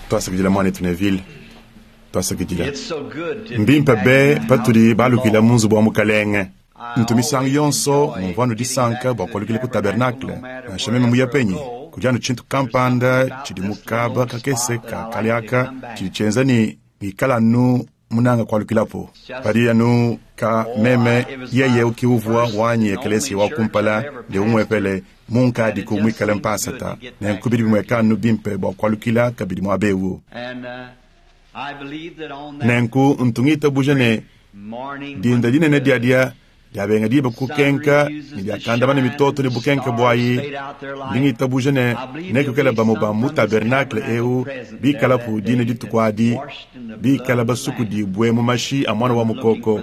Tuasakidila muanetu Neville. Tuasakidila. Mbimpe be patudi balukila mu nzubu wa Mukalenge. Ntu misangu yonso mumvua anu disanka bua kualukila ku tabernakle, nansha meme muye penyi. Kudi anu tshintu kampanda tshidi mu kaba kakese ka kale aka tshidi tshienza ne ngikala anu munanga kualukilapu. Padi anu ka meme, yeye eu ki uvua wanyi ekelesia wa kumpala ne umuepele munkadiku muikale mpasata, nenku bidi bimueka anu bimpe bua kualukila kabidi muaba eu. Nenku ntu ngitabuja ne, dinda dinene diadia diabenga diba kukenka ne diakandamana mitoto ne bukenke buayi, ndi ngitabuja ne nekuikale bamue ba mu tabernakle eu bikalapu dine dituku adi, bikala basukudibue mu mashi a Muana wa Mukoko.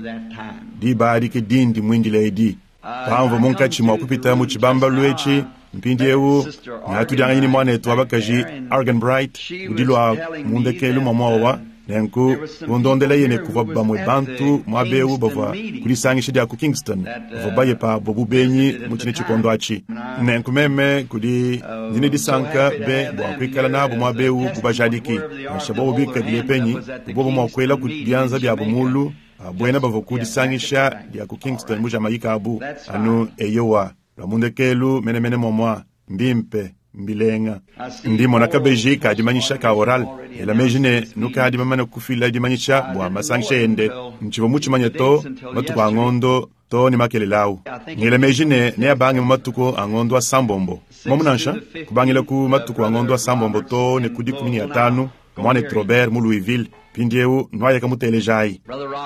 Diba adi ke dindi muindile edi. Pamvua munkatshi mua kupita mu tshibambalu etshi, mpindieu ngatudianganyi ne muanetu wa bakaji Arganbright udi lua mu ndekelu mua muowa, nenku kundondelaye ne kuvua bamue bantu muaba eu bavua ku disangisha dia ku Kingston bavua baye pabo bu benyi mu tshine tshikondo atshi. Nenku meme kudi ndi ne disanka be bua kuikala nabu muaba eu bu bajadiki, nansha bobo bikadile penyi, bu bobo mua kuelaku bianza biabo mulu. Buena bavua ku disangisha dia ku Kingston mu Jamaïque abu, anu eyowa, lua mu ndekelu menemene muamua. Mbimpe, mbilenga. Ndi mmona kabeji ka dimanyisha ka Oral, ngela meji ne nukadi bamane kufila dimanyisha bua masangisha ende. Ntshivua mutshimanye to matuku a ngondo too ne makelela au. Ngela meji ne neabange mu matuku a ngondo asambombo. Muomu nansha, kubangila ku matuku a ngondo asambombo too ne ku 15, Muanetu Robert mu Louisville, mpindieu nuayaka mutelejayi.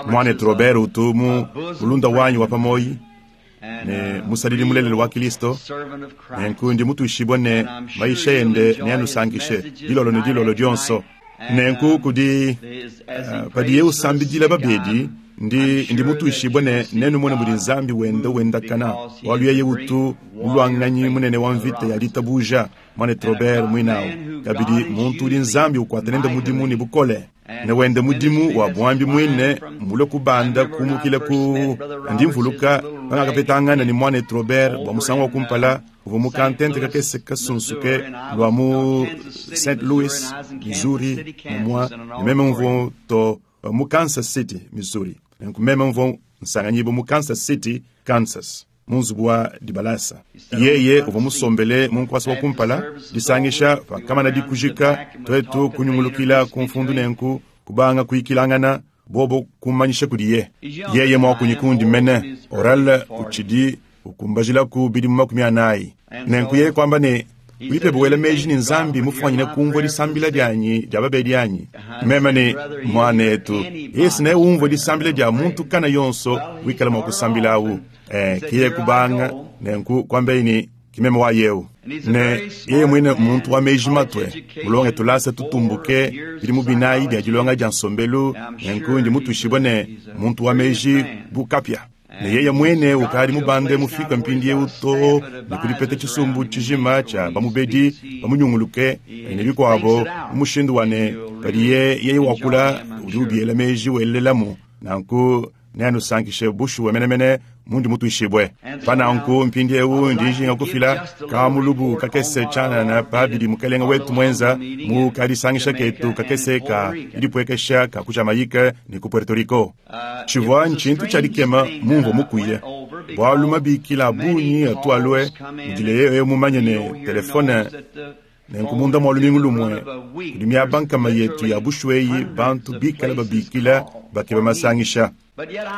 Muanetu Robert utu mu mulunda wanyi wa pa muoyi ne musadidi mulelela wa Kilisto, nenku ndi mutuishibue ne mayisha ende neanusankishe dilolo ne dilolo dionso. Nenku kudi uh, padiye usambidila babedi, ndi ndi mutuishibue ne nenumone mudi Nzambi wenda wendakana, bualu yeye utu muluanganyi munene wa mvita ya ditabuja. Muanetu Robert muinawu kabidi muntu udi Nzambi ukuata nende mudimu ne bukole ne wende mudimu wa buambi muine mulue kubanda kumukila ku. Ndi mvuluka pangakapetangana ne muanetu Robert bua musangu wa kumpala, uvua mu kantente kakese kasunsuke lua mu St. Louis, Missouri, mumua ne meme mvua to mu Kansas City, Missouri. Nenku meme mvua nsanganyibua mu Kansas City, Kansas. mu nzubu wa dibalasa. Yeye uvua musombele mu nkuasa wa kumpala. Disangisha pakamana dikujika, tuetu kunyungulukila ku mfundu nenku kubanga kuyikilangana, bobo kummanyisha kudiye. Yeye muakunyi kundi mene, Oral utshidi ukumbajilaku bidimu 40. Nenku yeye kuamba ne, Udi pebe wela meji ne Nzambi mufwanyine kumvua disambila dianyi dia babedi anyi? Meme ne, Muanetu, yeye neumvue disambila dia muntu kana yonso wikala mua kusambila awu. Eh, ke yeye kubanga nenku kuambaye ne, Ki meme wa yewu. Ne yeye muine muntu wa meji matue, mulonge tulasa tutumbuke, bidimu binayi bia dilonga dia nsombelu, nenku ndi mutuishibue ne muntu wa meji bu kapia. Ne yeye muine ukadi mubande mufike mpindieu too ne ku dipeta tshisumbu tshijima tshia bamubedi bamunyunguluke ne bikuabo mu mushindu wa ne, padiye yeye wakula udi ubiela meji welelamu. Nanku neanusankishe bushuwa menemene mundi mutuishibue. Pa nanku mpindieu ndi njinga kufila kamulubu kakese tshianana pa bidi Mukelenge wetu muenza mu kadisangisha ketu kakese ka didipuekesha ka ku Jamaïque ne ku Puerto Rico. Tshivua ntshintu tshia dikema mumvua mukuye, bualu mabikila a bungi atu alue mudile yeye mumanye ne telefone. Nenku munda mua lumingu lumue kudi miaba nkama yetu ya bushuwa eyi bantu bikale babikila bakeba masangisha.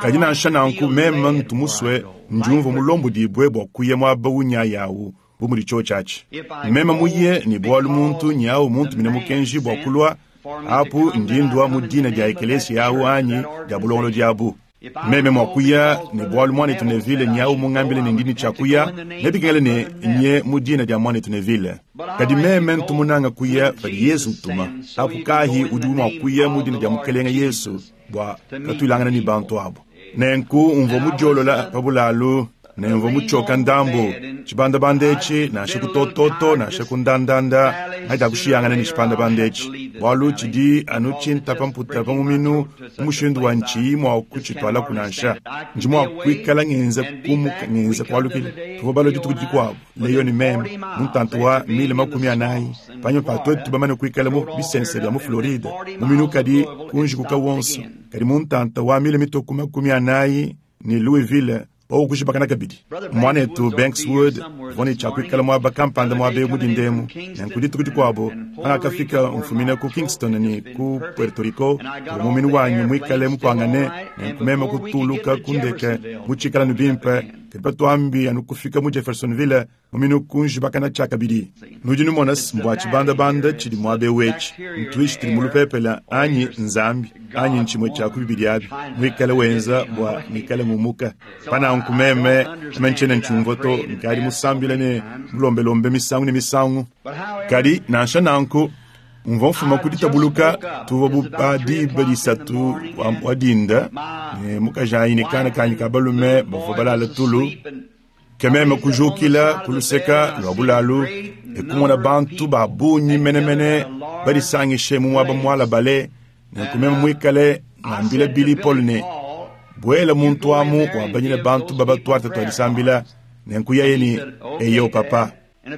Kadi nansha nanku meme ntu musue ndiumvua mulombodibue bua kuya muaba unyayi au bu mudi tshiotshi atshi. Meme muye ne bualu muntu nyawu muntumine mukenji bua kulua apu, ndi ndua mu dina dia ekelesia awu anyi dia bulongolodi abu. Meme mua kuya ne bualu muanetu Neville nyawu mungambile ne ndi ne tshia kuya, nebikengele ne nye mu dina dia muanetu Neville. Kadi meme ntu munanga kuya padi Yezu utuma. Apu kahi udi mua kuya mu dina dia Mukelenge Yesu bua katuilangana ne bantu abu. Nenku mvua mudiolola pa bulalu ne mvua mutshioka ndambu. Tshibandabanda etshi, nansha ku tototo nansha ku ndandanda, ngadiakushiyangana ne tshibandabanda etshi. Bwalu cidi anu cintapa mputa pa muminu mu mushindu wa nciyi mwa kucitwalaku nansha. Ndi mwa kwikala ngenza kumuka ngenza kwalukila. Tuvwa balwe dituku dikwabo, Leo ne meme, mu ntanta wa mile 40, panyima pa twetu bamane kwikala mu bisense bya mu Floride, muminu kadi kunjikuka wonso, kadi mu ntanta wa mile mitwe ku 40 ne Louisville, wowu kujibakana kabidi. Mwanetu Banks Wood uvwa ne cya kwikala mwaba kampanda mwaba ewu mu dinda emu. Nenku dituku dikwabo pangakafika mfumina ku Kingston ne ku Puerto Rico, uvwa muminu wanyi mwikale mupwangane, nenku meme kutuuluka ku ndeke mu ciikala anu bimpe, kadi patwambi anu kufika mu Jeffersonville, muminu kunjibakana cyakabidi. Nudi numona's mbwa cibandabanda cidi mwaba ewu eci, ntwishi tudi mu lupeepela anyi n'Nzambi, anyi ncimwe cya ku bibidi abi, mwikale wenza bwa ngikale ngumuka. Pa nanku meme, meme ncyena ncyumvwa to, nkaadi musambile ne mulombelombe misangu ne misangu. Kadi, nansha nanku, mvwa mfuma ku ditabuluka, tuvwa bu pa diba disatu wa dinda, ne mukajanyi ne kana kaanyi ka balume bavwa balala tulu. Ke meme kujukila ku luseka lua bulalu e kumona bantu ba bungi menemene badisangishe mu muaba mualabale. Nenku meme muikale ngambila Billy Paul ne, Buela muntu amu wabanyine bantu baba tuarte tua disambila. Nenku yeye ne, Eyo, papa.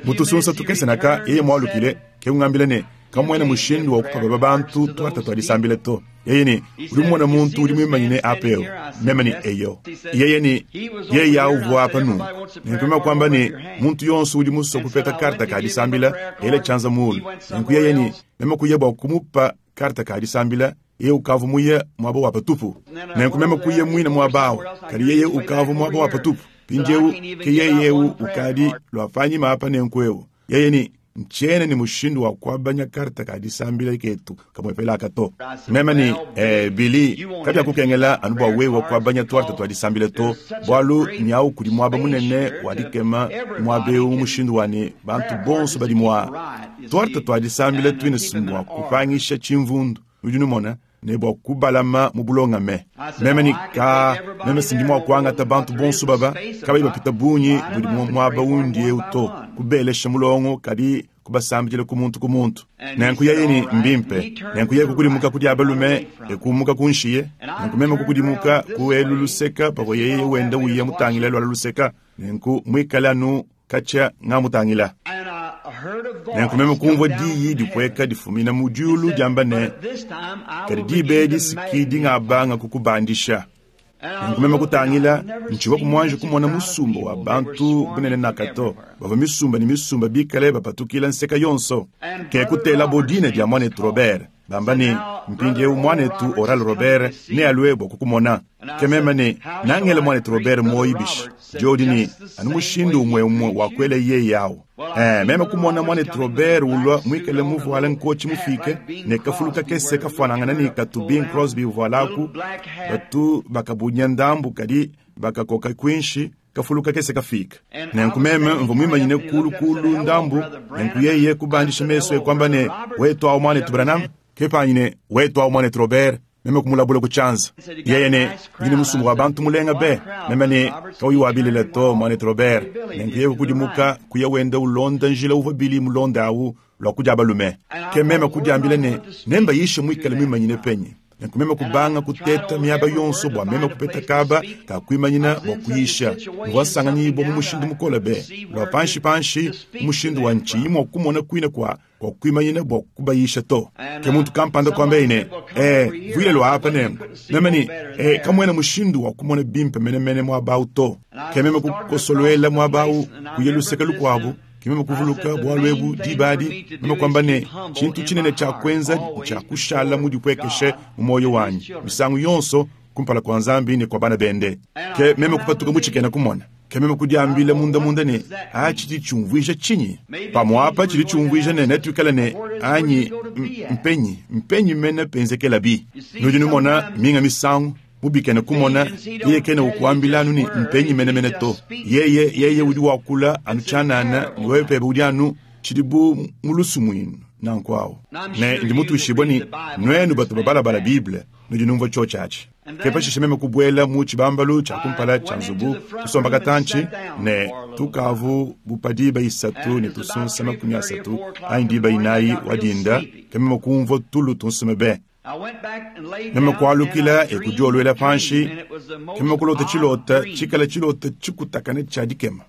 Mu tusunsa tukese naka yeye mualukile, ke kungambila ne, Kamuena mushindu wa kupa baba bantu tuarte tua disambila to. Yeye ne, Udi mumona muntu udi muimanyine apa eu? Meme ne, Eyo. Yeye ne, Yeye awu uvua apa nunku. Nenku meme kuamba ne, Muntu yonso udi musue kupeta karte ka disambila, ele tshianza muulu. Nenku yeye ne, meme kuya bua kumupa karte ka disambila, yeye ukavua muye muaba wa patupu. Nenku meme kuya muine muaba awu, kadi yeye ukavua muaba wa patupu. Mpindiewu ke yeye eu ukadi lua panyima apa nenku eu. Yeye ne, Ntshiena ne mushindu wa kuabanya karte ka disambila ketu kamuepele aka to. Meme ne, Ee, Billy, kabiakukengela anu bua wewe kuabanya tuarte tua disambila to, bualu nyawu kudi muaba munene wa dikema muaba eu mu mushindu wa ne bantu bonso badi mua tuarte tua disambila tuine mua kupangisha tshimvundu. Nudi numona? Ne bua kubalama mu bulongame. Meme ne, Kaa, meme si ndi mua kuangata bantu bonso baba kabayi bapita bungi budi mu muaba undi eu to, kubelesha mulongo, kadi kubasambidila ku muntu ku muntu. Nenku yeye ne, Mbimpe. Nenku yeye kukudimuka ku dia balume e kumuka kunshiye. Nenku meme kukudimuka ku elu luseka pavua yeye wenda uya mutangile luala luseka, nenku muikale anu katshia ngamutangila. Nenku meme kumvua diyi dipueka difumina mu diulu diamba ne, Kadi diba edi si ki dingabanga kukubandisha. Nenku meme kutangila, ntshivua muanji kumona musumba wa bantu bunene naka to. Bavua misumba ne misumba bikale bapatukila nseka yonso. Ke kutelabo dina dia muanetu Robert, bamba ne, Mpindieu muanetu Oral Robert nealue bua kukumona. Ke meme ne, Nangele muanetu Robert muoyi bishi? Diodi ne, Anu mushindu umue-umue wa kuela yeye awu. Ee, meme kumona muanetu Robert ulua muikale muvuale nkotshi mufiike ne kafulu kakese kafuanangane ne katu Bing Crosby uvualaku, batu bakabunya ndambu kadi bakakoka kuinshi, kafulu kakese kafiike. Nenku meme mvua muimanyine kuulu kuulu ndambu, nenku yeye kubandisha mesu e kuamba ne, Wetu awu, muanetu Branham? Ke panyi ne, Wetu awu, muanetu Robert? Meme kumulabula ku tshianza. Yeye ne, Ndi ne musumba wa bantu mulenga be. Meme ne, Kauyi wa bilele to, muanetu Robert. Nenku yeye kukudimuka, kuya wenda ulonda njila uvua Billy mulonde awu, lua ku dia balume. Ke meme kudiambila ne, Nembayishe muikale muimanyine penyi? Nenku meme kubanga kuteta miaba yonso bua meme kupeta kaba ka kuimanyina bua kuyisha. Mvua nsanganyibua mu mushindu mukole be, lua panshipanshi, mu mushindu wa ntshiyi mua kumona kuine kua kua kuimanyina bua kubayisha to. Ke muntu kampanda kuambaye ne, Ee, vuila lua apa nenku. Meme ne, Ee, kamuena mushindu wa kumona bimpe menemene muaba au to. Ke meme kukosoluela muaba au, kuya luseke lukuabu. Ke meme kuvuluka bualu ebu diba adi, meme kuamba ne, Tshintu tshinene tshia kuenza ntshia kushala mudipuekeshe mu muoyo wanyi misangu yonso kumpala kua Nzambi ne kua bana bende. Ke meme kupatuka mu tshikena-kumona. Ke meme kudiambila mundamunda ne, A, tshidi tshiumvuija tshinyi? Pamu'apa tshidi tshiumvuija ne, netuikale ne, anyi, mpenyi, mpenyi mene penzekelabi? Nudi numona, minga misangu, mu bikena-kumona, yeye kena ukuambila anu ne mpenyi menemene to. Yeye, yeye udi wakula anu tshianana, ne wewe pebe udi anu, tshidi bu mu lusumuinu nanku awu. Ne ndi mutuishibue ne, nuenu batu babalabala Bible, nudi numvua tshiotshi atshi. Ke pashishe meme kubuela mu tshibambalu tshia kumpala tshia nzubu, kusomba katantshi, ne tukavu bu pa diba isatu ne tusunsa 30 anyi diba inayi wa dinda, ke meme kumvua tulu tunsume be. Meme kualukila e kudioluela panshi, ke meme kulota tshilota tshikale tshilota tshikutakane tshia dikema.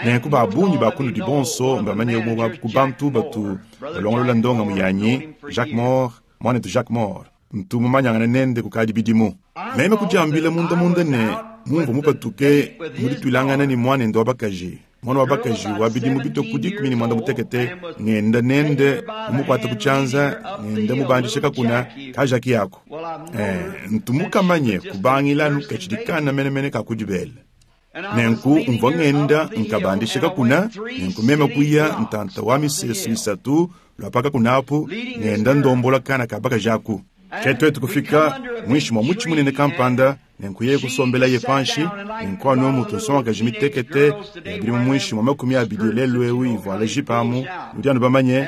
Nenku ba bungi ba kunudi bonso mbamanye umue wa ku bantu batu balongolola ndongamu yanyi, Jack Moore, muanetu Jack Moore. Ntu mumanyangane nende kukadi bidimu. Meme kudiambila mundamunda ne, mumvua mupatuke mu dituilangana ne muanende wa bakaji, muana wa bakaji wa bidimu bitue ku 18, ngenda nende mumukuate ku tshianza, ngenda mubandishe kakuna ka Jackie aku. Eh, ntu mukamanye kubangila anu katshidi kana menemene ka ku dibele. Nenku mvua ngenda nkabandisha kakuna, nenku meme kuya ntanta wa misesu isatu lua pa kakuna apu, ngenda ndombola kana ka bakaji aku. Ke tuetu kufika muinshi mua mutshi munene kampanda, nenku yeye kusombelaye panshi. Nenku anu mutu nsongakaji mitekete ya bidimu muinshi mua 20 lelu eu ivuala jipe amu, nudi anu bamanye,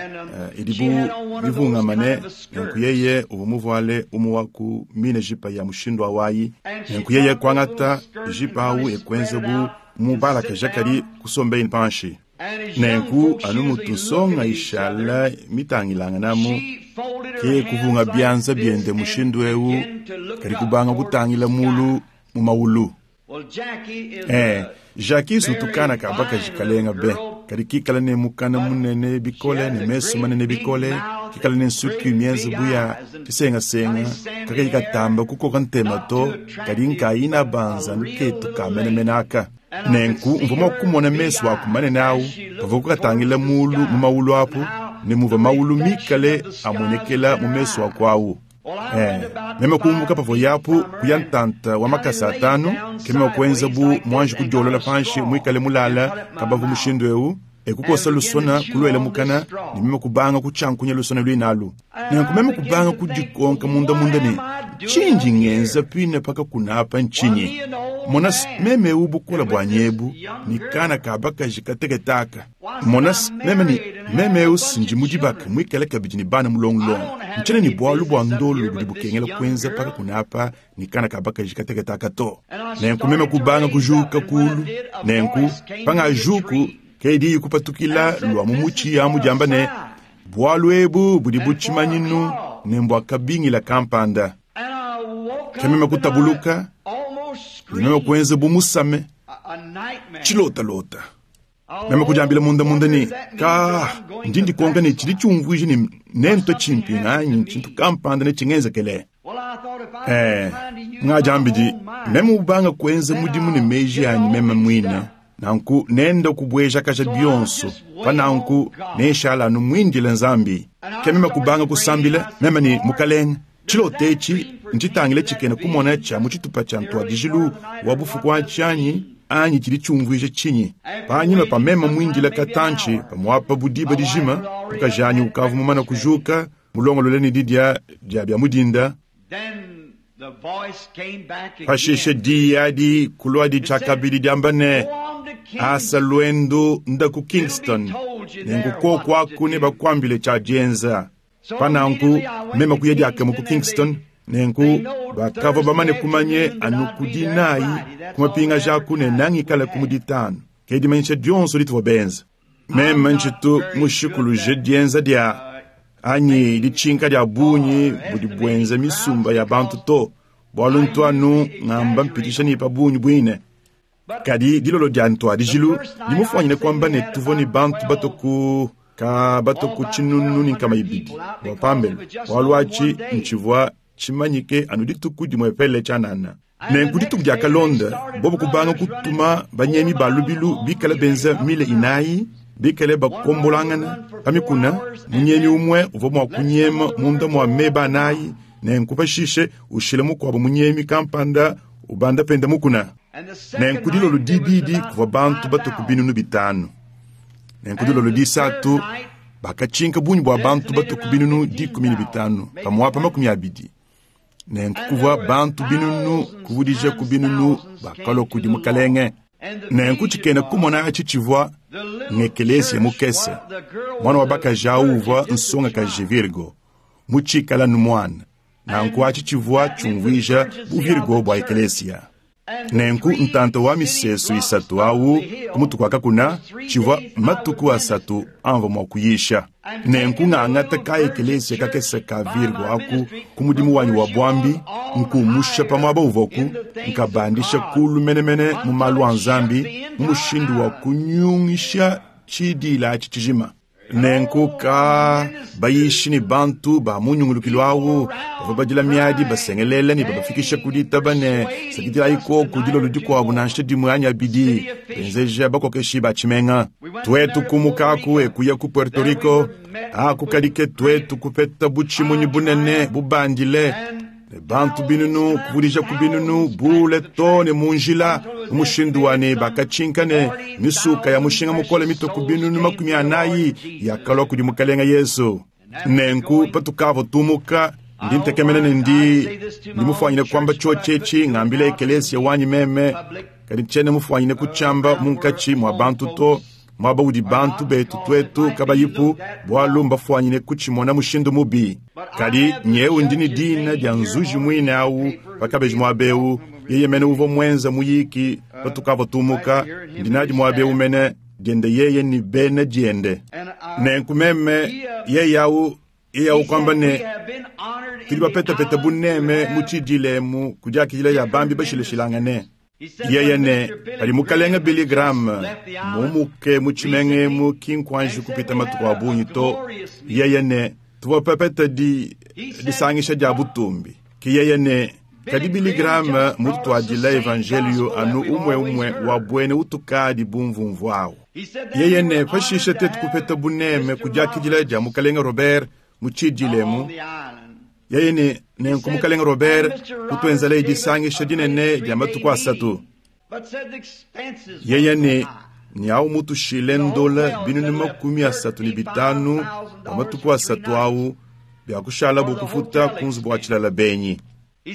idi bu mivungamane. Nenku yeye uvua muvuale umue wa ku mine jipe ya mushindu awayi. Nenku yeye kuangata jipe awu e kuenza bu mubalakaja kadi kusombeye panshi. Nenku anu mutu nsonga ishala mitangilanganamu, ke kuvunga bianza biende mushindu eu, kadi kubanga kutangila mulu mu maulu. Eh, Jackie utu kana ka bakaji kalenga be, kadi kikala ne mukana munene bikole ne mesu manene bikole, kikala ne nsuki mienze bu ya tshisengasenga, kakayi katamba kukoka ntema to, kadi nkayina banza nuketu ka menemene aka. Nenku mvua mua kumona mesu aku manene awu pavua kukatangila mulu mu maulu apu, ne muvua maulu mikale amuenekela mu mesu aku awu. Eh, meme kumbuka pavua yapu kuya ntanta wa makasa atanu, ke meme kuenza bu muanji kudiolola panshi muikale mulala kabavu mushindu eu, e kukosa lusona kuluela mukana, ne meme kubanga kutshiankunya lusona luinalu. Nenku meme kubanga kudikonka mundamunda ne, tshindi ngenza pine pakakuna apa ntshinyi? Mona meme eu bukole buanyi ebu ne kana ka bakaji kateketaka. Mona meme ne meme eu sindi mu dibaka muikale kabidi ne bana mulongulongo. Ntshiena ne bualu bua ndolo budi bukengela kuenza pakakuna apa ne kana ka bakaji kateketaka to. Nenku meme kubanga kujuka kulu. Nenku pangajuku ke diyi kupatukila lua mu mutshi amu diamba ne, bualu ebu budi bu tshimanyinu ne mbua kabingila kampanda. Ke meme kutabuluka ne meme kuenza bu musame tshilotalota. Meme kudiambila mundamunda ne, ka ndi ndikonka ne tshidi tshiumvuija ne nentue tshimpinga anyi tshintu kampanda ne tshingenzekele. Eh, ngadiambidi meme ubanga kuenza mudimu ne meji anyi meme muine, nanku nenda kubuejakaja bionso, pa nanku nenshala anu muindile Nzambi. Ke meme kubanga kusambila meme ne Mukalenge, tshilota etshi ntshitangile tshikena kumona tshia mu tshitupa tshia ntuadijilu wa bufuku atshi anyi anyi tshidi tshiumvuija tshinyi? Panyima pa meme muindile katantshi, pamuapa bu diba dijima, mukaji anyi ukavua mumane kujuka, mulongolole ne didia dia bia mu dinda. Pashishe diyi adi kuluadi tshiakabidi diamba ne, asa luendu nda ku Kingston, nenku koku aku nebakuambile tshia dienza. Pa nanku meme kuya diakamue ku Kingston, nenku bakavua bamane kumanye anu ku dinayi ku mapingaja aku ne nangikale ku mu ditanu. Ke dimanyisha dionso dituvua benza. Meme ntshitu mushikuluje dienza dia anyi ditshinka dia bungi budi buenza misumba ya bantu to, bualu ntu anu ngamba mpitisha ne pa bungi buine. Kadi dilolo dia ntuadijilu ndi mufuanyine kuamba ne tuvua ne bantu batue ku ka batue ku 200 bua pambelu, bualu atshi ntshivua tshimanyike anu dituku dimuepele tshianana. Nenku dituku diakalonda, bobu kubanga kutuma banyemi ba lubilu bikale benza mile 4, bikale bakombolangana pa mikuna. Munyemi umue uvua mua kunyema munda mua meba 4, nenku pashishe ushila mukuabu munyemi kampanda ubanda penda mukuna. Nenku dilolo dibidi kuvua bantu batue ku 5,000. Nenku dilolo disatu bakatshinka bungi bua bantu batue ku 15,000, pamuapa 20. Nenku kuvua bantu binunu kuvudija ku binunu bakalua kudi Mukalenge. Nenku tshikena kumona atshi tshivua ngekelesia mukese. Mwana wa bakaji awu uvua nsongakaji Virgo, mutshikala nu mwana. Nanku atshi tshivua tshiumvuija buvirgo bua ekelesia. Nenku ntanta wa misesu isatu awu ku mutu kua kakuna tshivua matuku asatu amvua mua kuyisha. Nenku ngangata ka ekelesia kakese ka Virgo aku ku mudimu wanyi wa buambi, nkumusha pa muaba uvuaku, nkabandisha kulu menemene mu malu a Nzambi mu mushindu wa kunyungisha tshidiila atshi tshijima. Nenku ka bayishi ne bantu ba mu nyungulukilu awu bavua badila miadi basengelela ne babafikisha ku ditaba ne, Sakidilayi koku dilolo dikuabu nansha dimue anyi abidi, benzeja bakokeshi ba tshimenga. Tuetu kumuka aku e kuya ku Puerto Rico, aku kadi ke tuetu kupeta butshimunyi bunene bubandile ne bantu binunu kuvudija ku binunu bule too ne mu njila mu mushindu wa ne bakatshinka ne misuka ya mushinga mukole mitue ku binunu 40 yakalua kudi Mukalenge Yezu. Nenku patukavua tumuka, ndi ntekemena ne ndi ndi mufuanyine kuamba tshiotshi etshi ngambila ekelesia wanyi meme, kadi tshiena mufuanyine kutshiamba munkatshi mua bantu to, muaba udi bantu betu tuetu kabayipu, bualu mbafuanyine kutshimona mushindu mubi. Kadi nyewu ndi ne dina dia nzuji muine awu pa kabeji muaba eu, yeye mene uvua muenza muyiki patukavua tumuka, ndi nadi muaba eu mene diende yeye ne bena diende. Nenku meme yeye awu yeye awu kuamba ne, tudi bapetapeta buneme mu tshidiila emu ku diakidila dia bambi bashilashilangane. Yeye ne, padi Mukalenge Billy Graham mumuke mu tshimenga emu ki nkuanji kupita matuku a bungi to, yeye ne, tuvua bapete di, disangisha dia butumbi. Ke yeye ne, kadi Billy Graham mututuadila evanjeliyo anu umue-umue wa buena utukadi bumvumvu awu. Yeye ne, pashishe tuetu kupeta buneme ku diakidila dia Mukalenge Robert mu tshidiila emu. Yeye ne, nenku Mukalenge Robert kutuenzelaye disangisha dinene dia matuku asatu. Yeye ne, nyawu mutushile ndola 35,000 bua matuku asatu awu bia kushalabu kufuta ku nzubu wa tshilala benyi.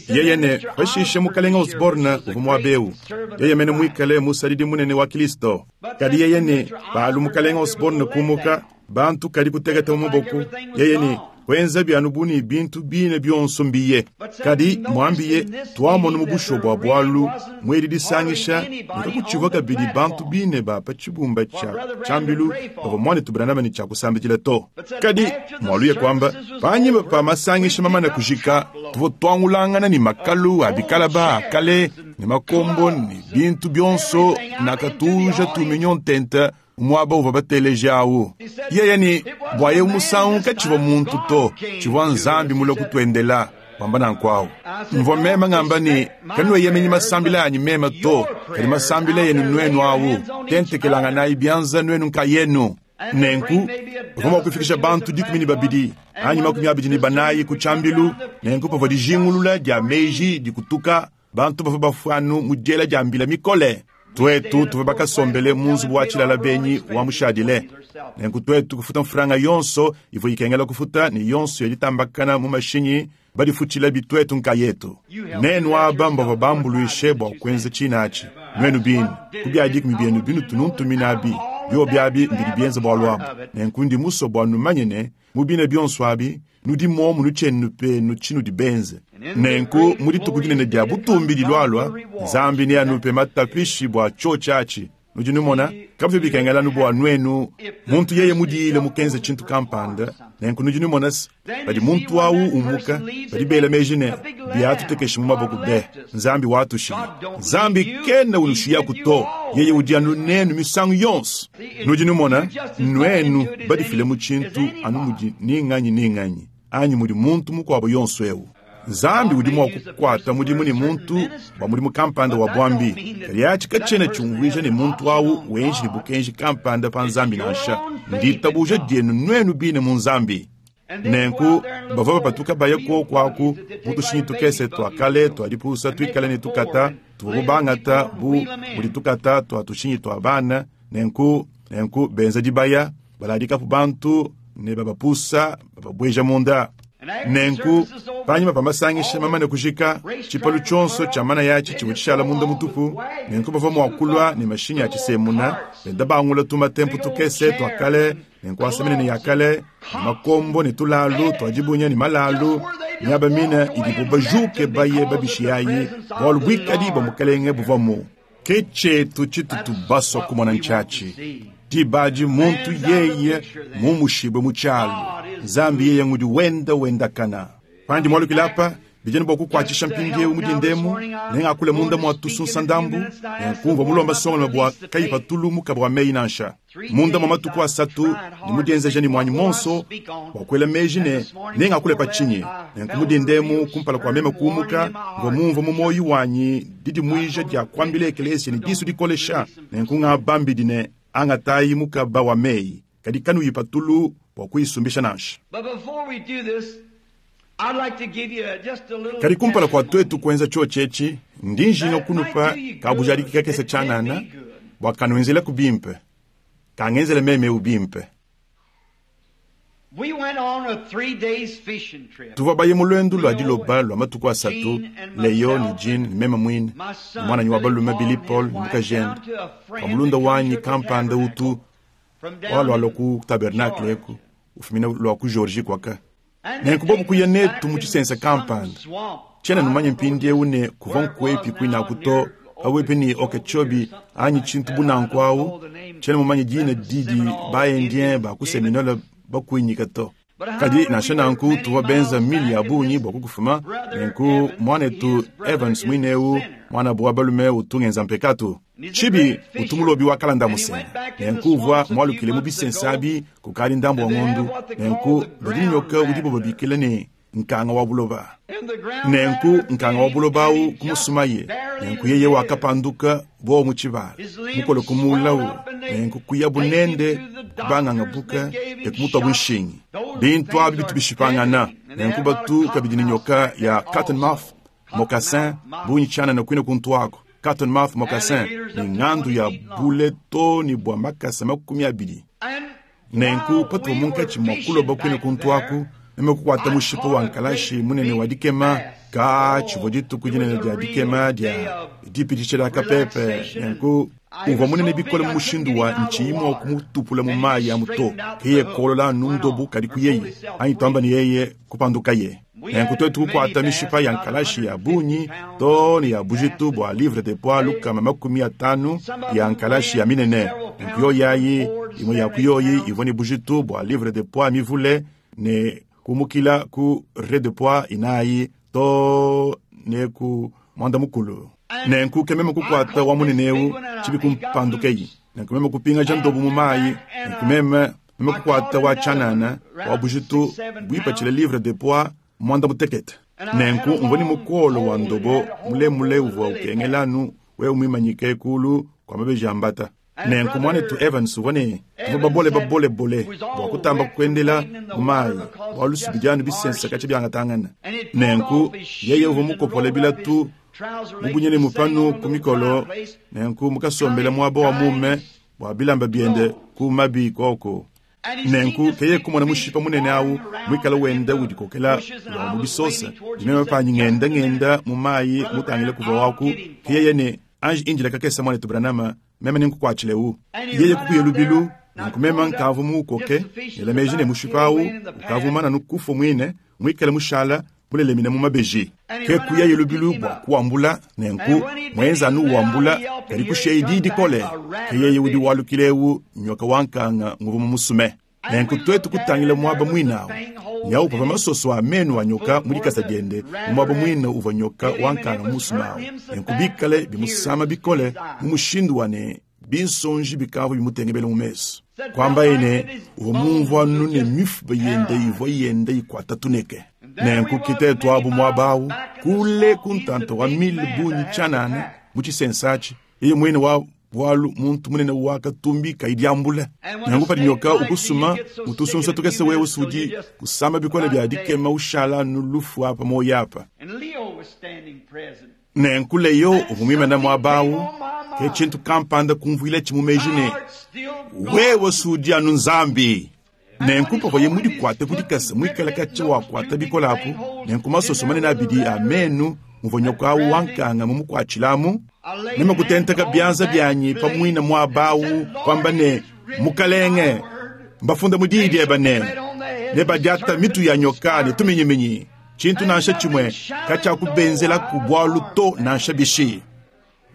Yeye ne, pashishe Mukalenge Osborne uvua muaba eu, yeye mene muikale musadidi munene wa Kristo. Kadi yeye ne, palu Mukalenge Osborne kumuka, bantu kadi kuteketa mu maboko. Yeye ne, kuenza anu bu ne bintu bine bionso mbiye. Kadi muambiye, tuamona mu bushuwa bua bualu muedi disangisha ne kakutshivua kabidi bantu bine ba pa tshibumba tshia tshiambilu bavua muanetu Branham ne tshia kusambidila to. Kadi mualuye kuamba, panyima pa masangisha mamane kujika, tuvua tuangulangana ne makalu a bikalaba a kale ne makombo ne bintu bionso nakatuja tuminyo ntenta muaba uvua bateleji awu. Yeye ne, bua eu musangu katshivua muntu to, tshivua Nzambi mulue kutuendela, wamba nanku awu. Mvua meme ngamba ne, kanueyemenyi masambila anyi meme to, kadi masambila enu nuenu awu, tentekelanganayi bianza nuenu nkayenu. Nenku bavua mua kufikisha bantu 12 anyi 24 ku tshiambilu. Nenku pavua dijingulula dia meji dikutuka, bantu bavua bafua anu mu diela dia mbila mikole. Tuetu tuvua bakasombele mu nzubu wa tshilala benyi wa mushadile. Nenku tuetu kufuta mfranga yonso ivua ikengela kufuta ne yonso ya ditambakana mu mashinyi, badifutshila bituetu nkayetu. Nenu aba mbavua bambuluishe bua kuenza tshina atshi, nuenu bine, ku bia dikumi bienu binutu nuntumina abi, biobi abi mbidi bienza bualu abu. Nenku ndi musue bua numanye ne, mu bine bionso abi, nudi muomu nutshienu penu tshinudi benze. Nenku mu dituku dinene dia butumbi dilualua, Nzambi neanupe matapishi bua tshiotshi atshi. Nudi numona, kabivua bikengela anu bua nuenu muntu yeye mudiile mukenze tshintu kampanda. Nenku nudi numona se, padi muntu awu umuka, badi bela meji ne, biatutekesha mu maboko be, Nzambi watushiya. Nzambi kena unushiyaku to, yeye udi anu nenu misangu yonso. Nudi numona, nuenu badifile mu tshintu anu mudi ni nganyi ni nganyi anyi mudi muntu mukuabo yonso eu. Nzambi udi mua kukuata mudimu ne muntu bua mudimu kampanda wa buambi, kadi atshi katshiena tshiumvuija ne muntu awu wenji ne bukenji kampanda pa Nzambi nansha. Nditabuja dienu nuenu bine mu Nzambi. Nenku bavua bapatuka baya kuoku aku mu tushinyi tukese tua kale tua dipusa tuikale ne tukata tuvua bangata bu mudi tukata tua tushinyi tua bana. Nenku nenku benza dibaya, baladikapu bantu ne babapusa, bababueja munda. Nenku panyima pa masangisha mamane kujika, tshipalu tshionso tshia manaya atshi tshivua tshishala munda mutupu. Nenku bavua mua kulua ne mashinyi a tshisemuna, benda bangula tumatempu tukese tua kale ne nkuasa minene ya kale, ne makombo ne tulalu tua dibunya ne malalu Miaba mine idibo bajuke baye babishiyayi, bualu buikadi bua Mukelenge buvuamu. Ke tshietu tshitutu basua kumona ntshiatshi. Diba adi muntu yeye mumushibue mu tshialu, Nzambi yeye ngudi wenda wendakana. Pandi mualukile apa, bidi ne bua kukuatshisha mpindieu mu dinda emu, nengakule munda mua tusunsa ndambu, nenkumvua mulomba songoloma bua kayipatulu mukaba wa meyi nansha. Munda mua matuku asatu ndi mudienzeja ne muanyi muonso bua kuela meji ne nengakule pa tshinyi. Nenku mu dinda emu kumpala kua meme kuumuka, mvua mumvue mu muoyo wanyi didimuija dia kuambila ekelesia ne disu dikolesha. Nenku ngabambidi ne, angatayi mukaba wa meyi, kadi kanuyipatulu bua kuyisumbisha nansha. Kadi kumpala kua tuetu kuenza tshiotshi etshi, ndi njinga kunupa kabujadiki kakese tshianana bua kanuenzelaku bimpe, kangenzele meme eu bimpe. Tuvua baye mu luendu lua diloba lua matuku asatu, Leo ne Jean ne meme muine, ne muananyi wa balume Billy Paul ne mukajende, kua mulunda wanyi kampanda utu walualua ku tabernacle eku, ufumina lua ku Georgie kuaka. Nenku bobu kuya netu mu tshisense kampanda. Tshiena numanye mpindieu ne kuvua nkuepi kuinaku to, pabuipi ne Okeechobee anyi tshintu bu nanku awu. Tshiena mumanye dina didi ba-Indien ba ku Seminole bakuinyika to. Kadi nansha nanku tuvua benza mili ya bungi bua kukufuma. Nenku muanetu Evans muine eu, muanabu wa balume utu ngenza mpekatu. Tshibi utu mulobi wa kalanda musenga. Nenku uvua mualukile mu bisense abi kukadi ndambu wa ngondu. Nenku badi ne nyoka udibo babikila ne nkanga wa buloba. Nenku nkanga wa buloba awu kumusumaye. Nenku yeye wakapanduka bowo mu tshibala, mukole kumuulawu. Nenku kuyabu nende kubanganga buka ne kumutuabu nshingi. Bintu abi bitu bishipangana. Nenku batu kabidi ne nyoka ya cottonmouth, moccasin, bungi tshianana kuine kuntu aku. Cottonmouth moccasin ne ngandu ya bule to ne bua makasa 20. Nenku patuvua munkatshi mua kuloba kuine kuntu aku, meme kukuata mushipa wa nkalashi munene wa dikema. Ka tshivua dituku dinene dia dikema dia dipitshisha dia kapepe. Nenku uvua munene bikole mu mushindu wa ntshiyi mua kumutupula mu mayi amu to. Ke yeye kolola anu ndobu kadi kuyeye, anyi tuamba ne yeye kupandukaye. Nenku tuetu kukuata mishipa ya nkalashi ya bungi too ne ya bujitu bua livre de poids 150 ya nkalashi ya minene. Nenku yoyi ayi, imue ya ku yoyi ivua ne bujitu bua livre de poids mivule ne kumukila ku re de poids 4 too ne ku 10. Nenku ke meme kukuata wa munene eu tshibi kumpandukeyi. Nenku meme kupingaja ndobu mu mayi. Nenku meme kukuata wa tshianana wa bujitu buipatshila livre de poids 18. Nenku mvua ne mukolo wa ndobo mulemule uvua ukengela anu wewe muimanyike kulu kua mabeji a mbata. Nenku muanetu Evans uvua ne tuvua babole babolebole bua kutamba kuendela mu mayi bualu subidi anu bisense katshia biangatangana. Nenku yeye uvua mukopole bilatu mubunyene mupanu ku mikolo, nenku mukasombela muaba wa mume bua bilamba biende ku mabi koko. Nenku keye kumona mushipa munene awu muikale wenda udikokela lua mu bisosa, dimeme panyi ngenda ngenda mu mayi mutangile kuvua waku. Keyeye ne anji indila kakese muanetu Branham, meme nenkukuatshile-u. Yeye kukuya lubilu, nenku meme nkavua muukoke, ngela meji ne mushipa awu ukavua mumane anu kufua muine, muikale mushala mulelemine mu mabeji. Ke kuyaye lubilu bua kuwambula, nenku muenza anu uwambula, kadi kushiyaye diyi dikole. Ke yeye udi walukila eu nyoka wa nkanga nguvua mumusume. Nenku tuetu kutangila muaba muine awu, nyawu pavua masoso a menu a nyoka mu dikasa diende mu muaba muine uvua nyoka wa nkanga mumusume awu. Nenku bikale bimusama bikole mu mushindu wa ne binsonji bikavua bimutengebele mu mesu. Kuambaye ne uvua mumvua anu ne mifuba yende ivua yenda ikuata tuneke. Nenku kitetu abu muaba awu kule ku ntanta wa mile bungi tshianana mu tshisense atshi, yeye muine wa bualu muntu munene wakatumbika idiambula. Nenku padi nyoka ukusuma mutusunsa tukese wewe usudi kusama bikole bia dikema ushala anu lufu apa muoyo apa. Nenku Leo uvua muimane muaba awu, ke tshintu kampanda kumvuila tshi mu meji ne, wewe sudi anu Nzambi. Nenku pavuaye mudikuate ku dikasa muikale katshia wakuata bikole apu, nenku masoso manene abidi a menu muvua nyoka awu wa nkanga mumukuatshilamu, meme kutenteka bianza bianyi pa muine muaba awu kuamba ne, Mukalenge, mbafunda mu diyi diebe ne, nebadiata mitu ya nyoka ne tuminyiminyi. Tshintu nansha tshimue katshiakubenzelaku bualu to nansha bishi.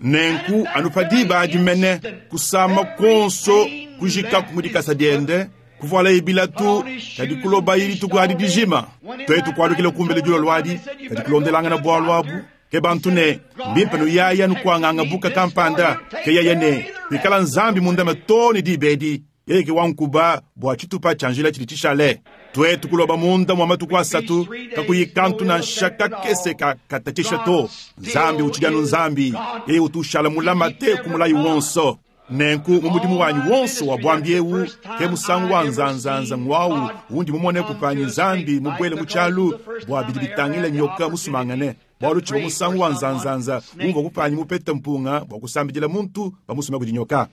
Nenku anu pa diba adi mene, kusama kuonso kujikaku mu dikasa diende, kuvualaye bilatu, kadi kulobaye dituku adi dijima. Tuetu kualukila kumbelu dilolo adi, kadi kulondelangana bualu abu. Ke bantu ne, Mbimpe nuyaya nukuanganga buka kampanda. Ke yeye ne, Pikala Nzambi mundame too ne diba edi, yeye ke wankuba bua tshitupa tshia njila tshidi tshishale. Tuetu kuloba munda mua matuku asatu, kakuyi kantu nansha kakese ka katatshisha to. Nzambi utshidi anu Nzambi, yeye utu ushala mulamate ku mulayi wonso. Nenku mu mudimu wanyi wonso wa buambi eu, ke musangu wa nzanzanza ng'wawu undi mumoneku panyi Nzambi mubuele mu tshialu bua bidi bitangila nyoka musumangane, bualu tshivua musangu wa nzanzanza umvua kupanyi mupete mpunga bua kusambidila muntu bamusume kudi nyoka.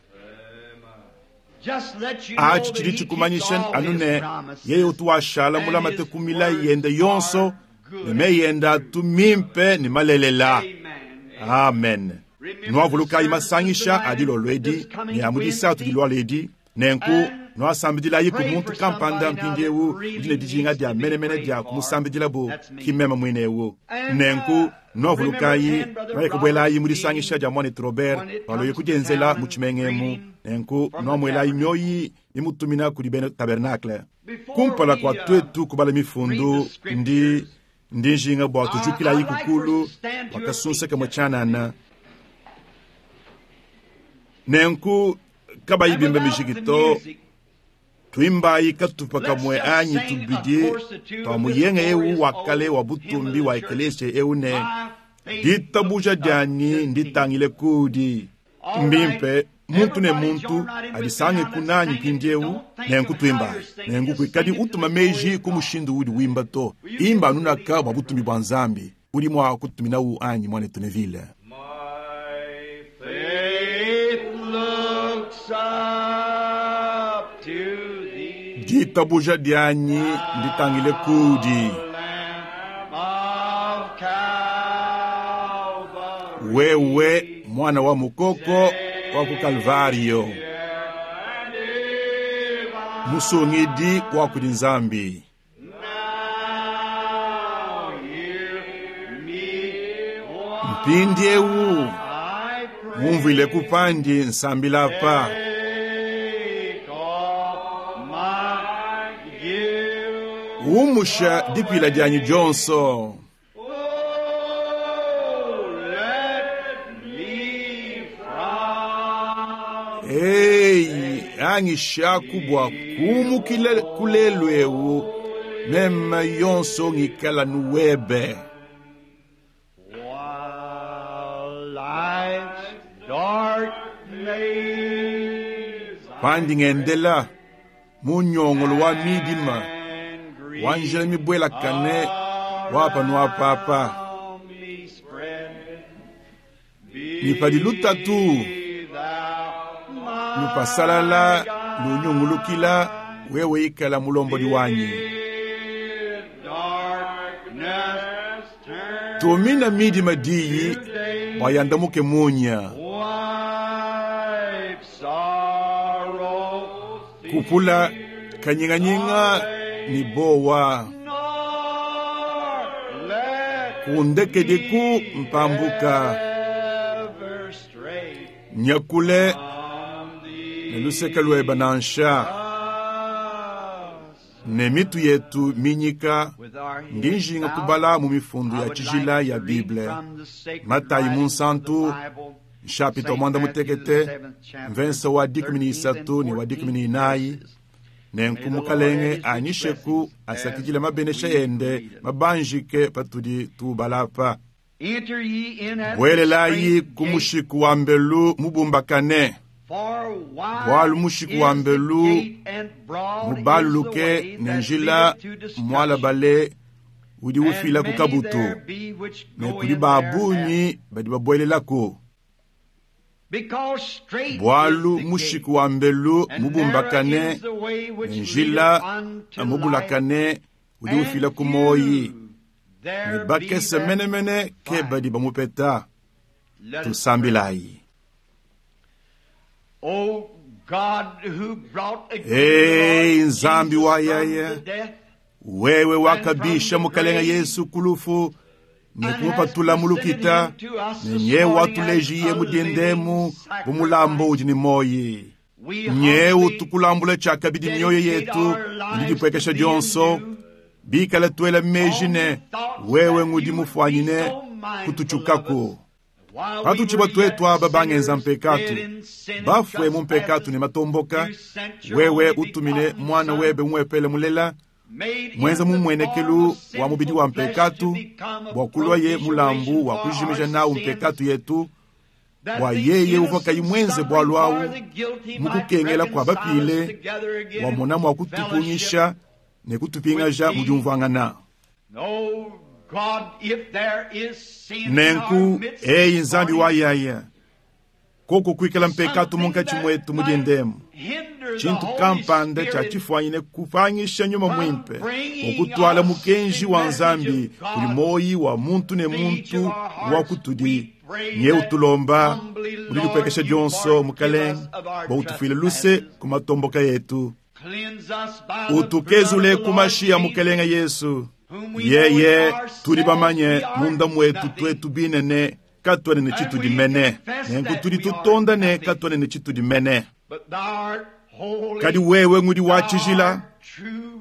Atshi tshidi tshikumanyisha anu ne, yeye utu washala mulamate ku milayi yende yonso, ne meyi ende atu mimpe ne malelela. Amen. Nuavulukayi masangisha a dilolo edi ne a mu disatu diluala edi. Nenku nuasambidilayiku muntu kampanda mpindieu udi ne dijinga dia menemene dia kumusambidilabu, ki mmeme muine eu. Nenku nuavulukayi, nuaye kubuelayi mu disangisha dia muanetu Robert paluaye kudienzela mu tshimenga emu. Nenku nuamuelayi mioyi mimutumina kudi bena tabernakle. Kumpala kua tuetu kubala mifundu, ndi ndi njinga bua tujukilayiku kulu bua kasunsa kamue tshianana. Nenku kabayi bimba mijiki to, tuimbayi katupa kamue anyi tubidi tua muyenga eu wa kale wa butumbi wa ekelesia eu ne, Ditabuja dianyi nditangile kudi. Mbimpe muntu ne muntu adisangeku nanyi mpindieu. Nenku tuimbayi. Nenku kuikadi utuma meji ku mushindu uudi wimba to. Imba anu naka bua butumbi bua Nzambi. Udi mua kututuminawu anyi, muanetu Neville? My faith looks up to thee, Ditabuja dianyi nditangile kudi. Lamb of Calvary. Wewe mwana wa mukoko wa ku Kalvario, musungidi wa kudi Nzambi. Now hear me Mpindieu I pray. ngumvuileku pandi nsambila apa. Take all my guilt. Umusha dipila dianyi dionso. Oh, let me from Eyi, anyishaku bua kumukila ku lelu eu, meme yonso ngikala nuwebe. while life's dark maze Pandi ngendela mu nyongolo wa midima, and grief wa njila mibuelakane wa panu apapa. around me spread, be Ni padi lutatu thou my lupasalala lunyungulukila, wewe ikala mulombodi wanyi. Darkness turn Tumina midima diyi bua yandamuke munya. wipe sorrow Kupula kanyinganyinga ni bowa. nor let Kundekediku mpambuka. ever stray Nyakule from thee. ne luseke lueba nansha. Ne mitu yetu minyika, With our heads ndi njinga bowed, kubala mu mifundu I ya would tshijila like ya to read Bible. from the sacred Matayi writings of the Munsantu, Bible, nshapita Saint mwanda Matthew, the mutekete, seventh chapter, mvensa wa dikumi ni 13th and isatu ni wa dikumi ni 14th inayi. verses. Nenku mukalenge anyisheku asakidile mabenesha ende mabanjike patudi tubalapa. Enter ye in at the Buelelayi strait ku gate, mushiku wa mbelu mubumbakane, for wide bualu mushiku is wa the mbelu gate and broad is the mubaluluke way ne that njila leadeth to destruction, mualabale udi and ufila ku many kabutu, there be which ne go kudi in ba thereat. bungi badi babuelelaku. Because strait Bualu is the mushiku gate, wa mbelu and narrow mubumbakane is the way which ne njila leadeth unto life, mubulakane udi and ufila ku moyi, few ne there be bakese that menemene ke find. badi bamupeta. Let us pray. Tusambilayi. O God who brought again Hey, the Lord Nzambi Jesus wa from yaya. the death, Wewe wakabisha mukalenga Yesu kulufu ne kumupatula mu lukita, ne nyewe watulejiye mudiendemu bu mulambo udi ne moyi. Nyewe tukulambula tshiakabidi mioyo yetu ne didipuekesha dionso, bikala tuela meji ne wewe ngudi mufuanyine kututshukaku. Patutshibwa twetu aba bangenza mpekatu, bafue mu mpekatu ne matomboka, wewe utumine mwana webe umwepele mulela mwenza mumwenekelu wa mubidi wa mpekatu bua kulwaye mulambu wa kujimija nawu mpekatu yetu, bua yeye uvua kayi mwenze bwalu awu mukukengela kwa bapile, wamona mua kutupungisha ne kutupingaja mu diumvuangana. Nenku eyi Nzambi wa yaya koko kuikala mpekatu munkatshi mwetu mudiendemu, tshintu kampanda tshia tshifuanyine kupangisha nyuma mwimpe okutwala mukenji wa Nzambi kuli moyi wa muntu ne muntu wa kutudi. Nye utulomba muli dipuekesha dionso mukalenge bua utufuile luse ku matomboka yetu, utukezule ku mashi ya mukalenge Yesu. Yeye tudi bamanye munda mwetu twetu binene katwene ne tshitudi mene, nenku tudi tutonda ne katwene ne tshitudi mene. Kadi wewe ngudi wa tshijila,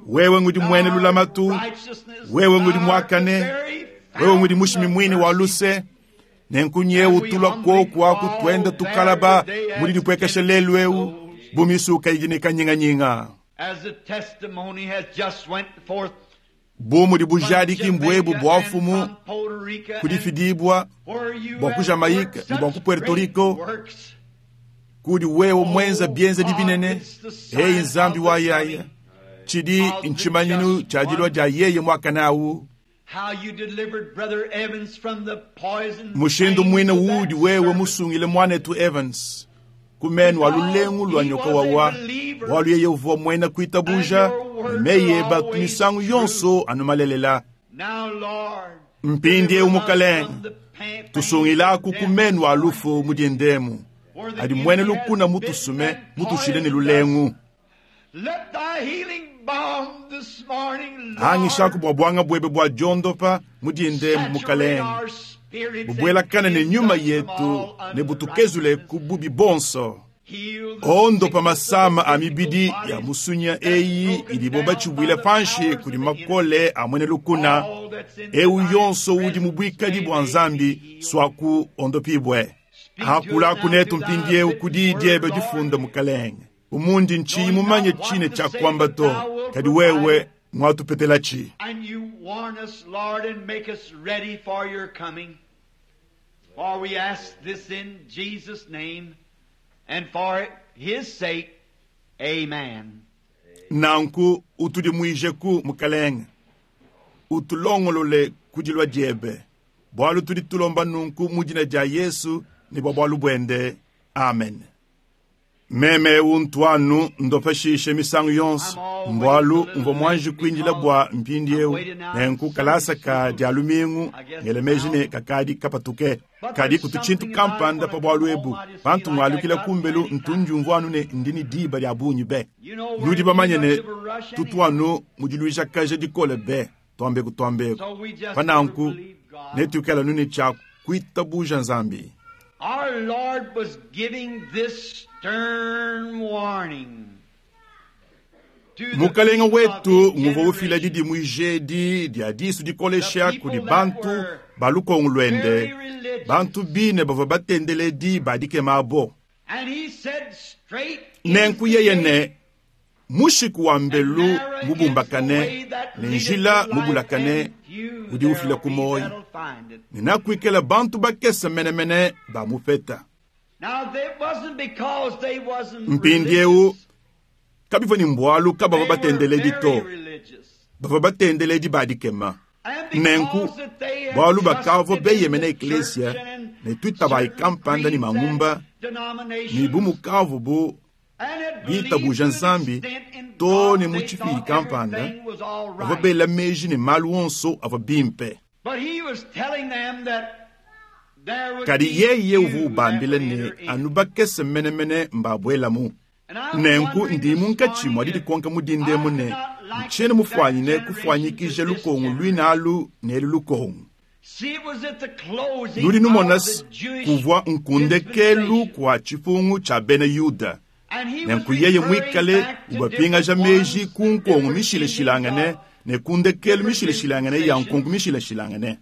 wewe ngudi mwene lulamatu, wewe ngudi mwakane, wewe ngudi mushimi mwine wa luse. Nenku nyewe utulwa kwoku aku twenda tukalaba muli dipuekesha lelu eu bumisuka idi ne kanyinganyinga. Bu mudi bujadiki mbwebu bua fumu kudifidibwa bua ku Jamaïque ne bua ku Puerto Rico, kudi wewe mwenza bienzedi binene. Eyi Nzambi wa yaya, tshidi ntshimanyinu tshia dilua dia yeye mwakana awu. Mushindu mwine wudi wewe musungile mwanetu Evans kumenu wa lulengu lwa nyoka wawa, bwalu yeye uvua mwena kuitabuja meye batu misangu yonso anumalelela. Mpindiewu mukalenge tusungilaku kumenu wa lufu mudiendemu adi mwene lukuna mutusume mutushile ne lulengu. Hangishaku bua bwanga bwebe bua diondopa mudiendemu mukalenge, bubwelakana ne nyuma yetu ne butukezule ku bubi bonso. Ondopa masama a mibidi ya musunya eyi idibo batshibwila panshi kudi makole a mwene lukuna. Eu yonso udi mu bwikadi bua Nzambi swaku ondopibwe. Hakulaku netu mpindiewu kudi diebe difunda mukalenge, umundi ntshiyi mumanye tshine tshia kuamba to, kadi wewe mwatupetelachi. For we ask this in Jesus' name and for his sake, amen. Nanku utudimuijeku mukalenge, utulongolole kudilwa diebe, bwalu tudi tulomba nunku mu dina dia Yesu ne bua bwalu bwende, amen. Meme untuanu ndopeshishe misangu yonso mbwalu mvua mwanji kuindila bua mpindiewu, nenku kalasa ka dia lumingu ngelemeji ne kakadi kapatuke. Kadi kutu tshintu kampanda pa bwalu ebu pantu ngwalukila kumbelu ntunjumvuanu ne ndini diba dia bungi be. Nudi bamanye ne tutuanu mudiluijakaja dikole be twambeku twambeku pananku netuikala nuni tshia kuitabuja Nzambi. Our Lord was giving this stern warning. Mukalenga wetu nguvua ufila didimuijedi dia disu dikolesha kudi bantu ba lukongo lwende, bantu bine bavua batendeledi ba dikemabo. Nenku yeye ne mushiku wa mbelu mubumbakane ne njila mubulakane udi ufila ku moyi, ne nakuikala bantu bakese menemene ba mupeta. Mpindiewu kabivua ni mbwalu kabavua batendeledi to, bavua batendeledi ba dikema. Nenku bwalu bakavua beyemena eklesia ne twitabayi kampanda ni mangumba ni bumukavu bu bitabuja Nzambi to ne mu tshipidi kampanda, bavua bela meji ne malu onso avua bimpe. Kadi yeye uvua ubambila ne anu bakese menemene mbabwelamu. Nenku ndi munkatshi mwa didikonka mudindemu ne Ntshiena mufuanyine kufuanyikija lukongu luine alu ne elu lukongu. Nudi numona kuvua nkundekelu kua tshipungu tshia bena Yuda. Nenku yeye muikale ubapingaja meji ku nkongu mishilashilangane ne ku ndekelu mishilashilangane ya nkongu mishilashilangane.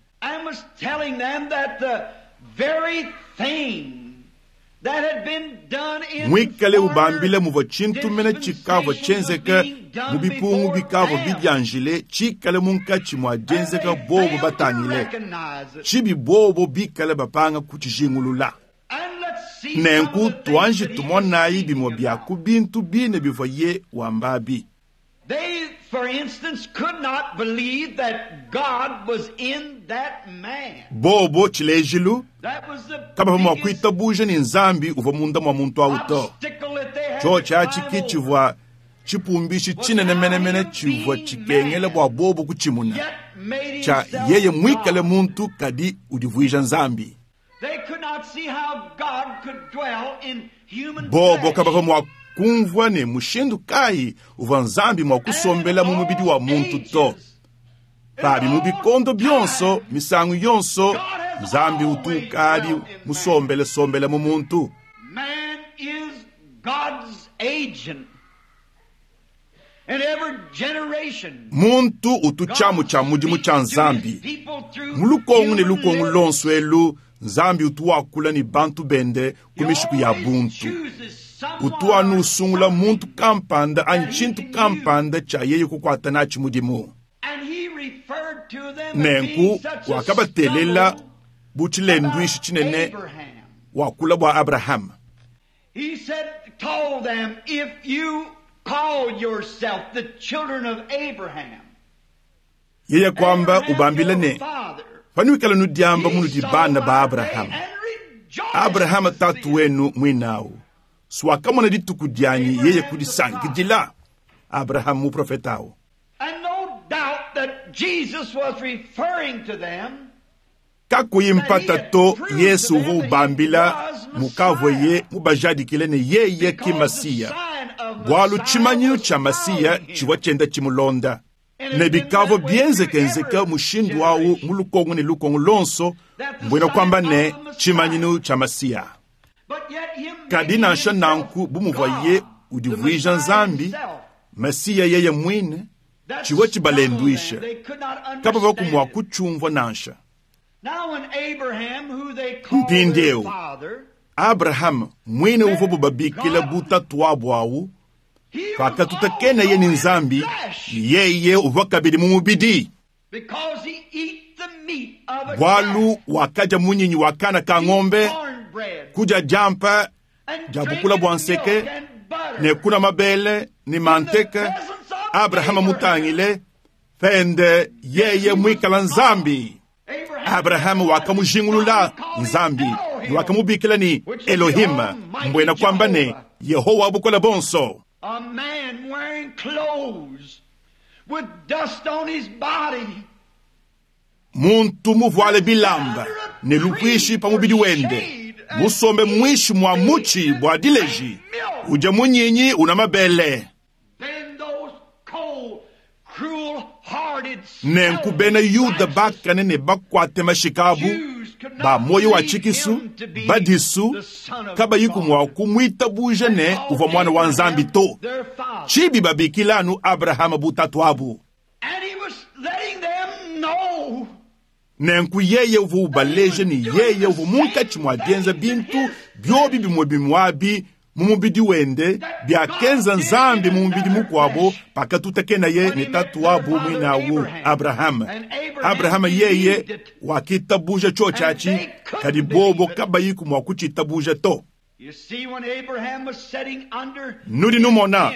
Muikale ubambila muvua tshintu mene tshikavua tshienzeke mu bipungu bikavua bidianjile tshikale munkatshi mua dienzeka bobo batangile, tshibi bobo bikale bapanga kutshijingulula. Nenku tuanji tumonayi bimue bia ku bintu bine bivuaye wambabi. Bobo tshilejilu kabavua mua kuitabuja ne Nzambi uvua munda mua muntu awu to. Tshiotshi atshi ke tshivua tshipumbishi tshinene menemene tshivua tshikengela bua bobo kutshimuna, tshia yeye muikale muntu kadi udivuija Nzambi. Bobo kabavua mua kumvua ne mushindu kayi uvua Nzambi mua kusombela mu mubidi wa muntu to. Pabi mu bikondo bionso, misangu yonso, Nzambi utu ukadi musombele-sombele mu muntu. Muntu utu tshiamu tshia mudimu tshia Nzambi. Mu lukongu ne lukongu luonso elu, Nzambi utu wakula ne bantu bende ku mishiku ya buntu. Utu anu usungula muntu kampanda anyi tshintu kampanda tshia yeye kukuata natshi mudimu. Nenku wakabatelela bu tshilenduishi tshinene wakula bua Abrahama. He said, told them, if you call yourself the children of Abraham, Yeye kwamba ubambile ne, panuikala nudiamba munudi bana ba Abrahama, Abrahama tatu wenu muinawu, swakamona dituku dianyi yeye kudisankidila. Abrahama muprofeta awu. And no doubt that Jesus was referring to them. Kakuyi mpata to, Yesu uvua ubambila mukavuaye mubajadikile ne yeye ki Masiya, bualu tshimanyinu tshia Masiya tshivua tshienda tshimulonda. Ne bikavua bienzekenzeka mushindu awu mu lukongo ne lukongo luonso, mbuena kuamba ne tshimanyinu tshia Masiya. Kadi nansha nanku, bu muvuaye udivuija Nzambi, Masiya yeye muine, tshivua tshibalenduisha, kabavua mua kutshiumvua nansha. Mpindieu Abrahama muine uvua babikila bu tatuabu awu, pakatutakena ne Nzambi, yeye uvua kabidi mu mubidi, bualu wakadia munyinyi wa kana ka ng'ombe, kudia diampa dia bukula bua nseke ne kuna mabele ne manteke. Abrahama mutangile pende yeye muikala Nzambi. Abrahama wakamujingulula Nzambi ne wakamubikila ne Elohim, mbuena kuamba ne Yehowa bukole bonso. A man wearing clothes with dust on his body. Muntu muvuale bilamba ne lupuishi pa mubidi wende, musombe mwishi mwa mutshi bua dileji, udia munyinyi una mabele. Then those cold, cruel-hearted, Nenku bena Yuda bakane ne bakuate mashikabu ba moyo wa tshikisu badisu kabayiku mua kumwitabuja ne uvua mwana wa Nzambi to. Tshibi babikila anu Abrahama bu tatuabu. And he was letting them know Nenku yeye uvua ubaleja ne yeye uvua munkatshi mua dienza bintu biobi bimue bimue mu mubidi wende biakenza Nzambi mu mubidi mukuabo pakatutakenaye ne tatuabu muinawu Abrahama. Abrahama yeye wakitabuja tshiotshi atshi, kadi bobo kabayiku mua kutshitabuja to. You see, when Abraham was sitting under Nudi numona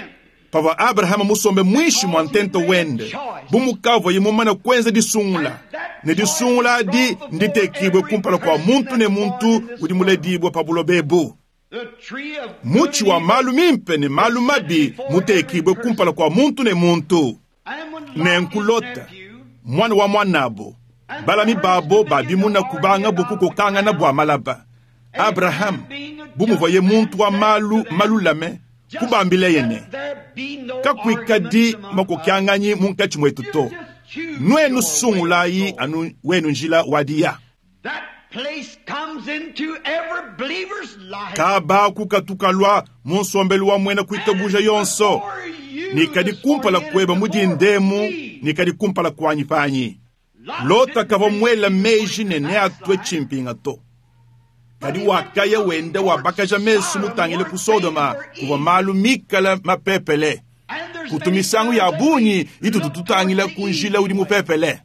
pavua Abrahama musombe mwishi mwa ntento wende, bu mukavuaye mumane kuenza disungula, ne disungula adi nditekibwe kumpala kua muntu ne muntu udi muledibwe pa buloba ebu. the tree of Mutshi wa malu mimpe ne malu mabi mutekibwe kumpala kua muntu ne muntu. And when Lot, Nenku his Lota, nephew, mwana wa mwanabo, balami babo babimuna kubanga bukukokangana bua malaba. Abraham, bu muvuaye muntu wa malu malulame, Kubambileye ne, Kakuikadi makokyanganyi munkatshi muetu to. Nuenu sungulayi anu wenu njila wa diya. Kaba kukatukalua mu nsombelu wa muena kuitabuja yonso, ne kadi kumpala kueba mu dindemu, ne kadi kumpala kuanyi panyi. Lota kavua muela meji ne neatue tshimpinga to. Kadi wakaya wenda wabakaja mesu mutangile ku Sodoma, kuvua malu mikala mapepele. Kutu misangu ya bungi itutu tutangila ku njila udi mupepele.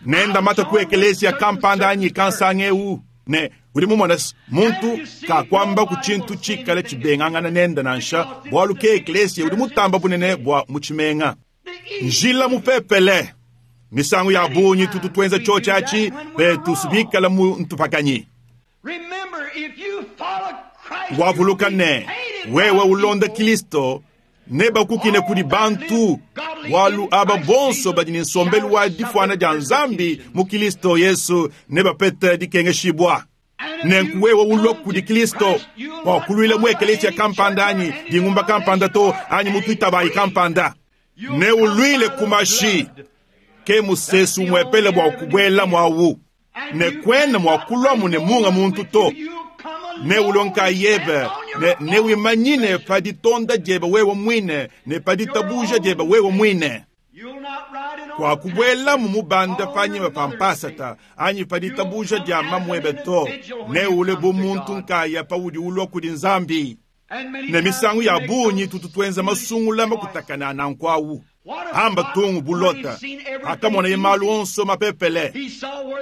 Nenda mata ku ekelesia kampanda anyi kansanga eu, ne udi mumona muntu kakuamba ku tshintu tshikale tshibengangana nenda nansha, bualu ke ekelesia udi mutamba bunene bua mu tshimenga. Njila mupepele. Misangu ya bungi tutu tuenza tshiotshi atshi petu bikala mu ntupakanyi. Wavuluka ne, wewe ulonda Kristo, nebakukine kudi bantu, bualu aba bonso badi ne nsombelu wa difuana dia Nzambi mu Kristo Yesu nebapete dikengeshibua. Nenku wewe ulua kudi Kristo, kuakuluila mu ekelesia kampanda anyi dingumba kampanda to, anyi mu tuitabayi kampanda. Neuluile ku mashi, ke musesu umuepele bua kubuela muawu. Ne kuena mua kuluamu ne munga muntu to. Neulue nkayebe, ne newimanyine pa ditonda diebe wewe muine ne pa ditabuja diebe wewe muine. Kuakubuelamu mubanda panyima pa mpasata anyi pa ditabuja dia mamuebe to. Neulue bu muntu nkaya paudi ulua kudi Nzambi. Ne misangu ya bungi tutu tuenza masungula makutakana nanku awu. Amba tungu bu Lota, akamonaye malu onso mapepele.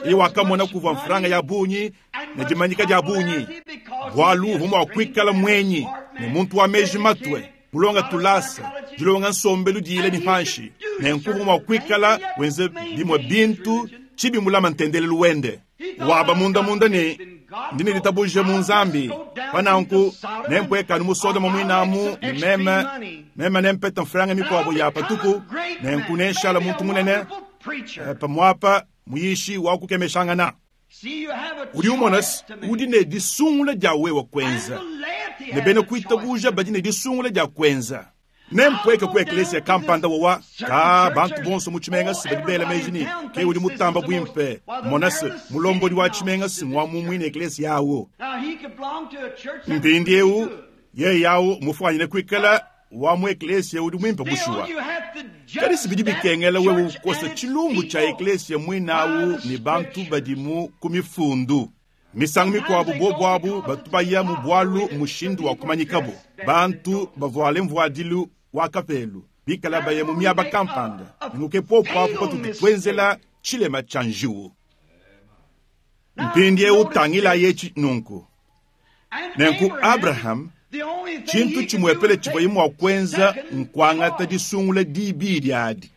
Iye wakamona kuvua mfranga ya bungi ne dimanyika dia bungi, bualu uvua mua kuikala muenyi ne muntu wa meji matue, mulonga tulasa, dilonga nsombelu diyile ne panshi, nenku uvua mua kuikala wenza bimue bintu tshibi mulama ntendelelu wende. Waba munda-munda ne, ndi ne ditabuja mu Nzambi, pa nanku nempuekanu mu Sodoma muinamu, ne meme, meme nempeta mfranga mikuabo ya patupu, nenku nenshala muntu munene, pamuapa muyishi wa kukemeshangana. Udi umona, udi ne disungula dia wewe kuenza, ne bena kuitabuja badi ne disungula dia kuenza. Nempueke ku eklesia kampanda wawa ka bantu bonso mu tshimenga si badi bela meji ne ke udi mutamba buimpe. Mona se, mulombodi wa tshimenga si ngwa mu muine eklesia awu. Mpindieu yeye awu mufuanyine kuikala wa mu eklesia udi muimpe bushuwa. Kadi si bidi bikengela wewe ukosa tshilumbu tshia eklesia muine awu ne bantu badimu ku mifundu. Misangu mikuabu bobu abu batu baya mu bualu mushindu wa kumanyikabu. Bantu bavuale mvuadilu wa kapelu bikala baya mu miaba kampanda, nenku popo apu patutu tuenzela tshilema tshia njiwu. Mpindieu tangilayi etshi nunku. Nenku Abraham, tshintu tshimuepele tshivuaye mua kuenza nkuangata disungula dibidi adi.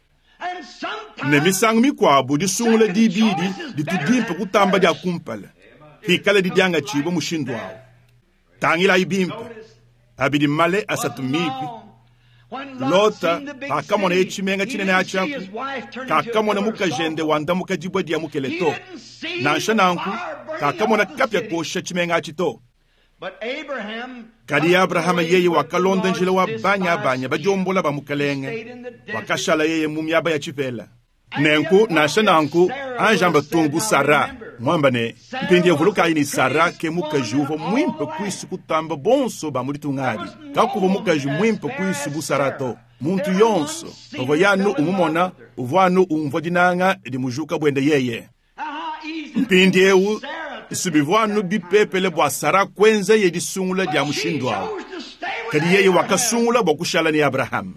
Ne misangu mikuabu disungula dibidi ditu dimpe kutamba dia kumpala, pikala didiangatshibua mushindu awu. Tangilayi bimpe, abidi male asatu mipi. Lota pakamonaye tshimenga tshinene atshi apu, kakamona mukajende wandamuka dibue dia mukele to. Nansha nanku, kakamona kapia kosha tshimenga atshi to. Kadi Abrahama yeye wakalonda njila wa banyabanya badiombola ba mukalenge, wakashala yeye mu miaba ya tshipela. Nenku nansha nanku anjamba tungu Sara mwamba ne, mpindieu vulukayi ne Sara ke mukaji uvua muimpe kuisu kutamba bonso ba mu ditunga adi. Kakuvua mukaji muimpe kuisu bu Sara to. Muntu yonso pavua yanu umumona uvua anu umvua dinanga dimujuka buende yeye. Mpindieu si bivua anu bipepele bua Sara kuenzaye disungula dia mushindu awu, kadi yeye wakasungula bua kushala ne Abrahama.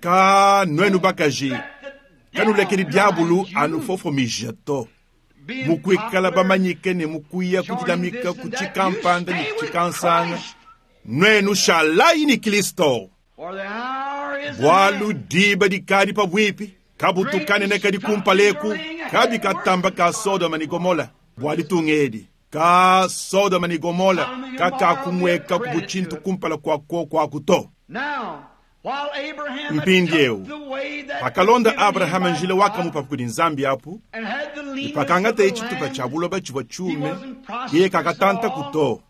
Ka nuenu bakaji, kanulekedi diabulu anufofomija to. Mukuikala bamanyike ne mukuya kudilamika ku tshikampanda ne tshikansanga, nuenu shalayi ne Kristo. Bualu diba dikadi pabuipi, kabutu kanene kadi kumpaleku, kabi katamba ka Sodoma ne Gomola bua ditunga edi. Ka Sodoma ne Gomola kakakumweka ku tshintu kumpala kua kuaku to. Mpindieu pakalonda Abrahama njila wakamupa kudi Nzambi apu, ne pakangataye tshitupa tshia buloba tshivua tshiume, yeye kakatantaku to.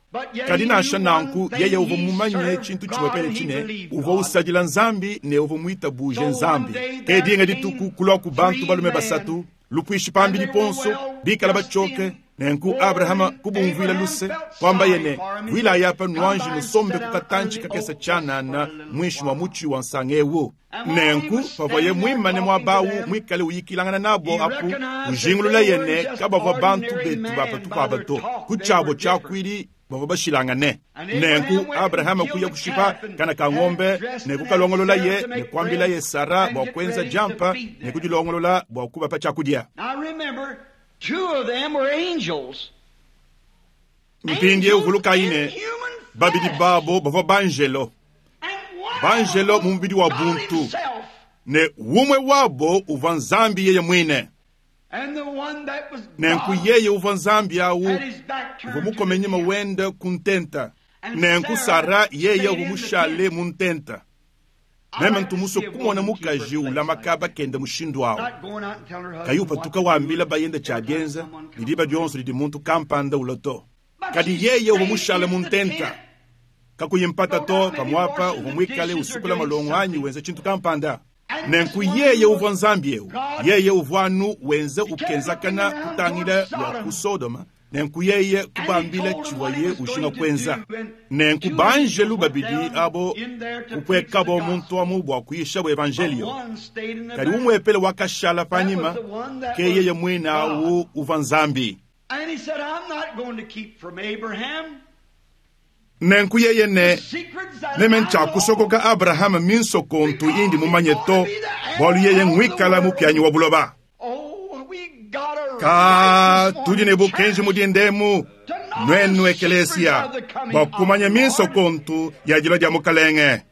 Kadi nansha nanku yeye uvua mumanye tshintu tshimuepele tshine, uvua usadila Nzambi ne uvua muitabuje Nzambi. Ke dinga dituku kuluaku bantu balume basatu, lupuishi pambidi ponso, bikala batshioke. Nenku Abrahama kubumvuila luse, kuambaye ne, Vuilayi apa nuanji nusombe ku katantshi kakese tshianana muinshi mua mutshi wa nsanga eu. Nenku pavuaye muimane muaba au muikale uyikilangana nabo apu, kujingululaye ne, kabavua bantu betu ba patupu aba to, ku tshiabo tshiakuidi bavua bashilangane. Nenku Abrahama kuya kushipa kana ka ngombe ne kukalongololaye ne kuambilaye Sara bua kuenza diampa ne kudilongolola bua kubapa tshiakudia. Mpindieu vulukayi ne, babidi babo bavua banjelo, banjelo mu mubidi wa buntu, ne umue wabo uvua Nzambi yeye muine. Nenku yeye uvua Nzambi au uvua mukome nyima wende ku ntenta. Nenku Sara yeye uvua mushale mu ntenta. Meme ntu musue kumona mukaji ulama kaba kende mushindu au, kayi upatuka wambila bayende tshia dienza ne diba dionso didi muntu kampanda ulua to. Kadi yeye uvua mushale mu ntenta, kakuyi mpata to, pamuapa uvua muikale usukula malongo anyi wenza tshintu kampanda. Nenku yeye uvua Nzambi eu, yeye uvua anu wenza ukenzakana kutangila lua ku Sodoma. Nenku yeye kubambila tshivuaye ujinga kuenza. Nenku banjelu babidi abo kupuekabo muntu amu bua kuyishabo evanjeliyo. Kadi umuepele wakashala panyima, ke yeye muine au uvua Nzambi. Nenku yeye ne, Meme ntshiakusokoka Abrahama minsokontu indi mumanye to, bualu yeye nguikala mupianyi wa buloba. Ka tudi ne bukenji mu dindemu, nuenu ekelesia, bua kumanya minsokontu ya dilua dia Mukalenge.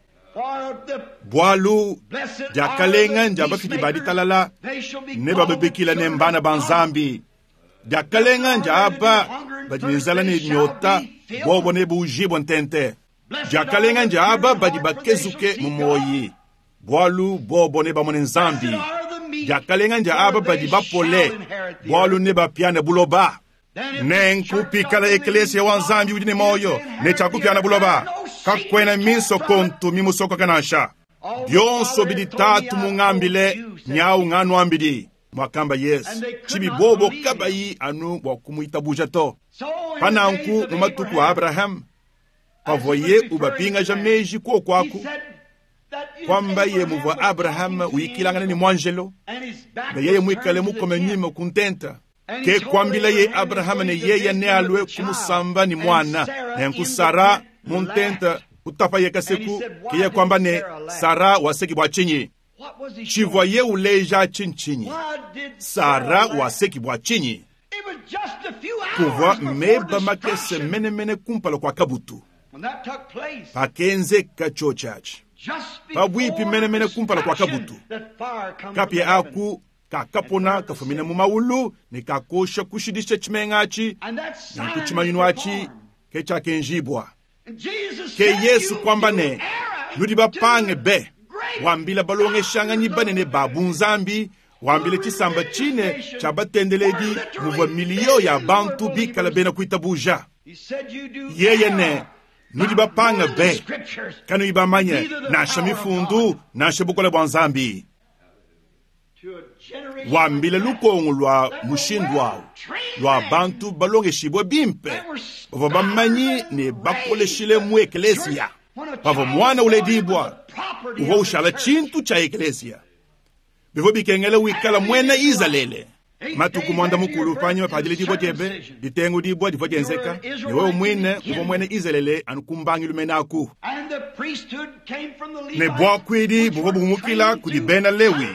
Bualu diakalenga ndia bafidi ba ditalala, ne bababikila ne mbana ba Nzambi. Diakalenga ndia aba badi ne nzala ne nyota, bobo ne buujibue ntente. Diakalenga ndia aba badi bakezuke mu muoyi, bualu bobo nebamone Nzambi. Diakalenga ndia aba badi bapole, bualu nebapiane buloba. Nenku pikala ekelesia wa Nzambi udi ne muoyo ne tshiakupiana buloba, kakuena minsokontu mimusokoka nansha. Bionso bidi Tatu mungambile, nyawu nganuambidi, muakamba Yesu. Tshibi bobo kabayi anu bua kumuitabuja to. Pananku mu matuku a Abraham, pavuaye ubapingaja meji kuoku aku, kwambaye muvua Abraham uyikilangana ne muanjelo, ne yeye muikale mukome nyima ku ntenta. Ke kuambilaye Abraham ne yeye nealue kumusamba ne muana. Nenku Sara mu ntenta kutapaye kaseku, keye kuamba ne Sara waseki bua tshinyi? Tshivuaye uleja tshintshinyi? Sara waseki bua tshinyi? Kuvua meba makese menemene kumpala kua kabutu pakenzeka tshiotshi atshi, pabuipi menemene kumpala kua kabutu. Kapia aku kakapona kafumina mu maulu ne kakosha kushidisha tshimenga atshi, nanku tshimanyinu atshi ke tshiakenjibua. Ke Yesu kuamba ne, nudi bapange be, wambila balongeshanganyi banene ba bunzambi, wambila tshisamba tshine tshia batendeledi muvua miliyo ya bantu bikala bena kuitabuja. Yeye ne, nudi bapange be, kanuyi bamanye nansha mifundu nansha bukole bua Nzambi. Wambila lukongo lua mushindu awu lua bantu balongeshibue bimpe bavua bamanyi ne bakoleshile mu ekelesia. Pavua mwana uledibua, uvua ushala tshintu tshia ekelesia. Bivua bikengela wikala muena Izalele. Matuku muanda mukulu panyima pa diledibua diebe, ditengudibua divua dienzeka, ne wewe muine uvua muena Izalele anu ku mbangilu mene aku. Ne buakuidi buvua bumukila kudi bena Lewi,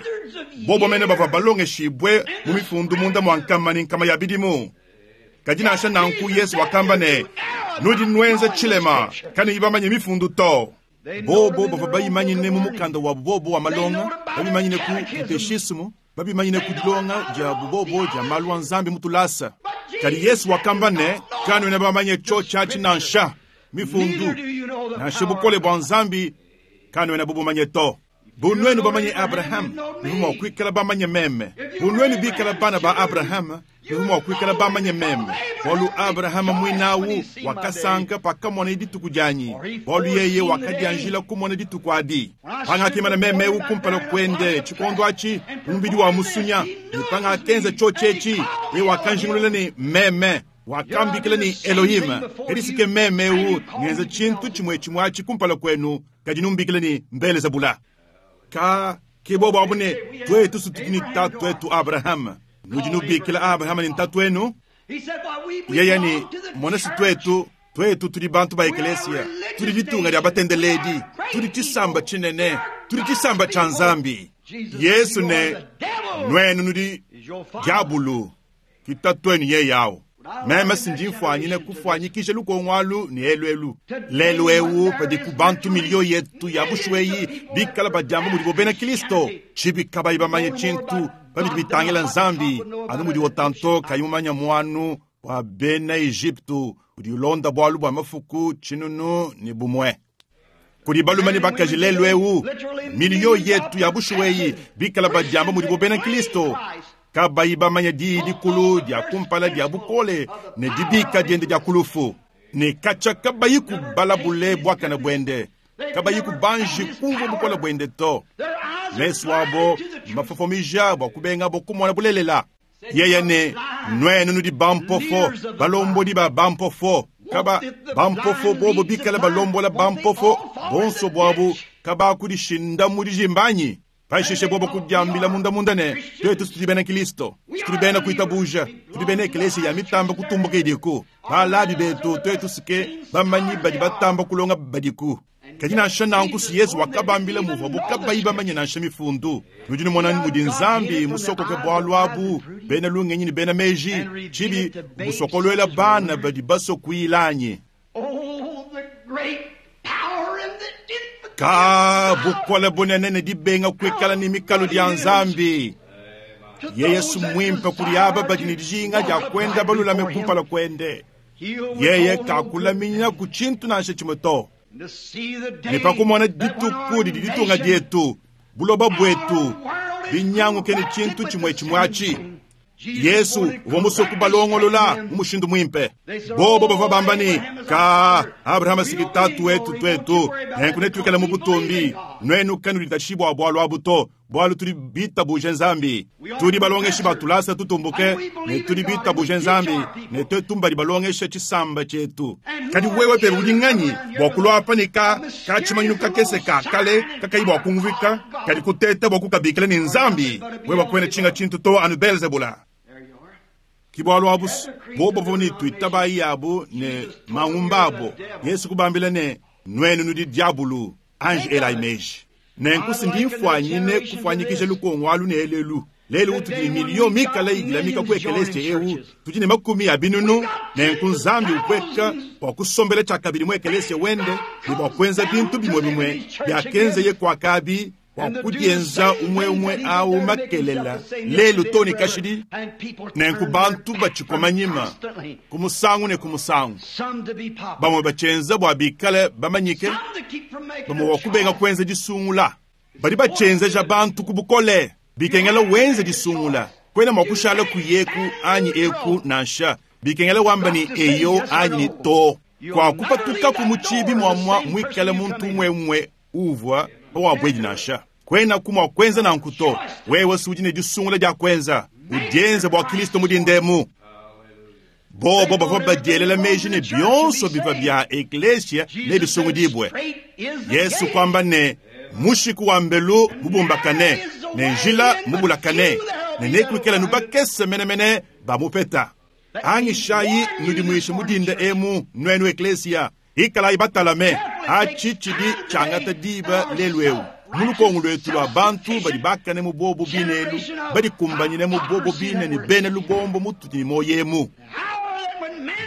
bobo mene bavua balongeshibue mu mifundu munda mua nkama ne nkama ya bidimu. Kadi nansha nanku Yesu wakamba ne, nudi nuenza tshilema, kanuyi bamanye mifundu to. Bobo bavua bayimanyine mu mukanda wa bobo wa malonga, babimanyine ku kateshismu, babimanyine ku dilonga dia bubobo dia malu a Nzambi mu tulasa. Kadi Yesu wakamba ne, kanuena bamanye tshiotshi atshi nansha mifundu, nansha bukole bua Nzambi kanuena bubumanye to. Bu nuenu bamanye Abraham, nuvua mua kuikala bamanye meme. Bu nuenu bikala bana ba Abraham, Nuvua mua kuikala bamanye meme, bualu Abrahama muinawu wakasanka pakamonaye dituku dianyi, bualu yeye wakadianjila kumona dituku adi. Pangakimana meme eu kumpala kuende tshikondo atshi mu mubidi wa musunya, ne pangakenza tshiotshi etshi, yeye wakanjingulula ne meme wakambikila ne Elohim. Kadi si ke meme eu ngenza tshintu tshimue tshimue atshi kumpala kuenu, kadi numbikila ne Belezebula. Ka ke bobo abu ne tuetu tudi ne tatuetu Abrahama. Nudi nubikila Abrahama ne ntatuenu? Yeye ne mona si tuetu, tuetu tudi bantu ba ekelesia, tudi ditunga dia batendeledi, tudi tshisamba tshinene, tudi tshisamba tshia Nzambi. Yesu ne nuenu nudi diabulu, ki tatuenu yeye awu. Meme si ndi mfuanyine kufuanyikija lukongo alu ne elu elu. Lelu eu padiku bantu miliyo yetu ya bushuwa eyi bikala badiamba mudibo bena Kristo, tshibi kabayi bamanye tshintu pa bidi bitangila Nzambi, anu mudi Otanto kayi mumanye muanu wa bena Ejipitu udi ulonda bualu bua mafuku tshinunu ne bumue. Kudi balume ne bakaji lelu eu miliyo yetu ya bushuwa eyi bikala badiamba mudibo bena Kristo, kabayi bamanye diyi dikulu dia kumpala dia bukole ne dibika diende dia ku lufu, ne katshia kabayi kubalabule buakane buende, kabayi kubanji kumvua bukole buende to. Mesu abo mafofomija bua kubengabo kumona bulelela. Yeye ne nuenu nudi bampofo, balombodi ba bampofo. Kaba bampofo bobo bikala balombola bampofo, bonso buabu kabakudishinda mu dijimbanyi. Pashishe bobo kudiambila munda munda ne tuetu tudi bena Kristo, tudi bena kuitabuja, tudi bena eklesia ya mitamba kutumbuka idiku. Balabi betu tuetu sike bamanyi badi batamba kulonga badiku. Kadi nansha nanku si Yesu wakabambila muvuabu kabayi bamanye nansha mifundu. Nudi numona mudi Nzambi musokoke bualu abu bena lungenyi ne bena meji, tshibi busokoluela bana badi basue kuyilanyi. Ka bukole bunene ne dibenga kuikala ne mikalu dia Nzambi. Yeye si muimpe kudi aba badi ne dijinga dia kuenda balulame kumpala kuende. Yeye kakulaminya ku tshintu nansha tshimue to. Ne pa kumona dituku didi ditunga dietu, buloba buetu, binyanguke ne tshintu tshimue tshimue atshi. Yesu uvua musue kubalongolola mu mushindu muimpe. Bobo bavua bamba ne ka Abrahama siki tatu wetu tuetu, nenku netuikale mu butumbi. Nuenu kanuditashi bua bualu abu to, bualu tudi bitabuje Nzambi. Tudi balongeshi ba tulasa tutumbuke ne tudi bitabuje Nzambi, ne tuetu mbadi balongesha tshisamba tshietu. Kadi wewe pebe udi nganyi bua kulua apa ne ka ka tshimanyinu kakese ka kale kakayi bua kumvika, kadi kuteta bua kukabikila ne Nzambi? Wewe kuena tshinga tshintu to anu Belzebula. Ki bualu abu bobo bavua ne tuitabayi yabu ne mangumba abo. Yesu kubambila ne nuenu nudi diabulu, anji elayi meji. Nenku si ndi mfuanyine kufuanyikija lukongo alu ne elelu. Lelu utudi ne miliyo mikale idilamika ku ekelesia eu, tudi ne makumi a binunu. Nenku Nzambi upweka bua kusombela tshiakabidi mu ekelesia wende ne bua kuenza bintu bimue bimue biakenzeye kuakabi bua kudienza umue umue au makelela lelu to ne kashidi. Nenku bantu batshikoma nyima ku musangu ne ku musangu, bamue batshienza bua bikale bamanyike, bamue bua kubenga kuenza disungula. Badi batshienzeja bantu ku bukole, bikengela wenze disungula. Kuena mua kushala kuyeku anyi eku nansha, bikengela wamba ne eyo anyi ne to. Kuakupatukaku mu tshibi muamua muikale muntu umue umue uvua pawabuedi nansha. Kuenaku mua kuenza nanku to. Wewe si udi ne disungula dia kuenza, udienze bua Kristo mudindemu. Bobo bavua badielela meji ne bionso bivua bia eklesia nebisungudibue. Yesu kuamba ne mushiku wa mbelu mubumbakane ne njila mubulakane, ne nekuikale nubakese menemene bamupeta. Angishayi nudimuishe mudinda emu nuenu eklesia, ikalayi batalame. Atshi tshidi tshiangata diba lelu eu mu lukongo luetu lua bantu badi bakane mu bobo bine elu, badikumbanyine mu bobo bine ne bena lubombo mutudi ne muoyo emu.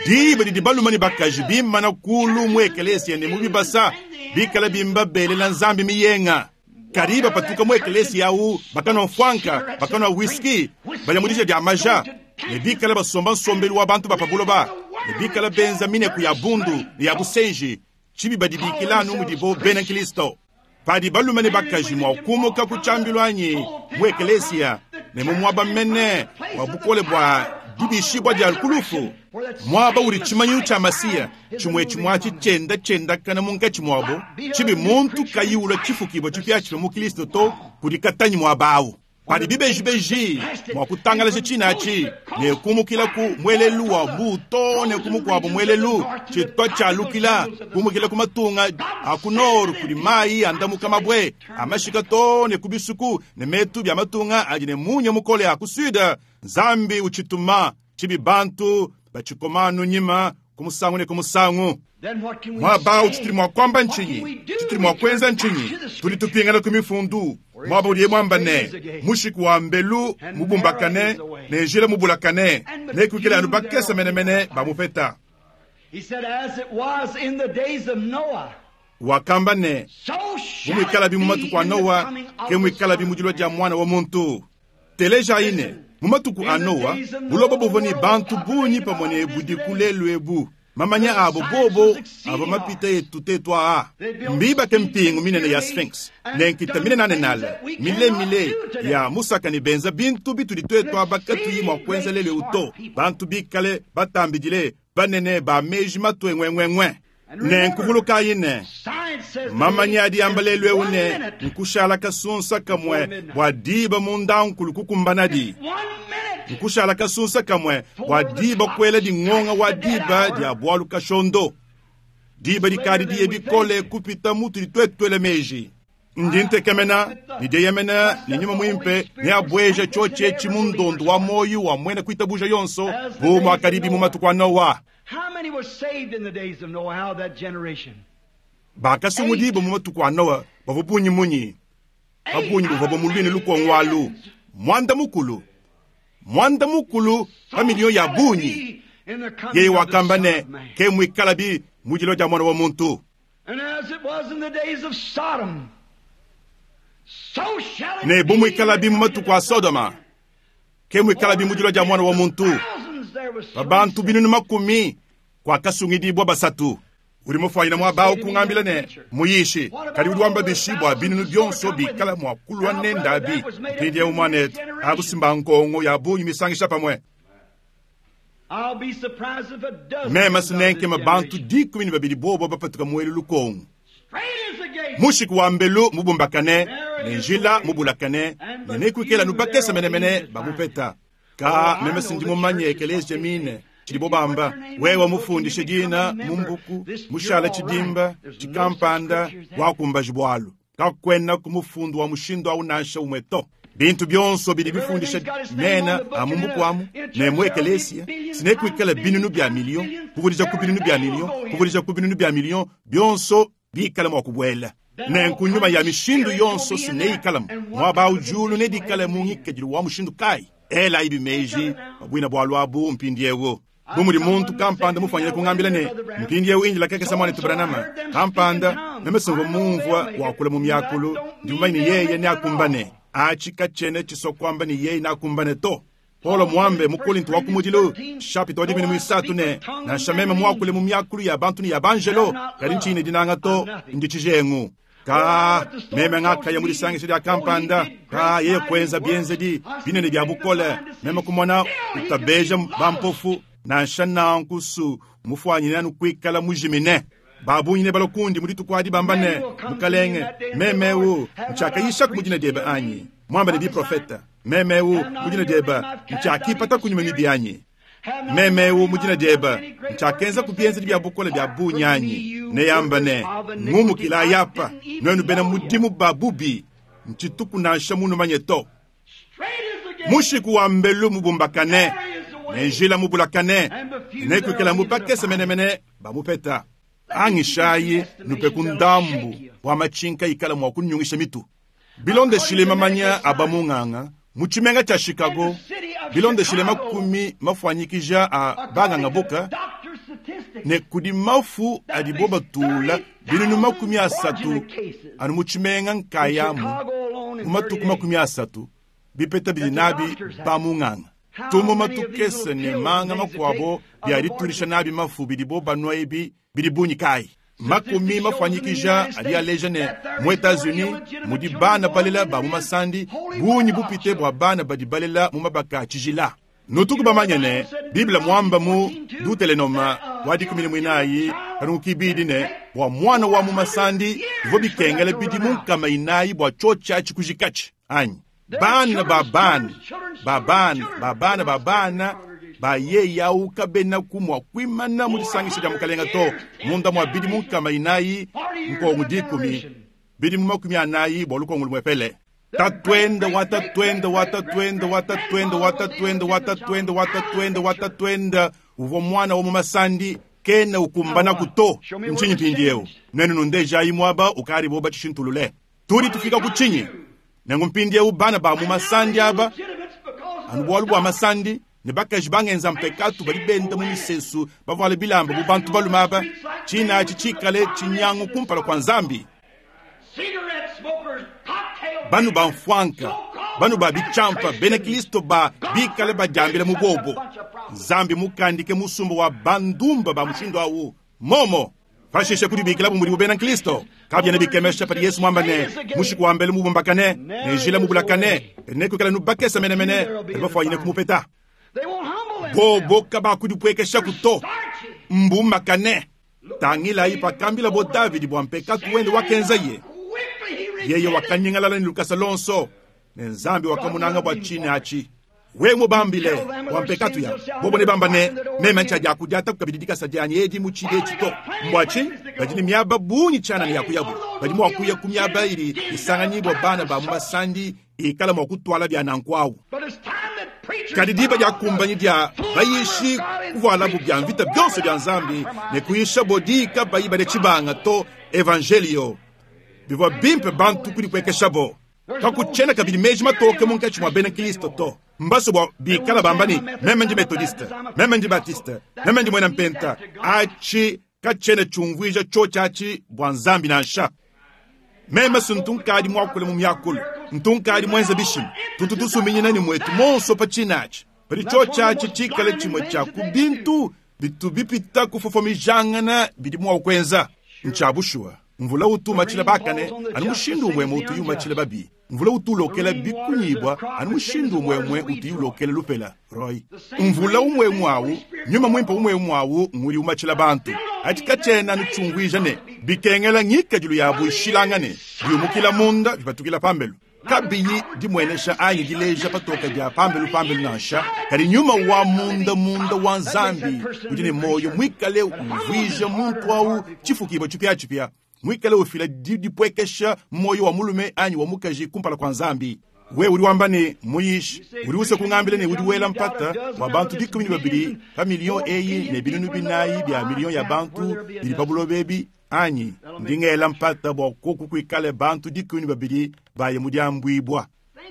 Diba didi balume ne bakaji bimana kulu mu ekelesia ne mu bibasa, bikala bimba belela Nzambi miyenga. Kadi bapatuka mu ekelesia au bakanua mfuanka, bakanua whisky, baya mu dija dia maja, ne bikala basomba nsombelu wa bantu ba pa buloba, ne bikala benza mineku ya bundu ne ya busenji, tshibi badibikila anu mudibo bena Kristo. Padi balume ne bakaji mua kumuka ku tshiambilu anyi mu ekelesia ne mu muaba mene wa bukole bua dibishibua dia ku lufu, muaba udi tshimanyinu tshia Masiya tshimue tshimue atshi tshienda tshiendakana munkatshi muabo, tshibi muntu kayi ulua tshifukibua tshipiatshipia mu Kristo to, kudi katanyi muaba au. Padi bibejibeji mua kutangalaja tshine atshi ne kumukila ku muelelu wa mbuu too ne ku mukuabu muelelu, tshitua tshialukila kumukila ku matunga a ku nord kudi mayi andamuka mabue a mashika too ne ku bisuku ne metu bia matunga adi ne munya mukole a ku sud, Nzambi utshituma tshibi bantu batshikoma anu nyima ku musangu ne ku musangu. Muaba au tshitudi mua kuamba ntshinyi? Tshitudi mua kuenza ntshinyi? Tudi tupingana ku Mifundu, muaba udiye muamba ne, mushiku wa mbelu mubumbakane ne njila mubulakane, nekuikale anu bakese menemene bamupeta. Wakamba ne, bu muikalabi mu matuku a Noa, ke muikalabi mu dilua dia Muana wa muntu. Telejayi ne, mu matuku a Noa, buloba buvua ne bantu bungi pamue ne budiku lelu ebu. Mamanya abo bobo avua mapite etu tetu aa. Mbibake mpingu minene ya Sphinx ne nkita minenanenale milemile ya musaka ne benza bintu bitudi tuetu aba katuyi mua kuenza lelu eu to. Bantu bikale batambidile, banene, ba meji matue ŋueŋueŋue. Nenku vulukayi ne, mamanya adi amba lelu eu ne, nkushala kasunsa kamue bua diba mundankulu kukumbanadi. Nkushala kasunsa kamue bua diba kuela dingonga wa diba dia bualu kashondo. Diba dikadi diye bikole kupita mutudi tuetu tuela meji. Ndi ntekemena ne dieyemena ne Nyuma Muimpe neabueje tshiotshi etshi mu ndondo wa muoyo wa muena kuitabuja yonso, bu muakadibi mu matuku a Noa. Bakasungudibua mu matuku a Noa bavua bungi munyi? Pa bungi buvua mu luine lukongo alu, muanda mukulu, muanda mukulu pa miliyo ya bungi. Yeye wakamba ne, ke muikalabi mu dilua dia Muana wa muntu. Ne bu muikalabi mu matuku a Sodoma, ke muikalabi mu dilua dia Muana wa muntu. Pa bantu binunu makumi kuakasungidibua basatu. Udi mufuanyine muaba au kungambila ne, Muyishi, kadi udi wamba bishi bua binunu bionso bikala mua kulua nende abi? Mpindieu muanetu, abu si mbankongo ya bungi misangisha pamue. Meme sinenkema bantu 12 bobo bapatuka muelu lukongo. Mushiku wa mbelu mubumbakane ne njila mubulakane, ne nekuikale anu bakese menemene bamupeta. Ka meme sindi mumanye ekeleziya mine tshidibo bamba. Wewe mufundishe dina mu mbuku, mushala tshidimba tshikampanda, wakumbaji bualu. Kakuena ku mufundu wa mushindu au nansha umue to. Bintu bionso bidi bifundisha mena a mu mbuku amu ne mu ekeleziya, sinekuikale binunu bia miliyo, kuvudija ku binunu bia miliyo, kuvudija ku binunu bia miliyo, bionso bikale mua kubuela. Nenku nyuma ya mishindu yonso sineyikalamu muaba au. Diulu nedikale mu ngikadilu wa mushindu kayi? Elayibi meji pa buina bualu abu mpindieu. Bu mudi muntu kampanda mufuanyine kungambila ne, mpindieu indila kakese muanetu Branham, kampanda, meme simvua mumvua wakula mu miakulu, ndi mumanye ne yeye neakumbane. Atshi katshiena tshisua kuamba ne yeye neakumbane to. Paulo muambe mu Kolinto wa kumudilu chapitre wa 13 ne, nansha meme muakule mu miakulu ya bantu ne ya banjelo, kadi ntshiyi ne dinanga to, ndi tshijengu. Ka meme ngakaya mu disangisha dia kampanda, ka yeye kuenza bienzedi binene bia bukole, meme kumona utabeja bampofu, nansha nanku su mufuanyine anu kuikala mujimine. Ba bungi nebalue kundi mu dituku adi bamba ne, Mukalenge, meme eu ntshiakayishaku mu dina diebe anyi? Muambe ne biprofeta, meme eu mu dina diebe ntshiakipata ku nyuma mibi anyi? Meme eu mu dina diebe ntshiakenzaku bienzedi bia bukole bia bungi anyi? Neyamba ne, Ngumukilayi apa, nuenu bena mudimu ba bubi, ntshituku nansha munumanye to. Mushiku wa mbelu mubumbakane ne njila mubulakane, nekuikale mu bakese menemene bamupeta. Angishayi nupeku ndambu wa matshinka ikala mua kunyungisha mitu. Bilondeshile mamanya a bamunganga mu tshimenga tshia Chicago, bilondeshile makumi mafuanyikija a banganga boka, ne kudi mafu adibo batula binunu 30 anu mu tshimenga nkayamu mu matuku 30, bipeta bidi nabi bamunganga. Tumuma tukese ne manga makuabo bia ditulisha nabi mafu bidibo banua ebi bidi bungi kayi? Makumi mafuanyikija adi aleja ne, mu Etats-Unis mudi bana balela ba mu masandi bungi bupite bua bana badi balela mu mabaka a tshijila. Nutuku bamanye ne, Bible muamba mu Dutelenoma wa 14 kanungu kibidi ne, bua muana wa mu masandi bivua bikengela bidimu 400 bua tshiotshi atshi kujikatshi anyi? Bana ba bana ba bana ba bana ba bana ba yeye au kabenaku mua kuimana mu disangisha dia mukalenga to munda mua bidimu 400 nkongu 10 bidimu 40 bua lukongu lumuepele. Tatuende wa tatuende wa tatuende wa tatuende wa tatuende wa tatuende wa tatuende wa tatuende uvua muana wa mu masandi kena ukumbanaku to. Ntshinyi mpindieu? Nuenu nundejayi muaba ukadibo batshishintulule. Tudi tufika ku tshinyi? Nenku mpindieu bana ba mu masandi aba, anu bualu bua masandi, ne bakaji bangenza mpekatu badi benda mu misesu bavuale bilamba bu bantu balume aba, tshina atshi tshikale tshinyangu kumpala kua Nzambi. Banu ba mfuanka, banu ba bitshampa, bena Kristo ba bikale badiambila mu bobo. Nzambi mukandike musumba wa bandumba ba mushindu awu momo. Pashishe kudibikila bu mudibu bena Kristo. Kabiena bikemesha padi Yesu muamba ne, mushiku wa mbelu mubumbakane, ne njila mubulakane, ne kuikala nubakesa menemene, badi bafuanyine kumupeta. Bobo kabakudipuekeshaku to, mbumbakane. Tangilayi pakambila bo Davidi bua mpekatu wende wakenzaye. Yeye wakanyingalala ne lukasa lonso, ne Nzambi wakamunanga bua tshine atshi. Wewe mubambile bua mpekatu ya bobo ne bamba ne, meme ntshiadiakudiataku kabidi dikasa dianyi edi mu tshidi etshi to. Mbua tshinyi? Badi ne miaba bungi tshianana ya kuyabu. Badi mua kuya ku miaba idi isanganyibua bana ba mu masandi ikala mua kutuala bia nanku awu. Kadi diba diakumbanyi dia bayishi kuvualabu bia mvita bionso bia Nzambi ne kuyishabo diyi kabayi bale tshibanga to evangelio. Bivua bimpe bantu kudipuekeshabo. Kakutshiena kabidi meji matoke munkatshi mua bena Kristo to. Mbasue bua bikala bamba ne, meme ndi metodiste, meme ndi batiste, meme ndi muena mpenta. Atshi katshiena tshiumvuija tshiotshi atshi bua Nzambi nansha. Meme si ntu nkadi muakule mu miakulu, ntu nkadi muenze bishima, tutu tusuminyina ne muetu monso pa tshina atshi. Padi tshiotshi atshi tshikale tshimue tshia ku bintu bitu bipita kufofomijangana bidi mua kuenza, ntshia bushuwa. Mvula utu umatshila bakane anu mushindu umue utu umatshila babi. Mvula utu ulokela bikunyibua anu mushindu umue utu ulokela lupela. Roy. Mvula umue awu, nyuma muimpe umue awu ngudi umatshila bantu. Atshi katshiena anu tshiumvuija ne bikengela ngikadilu yabu ishilangane, biumukila munda bipatukila pambelu. Kabiyi dimuenesha anyi dileja patoka dia pambelu pambelu nansha, kadi nyuma wa munda munda wa Nzambi udi ne moyo muikale uvuija muntu awu tshifukibua tshipiatshipia, muikale ufila didipuekesha moyo wa mulume anyi wa mukaji kumpala kua Nzambi. Wewe udi wamba ne, muyishi, udi usua kungambila ne udi wela mpata wa bantu 12 pa miliyo eyi ne binunu 4 bia miliyo ya bantu bidi pa buloba ebi anyi? Ndi ngela mpata bua koku kuikale bantu 12 baye mu diambuibua.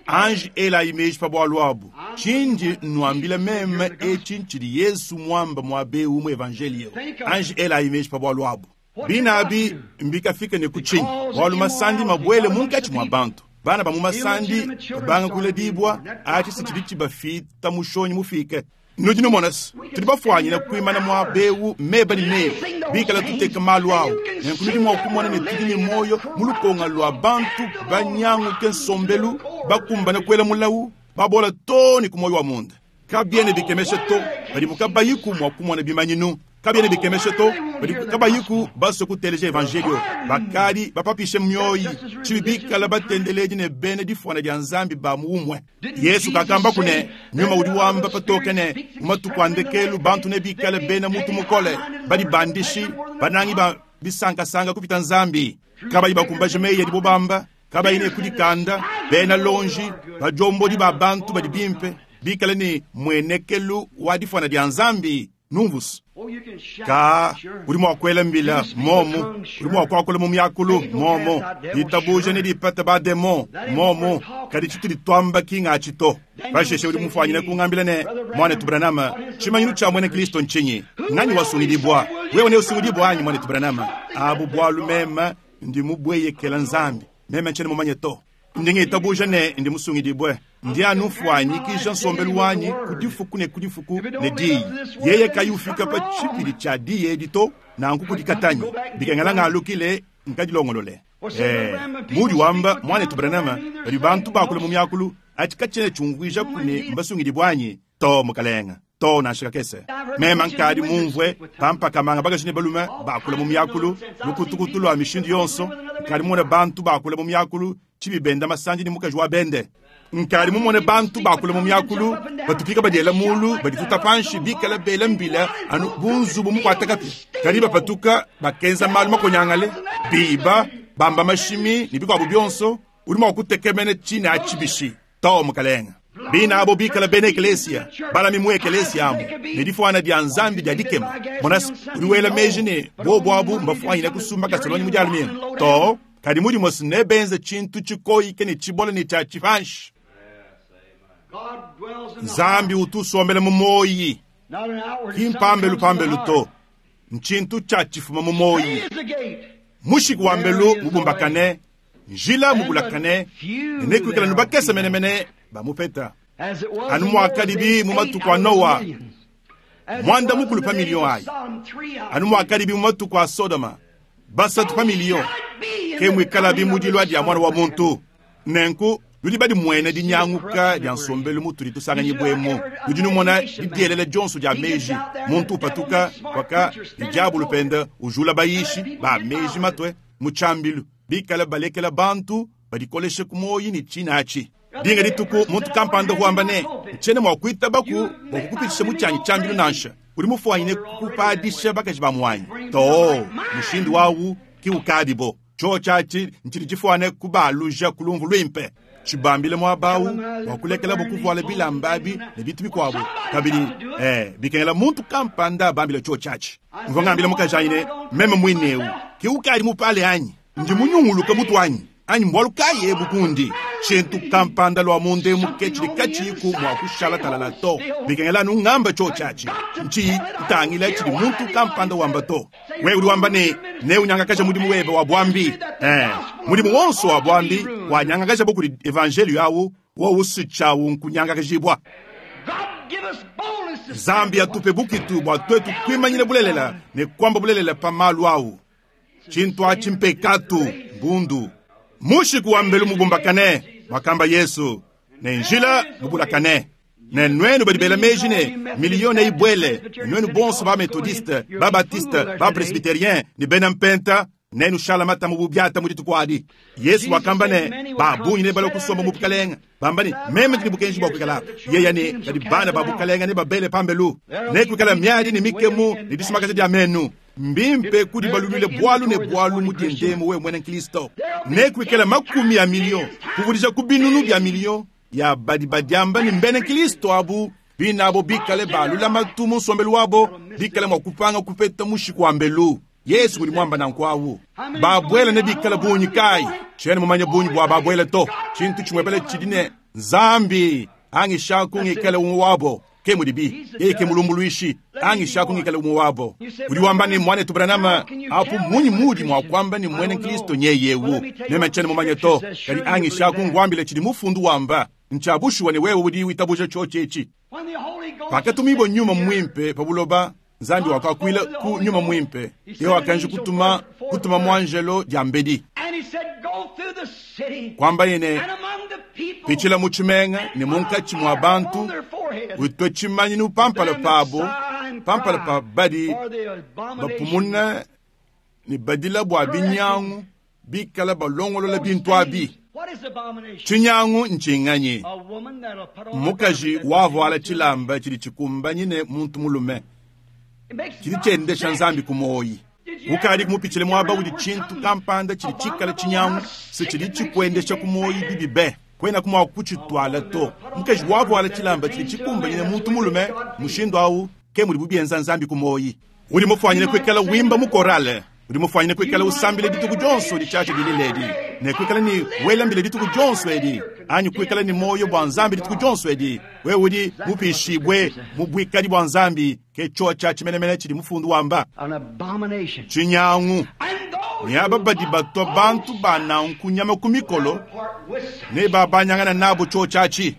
Anji elayi meji pa bualu abu. Tshindi nnuambila meme etshi ntshidi Yesu muamba muaba eu mu evangelio. Anji elayi meji pa bualu abu. Binabi mbikafika ne ku tshinyi? Bualu masandi mabuele munkatshi mua bantu. Bana ba mu masandi babanga kuledibua, atshi si tshidi tshibafita mushonyi mufike. Nudi numona se, tudi bafuanyine kuimana muaba eu meba ne meba, bikala tuteka malu awu. Nenku nudi mua kumona ne tudi ne muoyo mu lukonga lua bantu banyanguke nsombelu, bakumbane kuela mulawu, babola too ne ku muoyo wa munda. Kabiena bikemesha to padibu kabayiku mua kumona bimanyinu. Kabiena bikemesha to padibu kabayiku basue kuteleja evangelio. Bakadi bapapishe mioyi, tshibi bikala batendeledi ne bena difuana dia Nzambi ba mu umue. Yesu kakambaku ne, nyuma udi wamba patoke ne, mu matuku a ndekelu bantu nebikale bena mutu mukole, badibandishi, banangi ba bisankasanga kupita Nzambi, kabayi bakumbaje meyi adibo bamba, kabayi ne kudikanda, bena lonji, badiombodi ba bantu badi bimpe, bikale ne muenekelu wa difuana dia Nzambi. Numvus. Ka udi mua kuela mbila momu, udi mua kuakula mu miakulu momu, ditabuja ne dipata ba demon momu, kadi tshitudi twamba ki ngatshi to. Pashishe udi mufuanyine kungambila ne, Mwanetu Branham, tshimanyinu tshia muena Kristo ntshinyi? Nganyi wasungidibua? Wewe neusungidibua anyi, Mwanetu Branham? Abu bualu meme ndi mubueyekela Nzambi, meme ntshiena mumanye to. Ndi ngitabuja ne ndi musungidibue. Ndi anu mfuanyikija nsombelu wanyi ku difuku ne ku difuku ne diyi. Yeye kayi ufika pa tshipidi tshia diyi edi to, nanku kudikatanyi. Bikengela ngalukile nkadilongolole. Mudi wamba Mwanetu Branham, padi bantu bakula mu miakulu, atshi katshiena tshiumvuija ku ne mbasungidibue anyi? To, mukalenga. To, nansha kakese. Meme nkadi mumvue bampaka-manga bakaji ne balume bakula mu miakulu, lukutukutu lua mishindu yonso. Nkadi mumone bantu bakula mu miakulu, tshibi benda masandi ne mukaji wa bende. Nkadi mumone bantu bakula mu miakulu, batupika badiela mulu, badituta panshi, bikale bela mbila anu bu nzubu mukuate kapia. Kadi bapatuka, bakenza malu makonyangale, biba, bamba mashimi ne bikuabu bionso. Udi mua kutekemena tshine atshi bishi? Too, mukalenge. Bine abo bikala bena ekeleesiya, balami mu ekeleesiya amu, ne difwana dya Nzambi dya dikema. Mona's, udi wela meeji ne bobo abu mbafwanyine kusumba kasolonyi mu dya lumingu. Too, kadi mudimwe's nebenze cintu cikoyike ne cibole ne cya cipanshi. Nzambi utu usombela mu mwoyi, ki mpambelu-pambelu to. Ncintu cya cifuma mu mwoyi. Mushiku wa mbelu mubumbakane, njila mubulakane, ne nekuikale anu bakese menemene bamupeta. Anu muakadibi mu matuku a Nowa, muanda mukulu pa miliyo ayi, anu muakadibi mu matuku a Sodoma, basatu pa miliyo, ke muikalabi mu dilua dia Muana wa muntu. Nenku nudi badimuene dinyanguka dia nsombelu mutudi tusanganyibua emu. Nudi numona didielela dionso dia meji, muntu upatuka kwaka ne diabolo pende ujula bayishi ba meji matue mu tshiambilu, bikale balekela bantu badikoleshe ku muoyo ne tshine atshi. Dinga dituku muntu kampanda uvua wamba ne, Ntshiena mua kuitabaku bua kukupitshisha mu tshianyi tshiambilu nansha. Udi mufuanyine kupadisha bakaji ba muanyi. Too, mushindu au ki ukadibo. Tshiotshi atshi ntshidi tshifuane kubaluja ku lumvu luimpe, tshibambile muaba au bua kulekelabo kuvuala bilamba abi ne bintu bikuabu kabidi. Ee, bikengela muntu kampanda abambile tshiotshi atshi. Mvua ngambila mukajanyi ne, Meme muine eu ke ukadi mupale anyi? Ndi munyunguluke mutu anyi? Anyi mbualu kayi ebu kundi? Tshintu kampanda lua munda emu ke tshidi katshiyiku mua kushala talala to. Bikengela anu ngamba tshiotshi atshi, ntshiyi ntangila tshidi muntu kampanda wamba to. Wewe udi wamba ne, neunyangakaje mudimu webe wa buambi. Ee, mudimu wonso wa buambi wanyangakajabo kudi evanjeliyo awu, wowu si tshiawu nkunyangakajibua. Nzambi atupe bukitu bua tuetu kuimanyina bulelela ne kuamba bulelela pa malu awu. Tshintu atshi mpekatu, mbundu. Mushiku wa mbelu mubumbakane, muakamba Yesu, ne njila mubulakane. Ne nuenu badi bela meji ne miliyo neyibuele, ne nuenu bonso ba Methodiste, ba Baptiste, ba Presbyterien ne bena Mpenta, nenushala mata mu bubiata mu dituku adi. Yesu wakamba ne, ba bungi nebalue kusomba mu bukalenge, bamba ne, meme ndi ne bukenji bua kuikala apa. Yeya ne, kadi bana ba bukalenge nebabele pambelu. Nekuikala miadi ne mikemu ne disumakaja dia menu. Mbimpe kudibaluluila bualu ne bualu mu diendemu wewe muena nkristo. Nekuikale makumi a miliyo kuvudija ku binunu bia miliyo ya badi badiamba ne mbena nkristo abu, binabo bikale ba lulamatu mu nsombelu wabo, bikale mua kupanga kupeta mushiku wa mbelu. Yezu udi muamba nanku awu. Babuela nebikale bungi kayi? Tshiena mumanye bungi bua babuela to. Tshintu tshimuepele tshidi ne, Nzambi angishaku ngikale umue wabo. Ke mudibi, yeye ke mulumbuluishi, angishaku ngikale umue wabo. Udi wamba ne, Muanetu Branham, apu mmunyi muudi mua kuamba ne muena nkristo nyeye eu? Meme ntshiena mumanye to, kadi angishaku nguambile tshidi Mufundu wamba. Ntshia bushuwa ne wewe udi witabuja tshiotshi etshi. Pakatumibua Nyuma Muimpe pa buloba, Nzambi wakakuila ku Nyuma Muimpe. Yeye wakanji kutuma, kutuma muanjelo diambedi. Kuambaye ne, Pitshila mu tshimenga ne munkatshi mua bantu, utue tshimanyinu pa mpala pabo, pa mpala pa badi bapumuna ne badila bua binyangu, bikala balongolola bintu abi. Tshinyangu ntshinganyi? Mmukaji wavuala tshilamba tshidi tshikumbanyine muntu mulume, tshidi tshiendesha Nzambi ku muoyi. Ukadiku mupitshile muaba udi tshintu kampanda tshidi tshikale tshinyangu se tshidi tshikuendesha ku muoyi bibi be? Kuenaku mua kutshituala to. Mukaji wavuala tshilamba tshidi tshikumbanyine muntu mulume, mushindu au ke mudibu bienza Nzambi ku muoyi. Udi mufuanyine kuikala wimba mu korale. Udi mufuanyine kuikala usambila dituku dionso ditshiatshia dilela edi, ne kuikala ne wela mbila dituku dionso edi, anyi kuikala ne muoyo bua Nzambi dituku dionso edi. Wewe udi mupishibue mu buikadi bua Nzambi, ke tshiotshia tshimenemene tshidi mufundu wamba. Tshinyangu. Ne aba badi batua bantu ba nanku nyama ku mikolo ne babanyangana nabo tshiotshia atshi.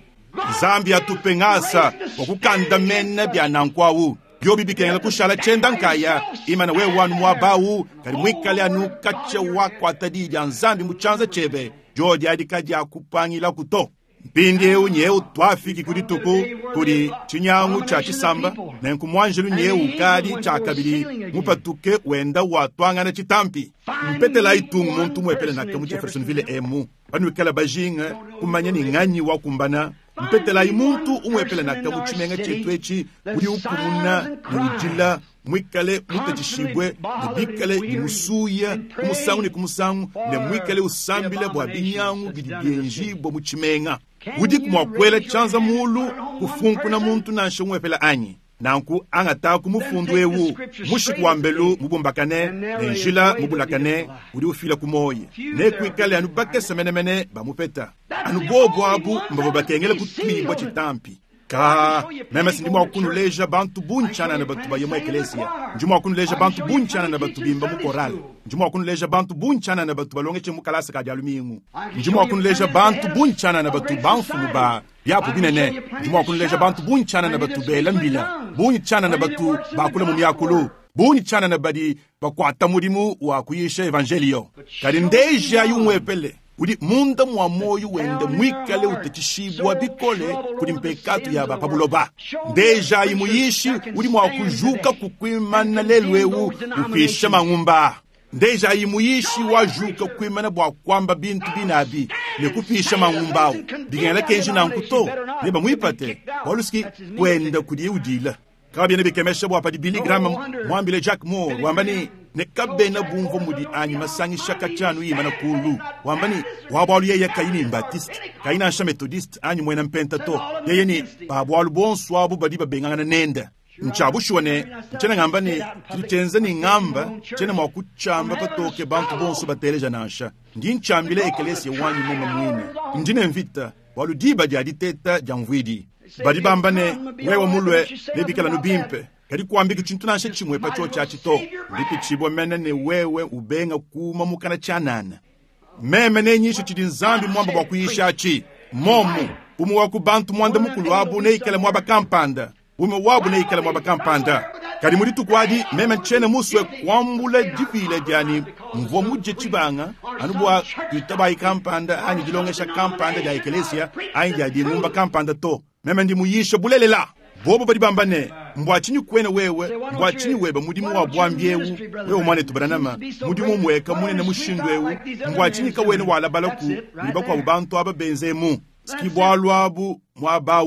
Nzambi atupe ngasa wa kukandamena bia nanku au. Biobi bikengela kushala tshienda nkaya, imana wewe anu muaba au, kadi muikale anu katshia wakuata diyi dia Nzambi mu tshianza tshiebe, diodi adi kadiakupangilaku to. Mpindieu nyewu twafiki ku dituku kudi tshinyangu tshia tshisamba, nenku muanjelu nyewu ukadi tshiakabidi mupatuke wenda watwangana tshitampi. Mpetelayi tungu muntu muepele naka mu Jeffersonville emu, panuikala bajinga kumanya ni nganyi wakumbana. Mpetelayi muntu umuepele naka mu tshimenga tshietu etshi udi ukumuna ne udila muikale mutatshishibue ne bikale bimusuya ku musangu ne ku musangu ne muikale usambila bua binyangu bidi bienjibua mu tshimenga. Udiku mua kuela tshianza mulu kufunkuna muntu nansha umuepele anyi? Nanku angataku mufundu ewu, mushiku wa mbelu mubumbakane ne njila mubulakane udi ufila ku muoyo, nekuikale anu bakese menemene bamupeta. Anu bobu abu mbavua bakengela kutuibua tshitampi. Ka meme sindi mua kunuleja bantu bungi tshianana batu baye mu ekeleziya, ndi mua kunuleja bantu bungi tshianana batu bimba mu korale, ndi mua kunuleja bantu bungi tshianana batu balongeshe mu kalasa ka dia lumingu, ndi mua kunuleja bantu bungi tshianana batu bamfumu ba biapu binene, ndi mua kunuleja bantu bungi tshianana batu bela mbila, bungi tshianana batu bakula mu miakulu, bungi tshianana badi bakuata mudimu wa kuyisha evanjelio. Kadi ndejayi umuepele udi munda mua muoyo wende muikale utatshishibua bikole kudi mpekatu ya ba pa buloba. Ndejayi muyishi udi mua kujuka kukuimana lelu eu upisha mangumba. Ndejayi muyishi wajuka kuimana bua kuamba bintu binabi ne kupisha mangumba awu. Bikengela kenji nanku to, ne bamuipate bualu siki kuenda kudiye udila. Kabiena bikemesha bua padi Billy Graham muambile Jack Moore wamba ne, ne kabena bumvua mudi anyi masangisha katshia imana kulu, wamba ne wa bualu yeye kayi ni Baptiste, kayi nansha Methodiste anyi muena mpenta to, yeye ni ba bualu bonso abu badi babengangana nende. Ntsha bushuwa ne ntshiena ngamba ne tshidi tshienza ni ngamba tshiena mua kutshiamba patoke bantu bonso bateleja nansha. Ndi ntshiambila ekelesia wanyi meme muine. Ndi ne mvita bualu diba dia diteta dia mvuidi. Badi bamba ne wewe mulue nebikala nu bimpe, kadi kuambiki tshintu nansha tshimue pa tshiotshi to. Ndipitshibua mene ne wewe ubenga kuma mukana tshianana. Meme nenyishe tshidi Nzambi muamba bua kuyisha atshi. Momu umue wa ku bantu muanda mukulu abu neikale muaba kampanda, umue wabu neikale muaba kampanda. Kadi mu dituku adi meme ntshiena musue kuambula dipila dianyi mvua mudie tshibanga anu bua kuitabayi kampanda anyi dilongesha kampanda dia ekelesia anyi dia dingumba kampanda to. Meme ndi muyisha bulelela. Bobo badi bamba ne mbua tshinyi kuena wewe, mbua tshinyi weba mudimu wa buambi ewu, wewe muanetu Branham, mudimu mueka munene mushindu ewu, mbua tshinyi kawena walabala ku mudi bakuabu bantu aba benzemu. Siki bualu abu muaba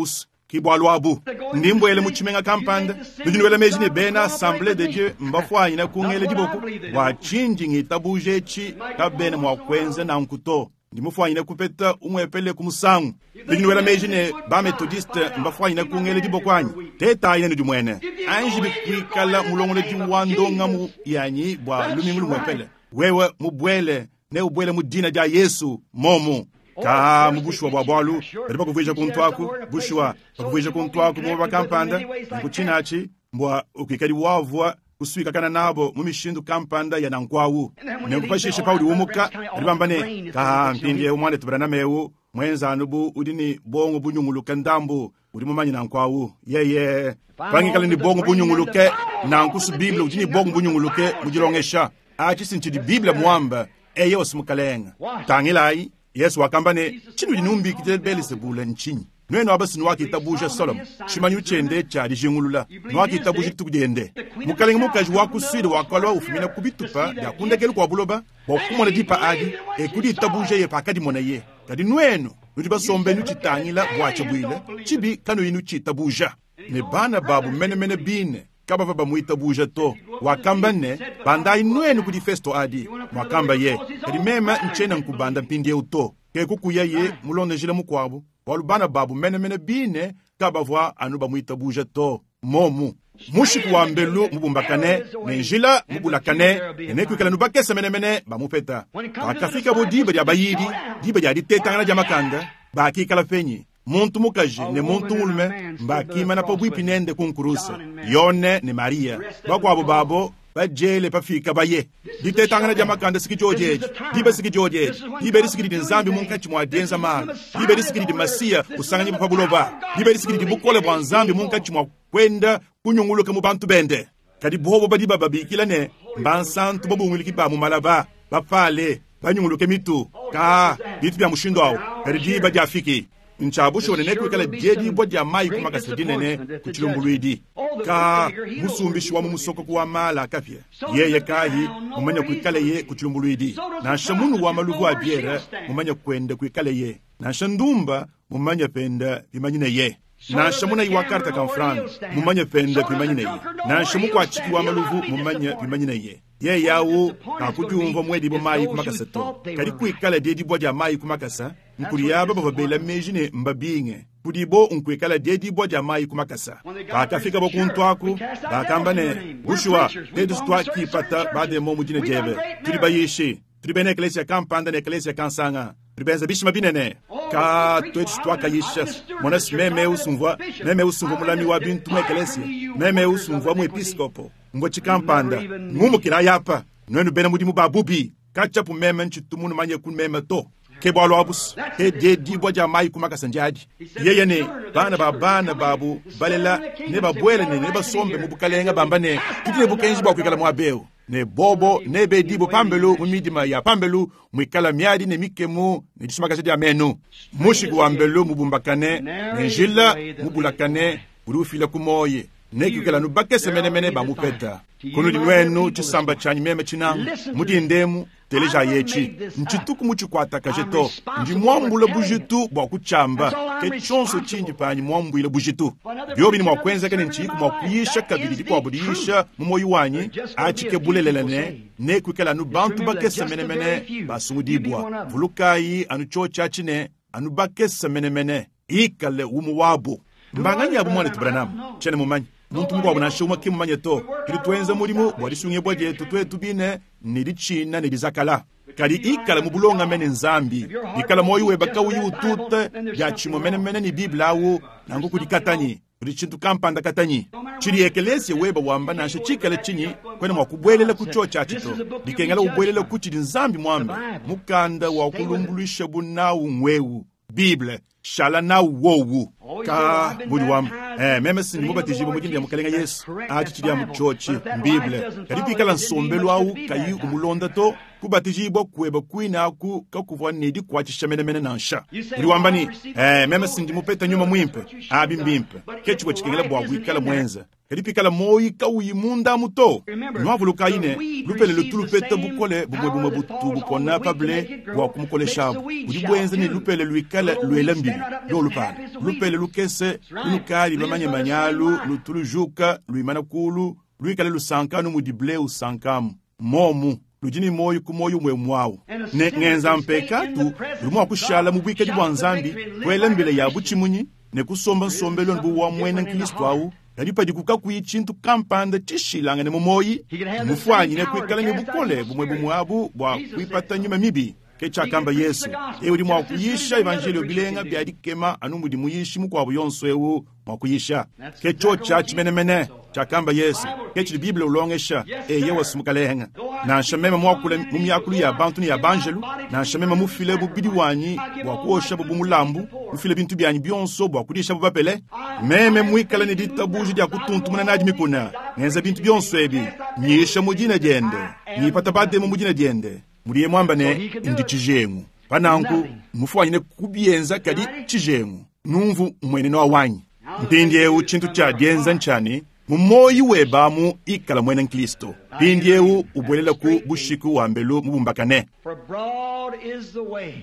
ki bualu abu. Ndi mbuele mu tshimenga kampanda, nudi nuela meji ne bena Assemblée de Dieu mbafuanyina kungela diboko bua tshindi ngitabuje etshi kabena mua kuenza nanku to. Ndi mufuanyine kupeta umuepele ku musangu. Nudi nuela meji ne ba Methodiste mbafuanyine kungela diboko anyi? Tetayi nudi muene. Anji bikuikala mulongolodi wa ndongamu yanyi bua lumingu lumuepele. Wewe mubuele ne ubuele mu dina dia Yesu momu. Ka mu bushuwa bua bualu badi bakuvuija kuntu aku, bushuwa bakuvuija kuntu aku mu kampanda, nkutshinatshi mbua ukuikadi wavua kusuikakana nabo mu mishindu kampanda ya nankwawu. Nenku pashishe paudi umuka badi bamba ne ka mpindiewu muanetu Branham ewu mwenza anu bu udi ni bongo bunyunguluke ndambu udi mumanye nankwawu. Yeye pangikala ni bongo bunyunguluke nanku su Bible udi ni bongo bunyunguluke mu dilongesha. Atshi sintshidi Bible muamba eye osimukalenga. Tangilayi Yesu wakamba ne tshinudi numbikidile Belzebule ntshinyi? Nwenu abasi nwakitabuja Solomo, tshimanyu tshiende tshia dijingulula, nwakitabuja dituku diende. Mukalenge mukaji wa ku Sud wakalua ufumina ku bitupa bia kundekelu kua buloba bua kumona dipa adi, ekuditabuja ye pakadimonaye. Kadi nwenu nudi basombe nutshitangila buatshia buile, tshibi kanuyi nutshitabuja. Ne bana babu menemene bine kabava bamuitabuja to. Wakamba ne bandayi nwenu kudi festo adi, mwakamba ye. Kadi meme ntshiena nkubanda mpindieu to. Ke kukuya ye mulondejile mukuabu, bualu bana babu menemene bine kabavua anu bamuitabuja to. Momu mushiku wa mbelu mubumbakane ne njila mubulakane ne nekuikala nubakese menemene bamupeta. Pakafika bo diba dia bayidi, diba dia ditetangana dia makanda, bakikala penyi muntu mukaji ne muntu mulume mbakimana pabuipi nende ku nkurusa, Yone ne Maria bakuabo babo bajele pafika baye. Ditetangana dia makanda siki diojeje, diba siki diojeje, diba disikidi di Nzambi munkatshi mua dienza malu, diba disikidi di Masiya usanganyibwa pa buloba, diba disikidi di bukole bua Nzambi munkatshi mua kwenda kunyunguluka mu bantu bende. Kadi bobo badi bababikila ne mbansantu babunguliki ba mu malaba, bapale banyunguluke mitu ka bitu bia mushindu awu. Kadi diba diafiki. Ntshia bushuwa ne nekuikale diedibua dia mayi ku makasa dinene ku tshilumbuluidi. Ka musumbishi wa mu musokoko wa mala a kapia, yeye kayi mumanye kuikaleye ku tshilumbuluidi, nansha munu wa maluvu a biere mumanye kuende kuikaleye, nansha ndumba mumanye pende pimanyineye, nansha munayi wa karta ka mfranga mumanye pende pimanyineye, nansha mukuatshiki wa maluvu mumanye pimanyineye. Yeye awu kakudiumvua muedibue mayi ku makasa to, kadi kuikala diedibua dia mayi ku makasa nkudi aba bavua bela meji ne mbabinge kudibo nkuikala diedibua dia mayi ku makasa. Pakafikabo kuntu aku, bakamba ne, Bushuwa, tuetu tuakipata bademon mu dina diebe. Tudi bayishi, tudi bena ekeleziya kampanda ne ekeleziya kansanga, tudi benza bishima binene. Ka tuetu tuakayisha. Mona, meme eu sumvua, meme eu sumvua mulami wa bintu mu ekeleziya, meme eu sumvua muepiskopo, mvua tshikampanda. Ngumukila apa, nuenu bena mudimu ba bubi, katshiapu meme ntshitu munumanye ku meme to. Ke bualu abu, ke diedibua dia mayi ku makasa ndiadi. Yeye ne bana ba bana babu balela nebabuele ne nebasombe mu bukalenge bamba ne, tudi ne bukenji bua kuikala muaba eu. Ne bobo nebedibue pambelu mu midima ya pambelu muikala miadi ne mikemu ne disumakaja dia menu. Mushiku wa mbelu mubumbakane ne njila mubulakane udi ufila ku muoyo, nekuikale anu bakese menemene bamupeta. Kunudi nuenu tshisamba tshianyi meme tshinanga, mu dinda emu, telejayi etshi. Ntshituku mutshikuatakaje to. Ndi muambule bujitu bua kutshiamba. Ke tshionso tshindi panyi muambuile bujitu. Biobi ne mua kuenzeka ne ntshiyiku mua kuyisha kabidi dikuabu diyisha mu muoyo wanyi, atshi ke bulelela ne nekuikale anu bantu bakese menemene basungudibua. Vulukayi anu tshiotshi atshi ne, anu bakese menemene. Ikale umue wabu. Mbanganyi abu, muanetu Branham? Tshiena mumanye. Muntu mukuabu nansha umue ki mmumanye to. Tudi tuenza mudimu bua disungibua dietu tuetu bine ne ditshina ne dizakala. Kadi ikala mu bulongame ne Nzambi. Bikala muoyo webe kauyi ututa diatshimue menemene ne Bible au, nanku kudi katanyi, kudi tshintu kampanda katanyi. Tshidi ekeleziya webe wamba nansha tshikale tshinyi, kuena mua kubuelela ku tshiotshi atshi to. Bikengela ubuelele ku tshidi Nzambi muambe. Mukanda wa kulumbuluishabu nawu ng'eu, Bible. Shala nawu wowu. Ka budi wamba, eh, meme si ndi mubatijibue mu dina dia Mukalenge Yesu. Atshi tshidi amu tshiotshi, m'Bible. Kadi pikala nsombelu au kayi umulonda to, kubatijibua kuebe kuine aku kakuvua ne dikuatshisha menemene nansha. Udi wamba ne, eh, meme si ndi mupete nyuma muimpe. Abi mbimpe. Ke tshivua tshikengela bua kuikala muenze. Kadi pikala muoyi kauyi munda amu to, nuavulukayi ne, lupele lutu lupeta bukole bumue bumue butu bupona pa ble bua kumukoleshabu. Budi buenza ne, lupele luikale luela mbila luolu palu. Lupele lukese lunukadi bamanyemanye alu lutu lujuka luimana kuulu, luikale lusanka anu mudi ble usankamu. Mmuomu, ludi ne muoyo ku muoyo umue umue au. Ne ngenza mpekatu, udi mua kushala mu buikadi bua Nzambi, kuela mbila ya butshimunyi, ne kusomba nsombelu anu bu wa muena nkristo au, kadi padiku kakuyi tshintu kampanda tshishilangane mu muoyi, mmufuanyine kuikala ne bukole bumue bumue abu bua kuipata nyuma mibi. Ke tshiakamba Yezu. Yeye udi mua kuyisha evanjeliyo bilenga bia dikema anu mudi muyishi mukuabu yonso eu mua kuyisha. Ke tshiotshi atshi menemene tshiakamba Yezu. Ke tshidi Bible ulongesha. Eyowa, Mukalenge. Nansha meme muakule mu miakulu ya bantu ne ya banjelu, nansha meme mufile mubidi wanyi bua kuoshabu bu mulambu, mufile bintu bianyi bionso bua kudishabu bapele, meme muikale ne ditabuja dia kutuntumuna nadi mikuna, ngenza bintu bionso ebi, nyisha mu dina diende, ngipata bademon mu dina diende, mudiye muamba ne, ndi tshijengu. Pa nanku, mmufuanyine kubienza kadi tshijengu. Numvu mmuenenu wanyi. Mpindieu tshintu tshia dienza ntshia ne, mu muoyo webe amu ikala muena nkristo. Mpindieu ubuelela ku bushiku wa mbelu mubumbakane.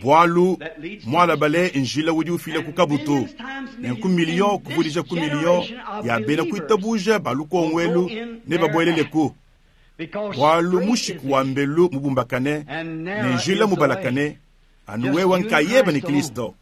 Bualu mualabale njila udi ufila ku kabutu, nenku miliyo kuvudija ku miliyo ya bena kuitabuja ba lukongo elu nebabueleleku. Bualu mushiku wa mbelu mubumbakane ne njila mubalakane, anu wewe nkayebe ne Kristo.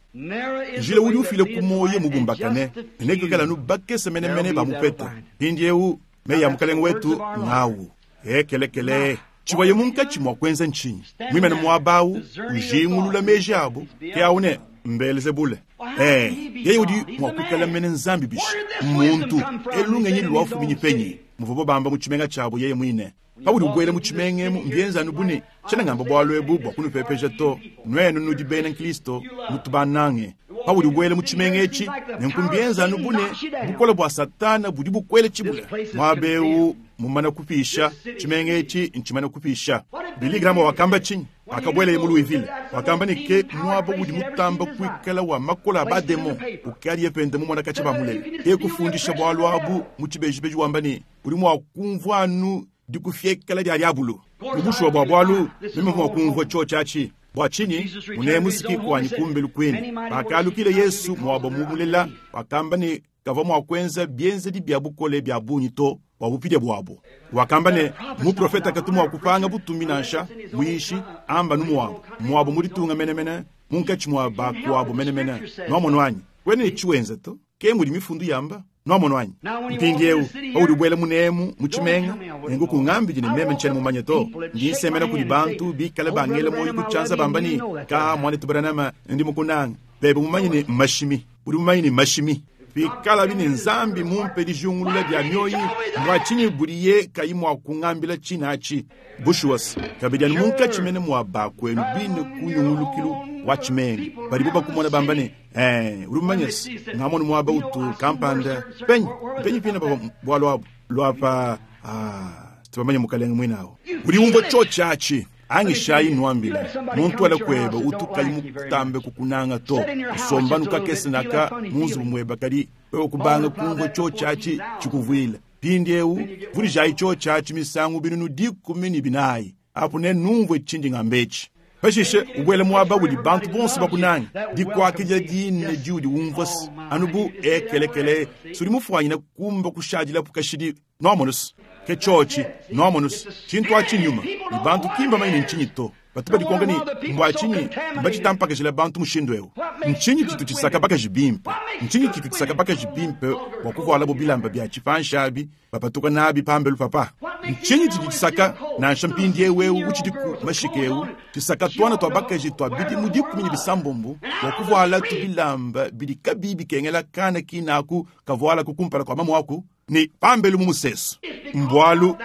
Njila udi ufila ku muoyo mubumbakane, ne nekuikale anu bakese menemene bamupeta. Mpindieu meyi a Mukalenge wetu ng'awu. Ekelekele! Tshivuaye munkatshi mua kuenza ntshinyi? Muimane muaba au, ujingulula meji abu, ke au ne, Mbelzebule. Ee, yeye udi mua kuikala mene Nzambi bishi? Mmuntu. Elu lungenyi luafuminyi penyi? Muvuabo bamba mu tshimenga tshiabo yeye muine. Paudi ubuela mu tshimenga emu, mbienze anu bu ne, tshiena ngamba bualu ebu bua kunupepeja to, nuenu nudi bena nkristo, nutu bannange. Paudi ubuela mu tshimenga etshi, nenku mbienze anu bu ne, bukole bua Satana budi bukuele tshibula. Muaba eu mumana kupisha, tshimenga etshi ntshimana kupisha. Billy Graham wakamba tshinyi? Pakabueleye mu Louisville, wakamba ne ke muaba udi mutamba kuikala wa makola a bademon ukadiye pende mumona katshia bamulela. Ke kufundisha bualu abu mu tshibejibeji wamba ne, udi mua kumvua anu dikufiekela dia diabulu. Mu bushuwa bua bualu, meme mvua mua kumvua tshiotshi atshi. Bua tshinyi? Munemu si kuanyi kumbelu kuine. Pakalukila Yesu muaba mumulela, wakamba ne kavua mua kuenza bienzedi bia bukole bia bungi to bua bupidia buabu. Wakamba ne, muprofeta katu mua kupanga butumbi nansha, muyishi, amba nu muabu, muabu mu ditunga menemene, munkatshi mua bakuabu menemene. Nuamonu anyi? Kuena ne tshiwenza to. Ke mudi mifundu yamba. Nuamonu anyi? Mpindieu, paudi ubuela munemu mu tshimenga, nenku kungambidi ne meme ntshiena mumanye to. Ndi nsemena kudi bantu bikale bangela muoyo ku tshianza bamba ne, Ka, muanetu Branham, ndi mukunanga. Bebe mumanye ne mmashimi. Udi mumanye ne mmashimi. Pikalabi ne Nzambi mumpe dijingulula dia mioyi, mbua tshinyi budiye kayi mua kungambila tshine atshi? Bushuwa, kabidi anu munkatshi mene mua bakuenu bine ku nyungulukilu wa tshimenga, padibu bakumona bamba ne, Ee, udi mumanye se, ngamonu muaba utu kampanda penyi penyi pine pavua bualu abu luapa. Ah, tubamanye mukalenge muine awu. Udi umvua tshiotshi atshi. Angishayi nnuambile, muntu ala kuebe utu kayi mutambe kukunanga to. Usombanu kakese naka mu nzubu muebe kadi wewe kubanga kumvua tshiotshi atshi tshikuvuila. Mpindieu vudijayi tshiotshi atshi misangu binunu 14, apu nenumvue tshindi ngamba etshi. Pashishe ubuele muaba udi bantu bonso bakunange. Dikuakidila dine diudi umvua anu bu ekelekele, sudi mufuanyine kumba kushadilapu kashidi. Nuamonus, ke tshiotshi. Nuamonus, tshintu atshi nnyuma, ne bantu ki mbamanye ne ntshinyi to. Batu badikonka ne, Mbua tshinyi mbaditampakajila bantu mushindu eu? Ntshinyi tshitu tshisaka bakaji bimpe? Ntshinyi tshitu tshisaka bakaji bimpe bua kuvualabu bilamba bia tshipanshi abi bapatuka nabi pambelu papa? Ntshinyi tshidi tshisaka, nansha mpindieu eu utshidiku mashika eu, tshisaka tuana tua bakaji tua bidimu 16 bua kuvualatu bilamba bidi kabiyi bikengela kana kinaku kavualaku kumpala kua mamuaku? Ne pambelu mu musesu. Mbualu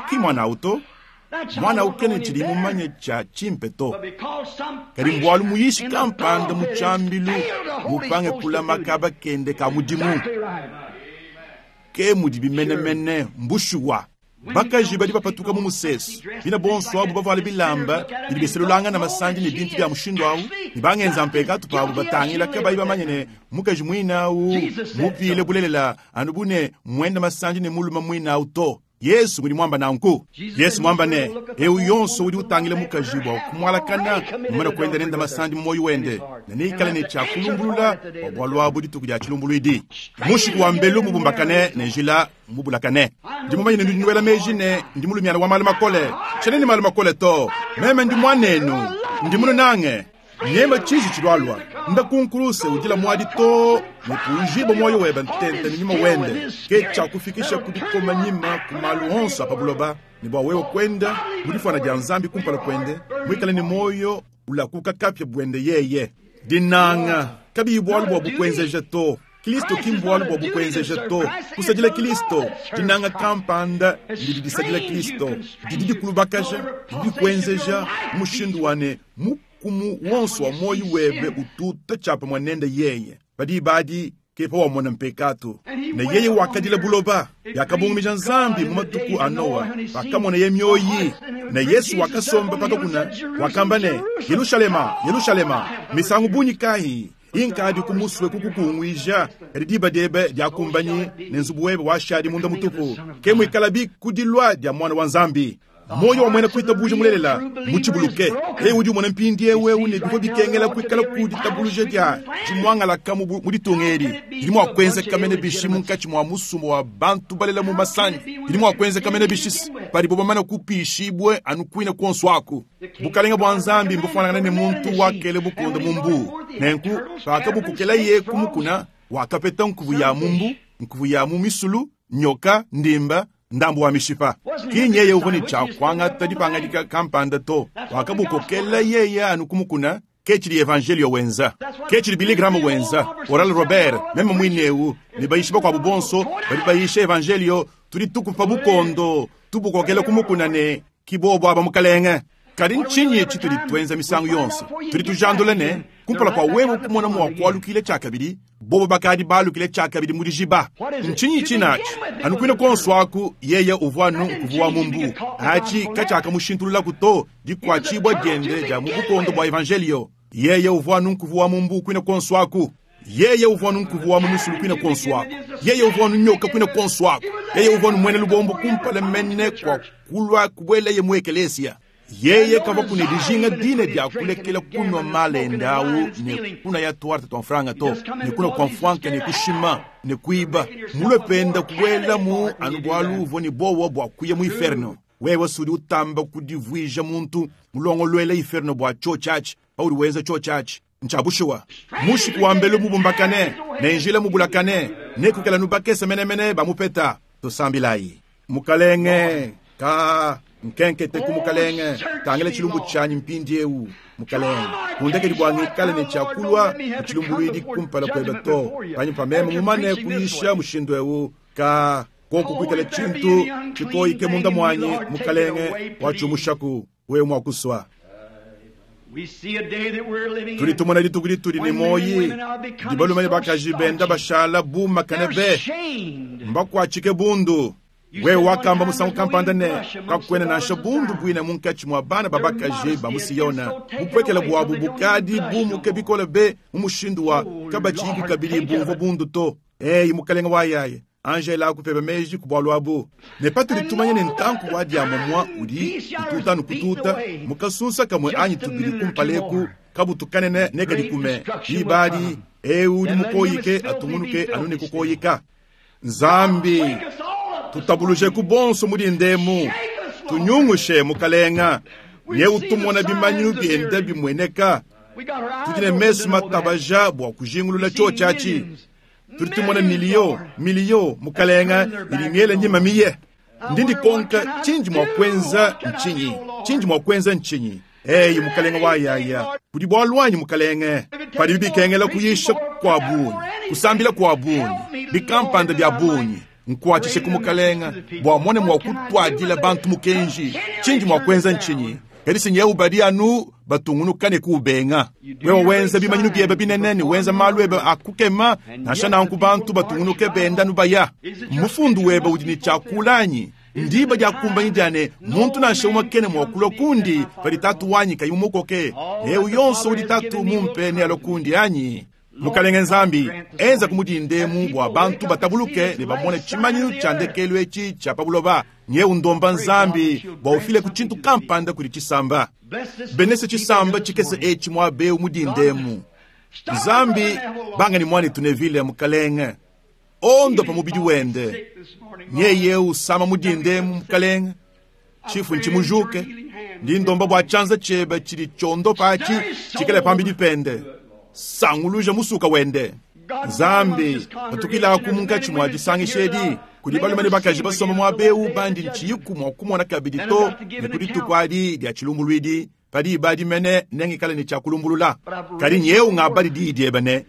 ki muana au to, muana au kena tshidi mumanye tshia tshimpe to, kadi mbualu muyishi kampanda mu tshiambilu mupange kulama kaba kende ka mudimu. Ke mudibi menemene, mbushuwa. Bakaji badi bapatuka mu musesu, bina bonso abu bavuale bilamba bidi biselulangana masandi ne bintu bia mushindu au, ne bangenza mpekatu pabu batangila kabayi bamanye ne mukaji muine au mupile bulelela anu bu ne muende masandi ne mulume muine au to. Yesu ngudi muamba nanku. Yesu muamba ne, eu yonso udi utangila mukaji bua kumualakana mumane kuenda nende masandi mu muoyo wende, ne neikale ne tshia kulumbulula bua bualu abu dituku dia tshilumbuluidi. Mushiku wa mbelu mubumbakane ne njila mubulakane. Ndi mumanye ne nudi nuela meji ne ndi mulumiana wa malu makole. Tshiena ne malu makole to. Meme ndi muanenu, ndi mununange. Nyema tshiji tshilualua. Nda ku nkuruse udila muadi too ne kuujibua muoyo webe ntente ne nyuma wende. Ke tshiakufikisha ku dikoma nyima ku malu onso a pa buloba, ne bua wewe kuenda mu difuana dia Nzambi kumpala kuende, muikale ne muoyo ulakuka kapia buende yeye. Dinanga kabiyi bualu bua bukuenzeja to. Kristo ki mbualu bua bukuenzeja to. Kusadila Kristo, dinanga kampanda didi disadila Kristo, didi dikulubakaja, didi dikuenzeja mu mushindu wa ne mukumu wonso wa muoyo webe ututa tshiapamue nende yeye. Pa diba adi ke pawamona mpekatu. Ne yeye wakadila buloba. Biakabungumija Nzambi mu matuku a Noa pakamoneye mioyi. Ne Yesu wakasomba pa kakuna, wakamba ne, Yelushalema, Yelushalema, misangu bungi kayi inkadiku musue kukukunguija, kadi diba diebe diakumbanyi ne nzubu webe washadi munda mutupu. Ke muikalabi ku dilua dia Muana wa Nzambi. Muoyo wa muena kuitabuja mulelela mutshibuluke, yeye udi umona mpindieu eu ne bivua bikengela kuikala ku ditabuluja dia dimuangalaka mu ditunga edi. Didi mua kuenzeka mene bishi munkatshi mua musumba wa bantu balela mu masandi? Didi mua kuenzeka mene bishi padibo bamana kupiishibue anu kuine kuonso aku? Bukalenge bua Nzambi mbufuanangane ne muntu wakele bukonde mu mbuu. Nenku, pakabukokelaye ku mukuna, wakapeta nkuvu ya mu mbu, nkuvu ya mu misulu, nyoka, ndimba, ndambu wa mishipa. Ki nyeye uvua ne tshia kuangata dipangadika kampanda to, wakabukokela yeye anu ku mukuna. Ke tshidi Evanjeliyo wenza. Ke tshidi Billy Graham wenza, Oral Robert, meme muine eu, ne bayishi bakuabu bonso badi bayisha Evanjeliyo. Tudi tukupa bukondo, tubukokela ku mukuna ne, Ki bobo aba, Mukalenge. Kadi ntshinyi tshitudi tuenza misangu yonso? Tudi tujandula ne, kumpala kua wewe kumona mua kualukila tshiakabidi, bobo bakadi balukile tshiakabidi mu dijiba. Ntshinyi tshinatshi? Anu kuine kuonso aku, yeye uvua anu nkuvu wa mu mbu. Atshi katshiakamushintululaku to dikuatshibua diende dia mu bukondo bua evanjeliyo. Yeye uvua anu nkuvu wa mu mbu kuine kuonso aku. Yeye uvua anu nkuvu wa mu musulu kuine kuonso aku. Yeye uvua anu nyoka kuine kuonso aku. Yeye uvua anu muena lubombo kumpala mene kua kulua kubueleye mu ekelesia. Yeye kavua ne dijinga dine dia kulekela kunua malenda au ne kunaya tuarte tua mfranga to, ne kunua kua mfuanka ne kushima ne kuiba. Mulue penda kubuela mu anu bualu uvua ne buowa bua kuya mu inferno. Wewe sudi utamba kudivuija muntu mulongoluela inferno bua tshiotshi atshi, paudi wenza tshiotshi atshi. Ntshia bushuwa, mushiku wa mbelu mubumbakane ne njila mubulakane nekuikala nubakese menemene bamupeta. Tusambilayi. Mukalenge, ka nkenkete ku mukalenge, tangila tshilumbu tshianyi mpindieu. Mukalenge, kundekedi bua ngikale ne tshiakulua ku tshilumbuluidi kumpala kuebe to, panyima pa meme mumane kuyisha mushindu eu. Ka koku kuikala tshintu tshikoyike munda muanyi, mukalenge, watshiumushaku wewe mua kusua. Tudi tumona dituku ditudi ne muoyi, didi balume ne bakaji benda bashala bu makane be, mbakuatshike bundu. Wewe wakamba musangu kampanda ne, kakuena nansha bundu buine munkatshi mua bana ba bakaji ba mu Siyona. Bupuekele buabu bukadi bumuke bikole be mu mushindu wa kabatshiyiku kabidi bumvua bundu to. Eyi mukalenge wa yaye, Angela akupeba meji ku bualu abu. Ne patudi tumanya ne ntanku wa diamomua udi ututa nukututa mu kasunsa kamue anyi tubidi kumpala eku, kabutu kanene nekadikume. Diba adi, eu udi mukoyike atungunuke anu ne kukoyika. Nzambi, tutabulujeku bonso mu dindemu, tunyungushe mukalenga, ne utumona bimanyinu bienda bimueneka. Tudi ne mesu matabaja bua kujingulula tshiotshi atshi. Tudi tumona miliyo miliyo mukalenga idi miele nyima miye. Ndi ndikonka tshindi mua kuenza ntshinyi? Tshindi mua kuenza ntshinyi? Eyi mukalenga wa yaya, kudi bualu anyi mukalenge. Padibi bikengela kuyisha kua bungi, kusambila kua bungi, bikampanda bia bungi, nkuatshishe ku mukalenga bua mone mua kutuadila bantu mukenji. Tshindi mua kuenza ntshinyi? Kadi sinyewu badi anu batungunuka ne kuubenga. Wewe wenza bimanyinu biebe binene ne wenza malu ebe a kukema, nansha nanku bantu batungunuke benda nubaya. Mufundu webe udi ne tshiakula anyi? Ndiba diakumbanyi dia ne muntu nansha umue kena mua kulua kundi padi tatu wanyi kayi mumukoke. Eu yonso udi tatu mumpe nealue kundi anyi? Mukalenge Nzambi, enza ku mudindemu bua bantu batabuluke ne bamone tshimanyinu tshia ndekelu etshi tshia pa buloba. Nyeu ndomba Nzambi bua ufile ku tshintu kampanda kudi tshisamba. Benese tshisamba tshikese etshi muaba eu mudindemu. Nzambi, banga ne muanetu Neville, mukalenge, ondopa mubidi wende. Nyeye usama mudindemu, mukalenge, tshifu ntshimujuke. Ndi ndomba bua tshianza tshiebe tshidi tshiondopa atshi tshikale pambidi pende. Sanguluja musuka wende. Nzambi, patukilaku munkatshi mua disangisha edi kudi balume ne bakaji basomba muaba eu bandi ntshiyiku mua kumona kabidi to ne ku dituku adi dia tshilumbuluidi, padi ibadi mene nengikale ne tshia kulumbulula. Kadi nyeu ngabadi diyi diebe ne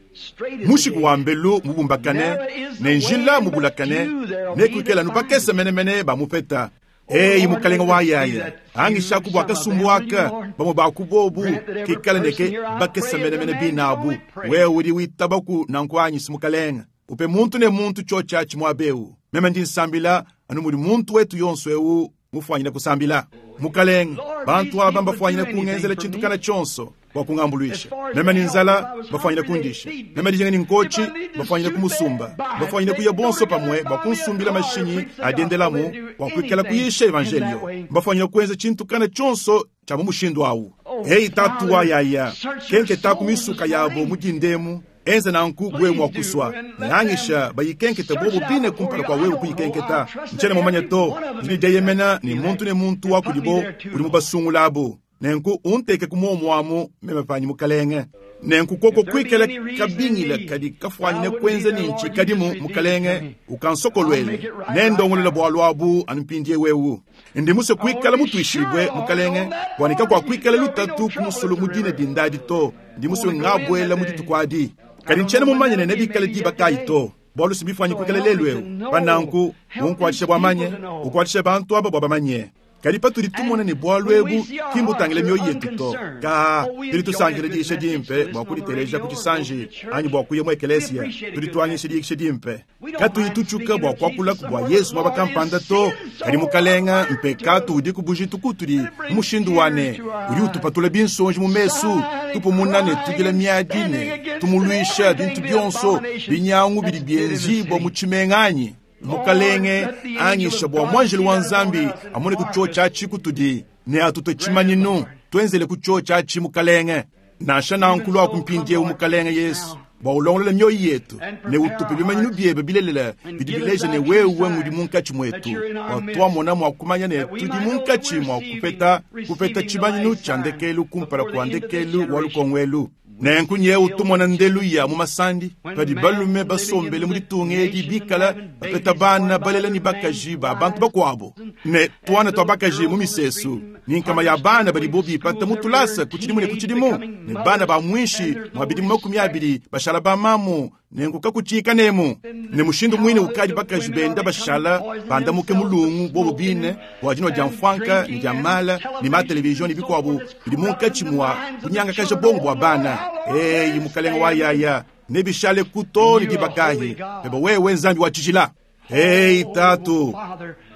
mushiku wa mbelu mubumbakane ne njila mubulakane nekuikale anu bakese menemene bamupeta. Eyi mukalenge wa yaya, angishaku bua kasumbu aka bamue ba ku bobu kikale neke bakese menemene binabu. Wewe udi witabaku nanku anyi si mukalenge? Upe muntu ne muntu tshiotshi atshi muaba eu. Meme ndi nsambila anu mudi muntu wetu yonso eu mufuanyine kusambila. Mukalenge, bantu aba mbafuanyine kungenzela tshintu kana tshionso bua kungambuluisha. Meme ni nzala, bafuanyine kundisha. Meme dijinga ni nkotshi, bafuanyine kumusumba. Bafuanyine kuya bonso pamue bua kunsumbila mashinyi adiendelamu bua kuikala kuyisha evanjelio. Bafuanyine kuenza tshintu kana tshionso tshia mu mushindu awu. Eyi tatu wa yaya, kenketa ku misuka yabo mu dindemu, enza nanku wewe mua kusua. Nangisha bayikenkete bobo bine kumpala kua wewe kuyikenketa. Ntshiena mumanye to, ndi ne dieyemena ne muntu ne muntu wa kudibo udi mubasungulabo. Nenku unteke ku muomuamu meme panyi mukalenge. Nenku koko kuikala kabingila kadi kafuanyine kuenza ne ntshikadimu mukalenge ukansokoluele. Nendongolola bualu abu anu mpindieu eu. Ndi musue kuikala mutuishibue mukalenge bua ne kakuakuikala lutatu ku musulu mu dine dindadi to. Ndi musue ngabuela mu dituku adi. Kadi ntshiena mumanye ne nebikale diba kayi to. Bualu si bifuanyi kuikala lelu eu. Pa nanku unkuatshishe bua manye, ukuatshishe bantu aba bua bamanye. Kadi patudi tumona ne bualu ebu ki mbutangile mioyo yetu to, kaa, tudi tusankila diyisha dimpe bua kuditeleja ku tshisanji anyi bua kuya mu ekelesia. Tudi tuanyisha diyisha dimpe. Katuyi tutshuka bua kuakulaku bua Yezu muaba kampanda to. Kadi Mukalenga, mpekatu udiku bujitu kutudi mu mushindu wa ne udi utupatula binsonji mu mesu, tupumuna ne tudila miadi ne tumuluisha bintu bionso binyangu bidi bienzibua mu tshimenga anyi? Mukalenge, anyisha bua muanjelu wa Nzambi amone ku tshiotshi atshi kutudi ne atutue tshimanyinu. Tuenzele ku tshiotshi atshi, Mukalenge. Nansha nanku luaku mpindieu, Mukalenge Yesu, bua ulongolole mioyo yetu ne utupe bimanyinu biebe bilelela bidi bileja ne wewe ngudi munkatshi muetu, bua tuamona mua kumanya ne tudi munkatshi mua kupeta kupeta tshimanyinu tshia ndekelu kumpala kua ndekelu wa lukongo elu. Nenku nyewu tumona ndelu ya mu masandi padi balume basombele mu ditunga edi bikala bapeta bana balela ne bakaji ba bantu bakuabu ne tuana tua bakaji mu misesu ne nkama ya bana badibo bipata mu tulasa ku tshidimu ne ku tshidimu ne bana ba muinshi mua bidimu 20 bashala bamamu. Nenku kakutshiika nemu ne mushindu muine ukadi bakaji benda bashala bandamuke mulungu bobo bine bua dinua dia mfuanka ne dia mala ne ma televizion ne bikuabu bidi munkatshi mua kunyangakaja bongo bua bana. Eyi, Mukalenge wa yaya, nebishale ku too ne diba kayi pebe wewe Nzambi wa tshijila? Eyi Tatu,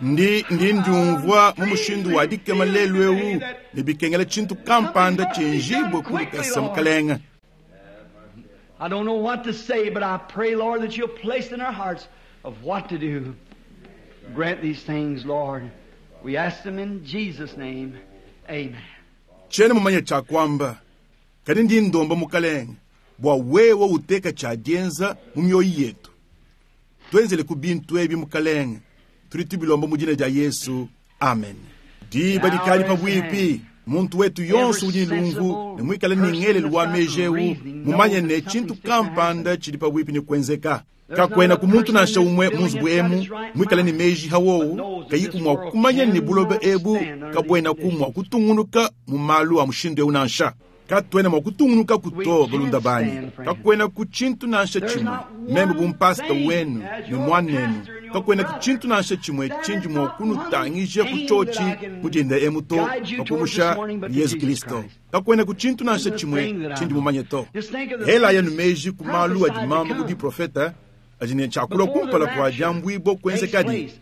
ndi ndi ndiumvua mu mushindu wa dikema lelu eu ne bikengela tshintu kampanda tshienjibue ku lukasa, Mukalenge. I don't know what to say, but I pray, Lord, that you'll place in our hearts of what to do. Grant these things, Lord. We ask them in Jesus' name. Amen. Tshiena mumanye tshia kuamba, kadi ndi ndomba Mukalenge bua wewe uteka tshia dienza mu mioyo yetu. Tuenzele ku bintu ebi, Mukalenge. Tudi tubilomba mu dina dia Yesu. Amen. Diba dikadi pabuipi. Muntu wetu yonso udi ne lumvu ne muikale ne ngelelu wa meji eu mumanye ne tshintu kampanda tshidi pabuipi ne kuenzeka. Kakuena ku muntu nansha umue mu nzubu emu muikale ne meji hawowu kayiku mua kumanya ne buloba ebu kabuenaku mua kutungunuka mu malu a mushindu eu nansha. Katuena mua kutungunukaku to, balunda banyi. Kakuenaku tshintu nansha tshimue, meme bu mpasta wenu ne muanenu, kakuenaku tshintu nansha tshimue tshindi mua kunutangija ku tshiotshi mu dinda emu to, pa kumusha Yezu Kristo. Kakuenaku tshintu nansha tshimue tshindi mumanye to. Elayanu meji ku malu adi mamba mu biprofeta adi ne tshiakulua kumpala kua diambuibua kuenzekadi.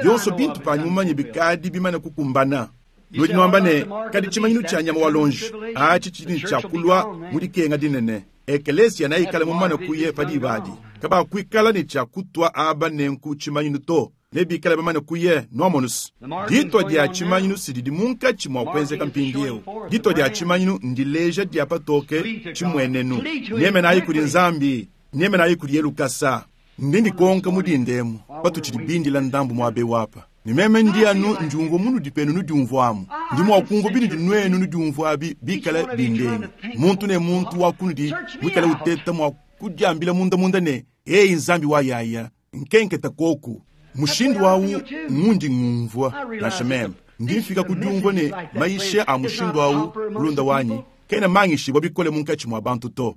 Bionso bintu panyi mumanye bikadi bimane kukumbana. Nudi nuamba ne, kadi tshimanyinu tshia nyama wa lonji atshi tshidi ne tshia kulua mu dikenga dinene. Ekelesia neikale mumane kuye pa diba adi. Kabakuikala ne tshia kutua aba nenku tshimanyinu to, nebikale bamane kuye. Nuamonus, ditua dia tshimanyinu si didi munkatshi mua kuenzeka mpindieu. Ditua dia tshimanyinu ndileja dia patoke tshimuenenu. Nyemenayi kudi Nzambi, nyemenayi kudiye lukasa. Ndi ndikonka mu dinda emu patutshidi bindila ndambu muaba eu apa, ne meme ndi anu ndiumvua munudi penu nudiumvuamu. Ndi mua kumvua binudi nuenu nudiumvua abi bikale bindenga. Muntu ne muntu wa kunudi muikale uteta mua kudiambila mundamunda ne, Eyi Nzambi wa yaya, nkenketa koku. Mushindu au ngundi ngumvua. Nansha meme ndi mfika ku diumvua ne mayisha a mushindu au, mulunda wanyi, kena mangishibua bikole munkatshi mua bantu to.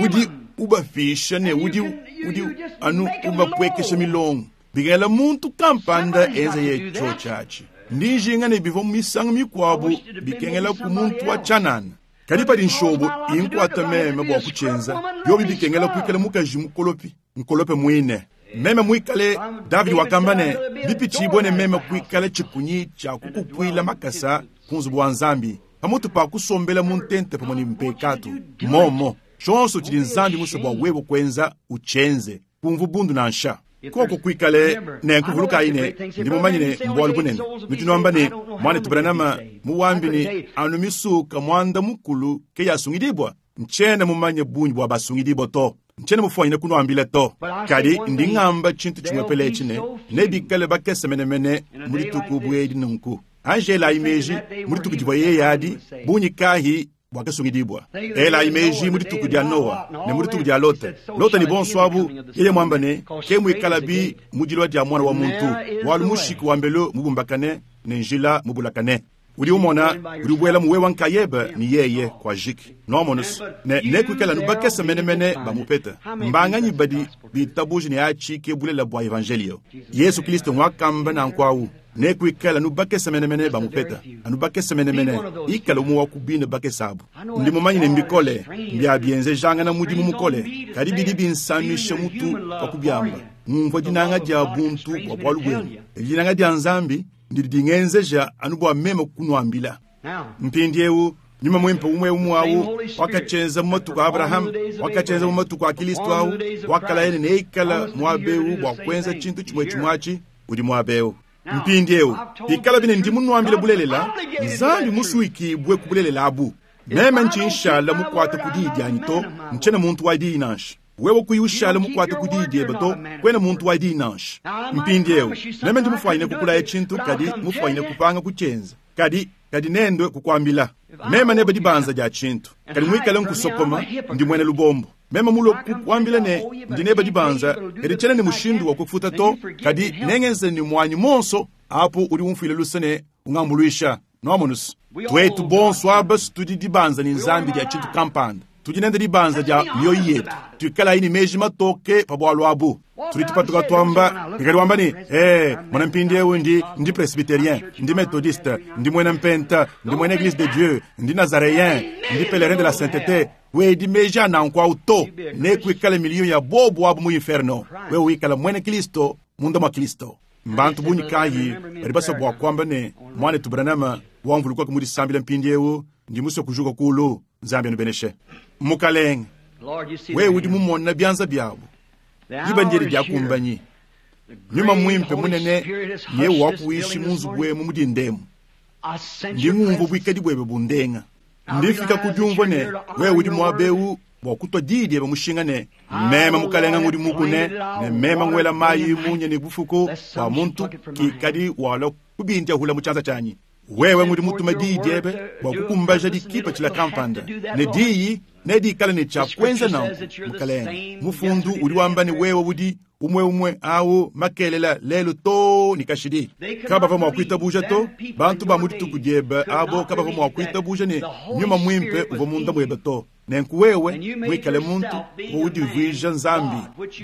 Udi ubapisha ne udi udi anu ubapuekesha milongo. Bikala muntu kampanda enza ye tshiotshi atshi, ndi njinga ne bivua misangu mikuabu bikengela ku muntu wa tshianana. Kadi padi nshobo inkuata meme bua kutshienza, biobi bikengela kuikala mukaji mukolopi, nkolope muine. Meme muikale Davidi wakamba ne, bipitshibue ne meme kuikala tshikunyi tshia kukupuila makasa ku nzubu wa Nzambi, pamutu pa kusombela mu ntente pamue ne mpekatu. Momo, tshionso tshidi Nzambi musue bua wewe kuenza, utshienze. Kumvu bundu nansha. Koko kuikale nenku, vulukayi ne, ndi mumanye ne mbualu bunene. Nudi nuamba ne, Muanetu Branham muwambi ne anu misuka muanda mukulu ke yasungidibua? Ntshiena mumanye bungi bua basungidibua to. Ntshiena mufuanyine kunuambila to. Kadi ndi ngamba tshintu tshimuepele etshi ne, nebikale bakese menemene mu dituku bu edi nunku. Anji elayi meji mu dituku divua yeye adi, bungi kahi buakasungidibua. Elayi meji mu dituku dia Noa ne mu dituku dia Lota. Lota ne bonso abu, yeye muamba ne, ke muikalabi mu dilua dia Muana wa muntu, bualu mushiki wa mbelu mubumbakane ne njila mubulakane. Udi umona, udi ubuelamu wewe nkayebe ne yeye kwajiki. Nwamonu's? Ne nekwikale anu bakese menemene bamupeta. Mbanganyi badi bitabuje ne aci ke bulelela bwa Evanjeeliyo? Yesu Kilisto ngwakamba nanku awu. Nekwikale anu bakese menemene bamupeta, anu bakese menemene. Ikala umwe wa ku bine bakese abu. Ndi mumanye ne mbikole, mbya byenzejangana mudimu mukole, kadi bidi binsamisha mutu pa kubyamba. Ngumvwa dinanga dya buntu bwa bwalu bwenu. Dinanga dya Nzambi ndidi dingenzeja anu bwa meme kunwambila. Mpindyewu, Nyuma Mwimpe umwe-umwe awu wakacyenza mu matuku a Abraham, wakacyenza mu matuku a Kilisto awu, wakalaya ne neikala mwaba ewu bwa kwenza cintu cimwecimwe aci, udi mwaba ewu. Mpindyewu, pikalabi ne ndi munwambile bulelela, Nzambi muswikibwe ku bulelela abu. Meme nci nshala mukwate ku diyi dyanyi to, ncyena muntu wa diyi nansha. Wewe kuyi ushala mukuate ku diyi diebe to, kuena muntu wa diyi nansha. Mpindiewu, meme ndi mufwanyine kukulaya tshintu, kadi mufwanyine kupanga kutshienza. Kadi, kadi nendue kukuambila. Meme nebe dibanza dia tshintu, kadi muikale nkusokoma, ndi muena lubombo. Meme mulue kukuambila ne, ndi nebe dibanza, kadi tshiena ne mushindu wa kufuta to, kadi nengenze ne muanyi muonso, apu udi umfuila luse ne ungambuluisha. Nwamonu's? Tuetu bonso aba tudi dibanza ne Nzambi dia tshintu kampanda. Tudi nende dibanza dia mioyo yetu. Tuikalayi ne meji matoke pa bualu abu. Tudi tupatuka tuamba, ngikadi wamba ne, Ee, mona mpindiewu ndi, ndi Presbyterien, ndi Methodiste, ndi muena Mpenta, ndi muena Eglise de Dieu, ndi Nazareen, ndi Pelerin de la Saintete. Kuedi meji a nanku au to. Nekuikale miliyo ya bobu abu mu inferno. Wewe wikala muena Kilisto munda mua Kilisto. Mbantu bungi kayi badi basue bua kuamba ne, Muanetu Branham, wamvulukaku mu disambila mpindiewu, ndi musue kujuka kuulu. Nzambi anubeneshe. Mukalenge, wewe udi mumone bianza biabu. Diba ndiedi diakumbanyi. Nyuma Mwimpe munene nyewu wakuwishi mu nzubu emu mu dinda emu. Ndi ngumvua buikadi buebe bundenga. Ndi mfika ku diumvua ne, wewe udi muaba eu bua kutua diyi diebe mushinga ne, Meme Mukalenge ngudi mukune, ne meme nguela mayi munya ne bufuku, bua muntu kikadi walua kubindiahula mu tshianza tshianyi. Wewe ngudi mutume diyi diebe bua kukumbaja dikipatshila kampanda, ne diyi nedikale ne tshia kuenza nanku, Mukalenge. Mufundu udi wamba ne wewe udi umue-umue au makelela, lelu too ne kashidi. Kabavua mua kuitabuja to. Bantu ba mu dituku diebe abo kabavua mua kuitabuja ne Nyuma Muimpe uvua munda muebe to. Nenku wewe muikale muntu, uvua udivuija Nzambi.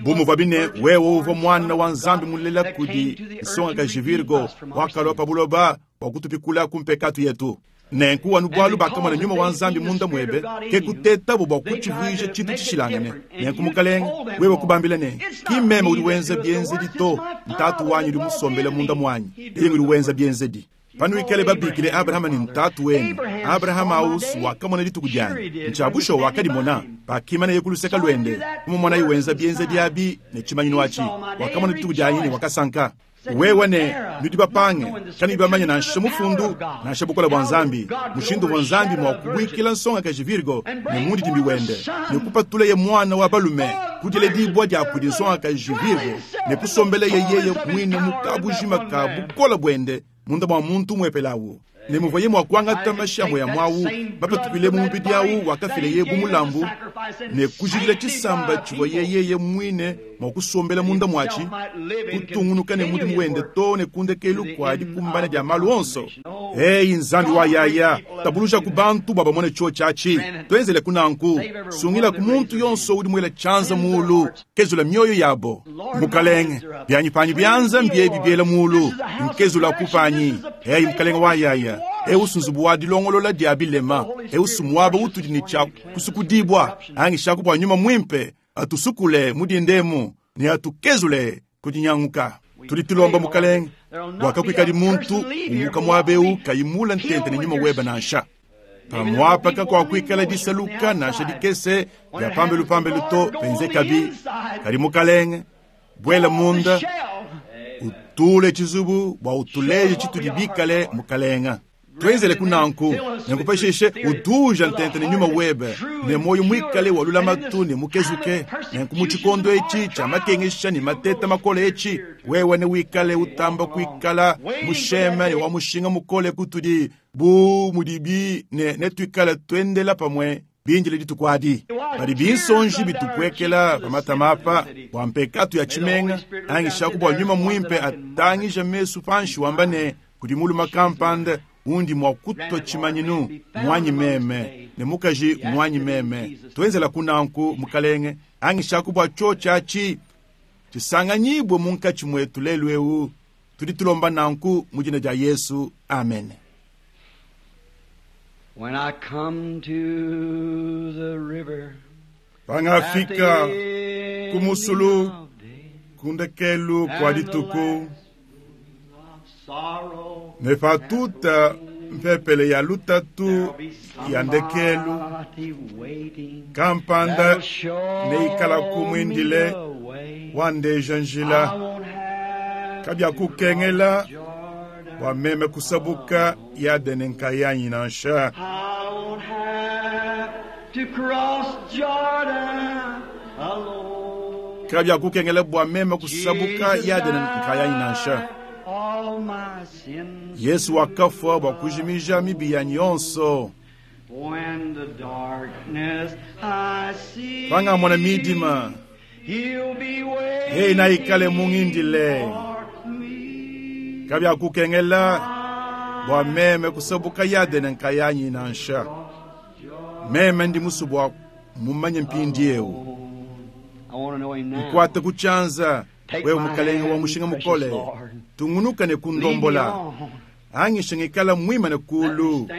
Bu muvuabi ne wewe uvua Muana wa Nzambi mulela kudi nsongakaji Virgo, wakalua pa buloba bua kutupikula ku mpekatu yetu. Nenku anu bualu bakamona Nyuma wa Nzambi munda muebe, ke kutetabo bua kutshivuija tshintu tshishilangane. Nenku, Mukalenge, wewe kubambila ne, Ki mmeme udi wenza bienzedi to, n'Tatu wanyi udi musombele munda muanyi, yeye ngudi wenza bienzedi. Panuikale babikile Abrahama ne ntatu wenu, Abrahama au's wakamona dituku dianyi. Ntshia bushuwa wakadimona. Pakimaneye ku luseke luende, kumumonaye wenza bienzedi abi ne tshimanyinu atshi, wakamona dituku dianyi ne wakasanka. Wewe ne, Nudi bapange, kanuyi bamanye nansha Mufundu, nansha bukole bua Nzambi, mushindu uvua Nzambi mua kubuikila nsongakaji Virgo ne mundidimbi wende, ne kupatuleye muana wa balume ku diledibua dia kudi nsongakaji Virgo, ne kusombeleye yeye muine mu kabujima ka bukole buende munda mua muntu umuepele awu, ne muvuaye mua kuangata mashi amue amue awu mapatukile mu mubidi awu wakafileye bu mulambu, ne kujidila tshisamba tshivuaye yeye muine mua kusombela munda muatshi, kutungunuka ne mudimu wende too ne ku ndekelu kua dikumbana dia malu onso. Eyi Nzambi wa yaya, tabulujaku bantu bua bamone tshiotshi atshi. Tuenzeleku nanku. Sungilaku muntu yonso udi muele tshianza muulu. Kezula mioyo yabo, Mukalenge. Byanyi panyi byanza mbyebi byela muulu. Nkezulaku panyi. Eyi Mukalenge wa yaya, eu nzubu wa dilongolola dya bilema. Eu muaba utudi ne tshya kusukudibua. Angishaku bua Nyuma Mwimpe atusukule mu dinda emu ne atukezule ku dinyanguka. Tudi tulomba, Mukalenge, bua kakuikadi muntu umuka muaba eu kayi mula ntente ne Nyuma webe nansha. Pamuapa kakuakuikala disaluka nansha dikese dia pambelu pambelu to penzekabi. Kadi Mukalenge, buela munda, utule tshizubu bua utuleje tshitudi bikale, Mukalenge. Tuenzeleku nanku, nenku pashishe utuuja ntente ne Nyuma webe, ne muoyo muikale wa lulamatu ne mukezuke. Nenku mu tshikondo etshi tshia makengesha ne mateta makole etshi, wewe newikale utamba kuikala musheme ne wa mushinga mukole kutudi, bu mudibi ne netuikale tuendela pamue bindile dituku adi. Padi binsonji bitupuekela pa matama apa bua mpekatu ya tshimenga, angishaku bua Nyuma Muimpe atangije mesu panshi wamba ne, Kudi mulume kampanda. Undi mua kutua tshimanyinu muanyi meme ne mukaji muanyi meme. Tuenzelaku nanku, Mukalenge, anyishaku bua tshiotshi atshi tshisanganyibue munkatshi muetu lelu eu. Tudi tulomba nanku mu dina dia Yesu, amen. When I come to the river, Pangafika ku musulu ku ndekelu kua dituku, ne patuta mpepele ya lutatu ya ndekelu, kampanda neikalaku muindile wandeja njila. Kabiakukengela bua meme kusabuka Yadene nkayanyi nansha. I won't have to cross Jordan alone. Kabiakukengela bua meme kusabuka Yadene nkayanyi nansha. All my sins Yesu wakafua bua kujimija mibi yanyi yonso. When the darkness I see, Pangamona midima, He'll be waiting yeye naikale mungindile. for me. Kabiakukengela bua meme kusabuka Yadene nkayanyi nansha. Meme ndi musue bua mumanye mpindieu. I want to know him now. Nkuate ku tshianza, Take wewe my mukalenge wa hand, mushinga precious mukole. Lord. Tungunuka ne Lead me kundombola. on. Anyishe ngikala mwimane kulu.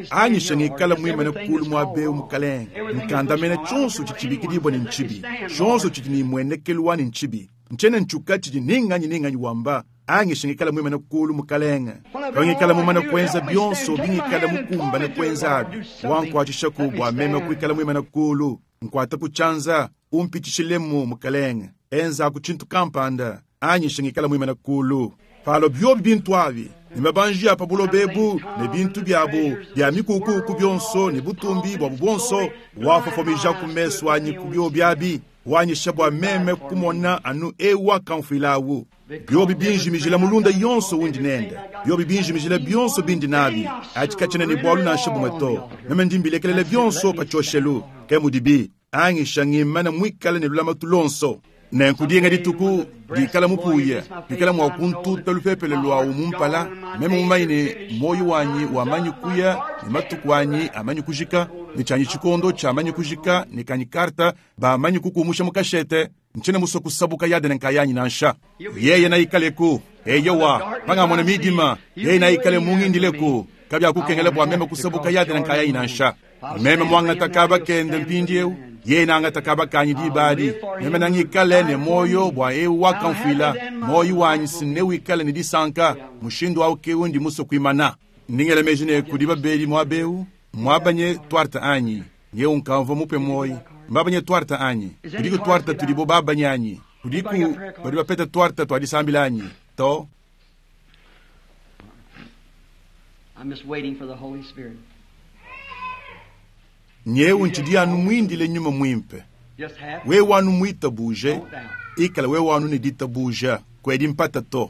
Anyishe ngikala mwimane kulu muaba eu mukalenge. Nkandamena tshionso tshidi tshibikidibua ne ntshibi. Tshionso tshidi ne muenekelu wa ne ntshibi. Ntshiena ntshuka tshidi ninganyi ninganyi wamba. Anyishe ngikala mwimane kulu mukalenge. Pangikala mumane kuenza bionso bingikala mukumbane kuenza abi. Wankuatshishaku bua meme kuikala mwimane kulu. Nkuata ku tshianza, umpitshishilemu mukalenge. Enzaku tshintu kampanda. Anyishe ngikala mwimane kulu. Palo biobi bintu abi ne mabanji a pa buloba ebu ne bintu biabu bia mikukuku bionso ne butumbi buabu buonso, wafofomija ku mesu anyi ku biobi abi, wanyisha bua meme kumona anu eu wakamfuilawu. Biobi binjimijila mulunda yonso undi nende, biobi binjimijila bionso bindi nabi, atshikatshina ne bualu nansha bumue to. Meme ndi mbilekelela bionso pa tshioshelu, ke mudibi anyisha ngimana muikale ne lulamatu lonso. Nenku dinga dituku dikala mupuya, dikala mua kuntuta lupepele luawu mumpala, meme mumanye ne moyo wanyi wamanyi kuya ne matuku anyi amanyi kujika, ne tshianyi tshikondo tshiamanyi kujika, ne kanyi karta bamanyi kukumusha mu kashete, ntshiena musue kusabuka Yadene nkayanyi nansha. Yeye naikaleku, eyowa, pangamona midima, yeye naikale mungindileku, kabiakukengela bua meme kusabuka Yadene nkayanyi nansha. Meme muangata kaba kende mpindieu, yeye nangata kaba kanyi diba adi. Meme nangikale ne moyo bua eu wakamfuila, moyo wanyi sinewikale ne disanka, mushindu awu ke undi musue kuimana. Ndingela meji ne kudi babedi muaba eu, muabanye tuarte anyi, nyeu nkamvua mupe moyi. Mbabanye tuarte anyi, kudiku tuarte tudibo babanye anyi, kudiku badi bapeta tuarte tua disambila anyi, to. I'm just waiting for the Holy Spirit. Nyeu ntshidi anu muindile nyuma muimpe. Just have Wewe anu muitabuje, no doubt. ikala wewe anu ne ditabuja, kwedi mpata to.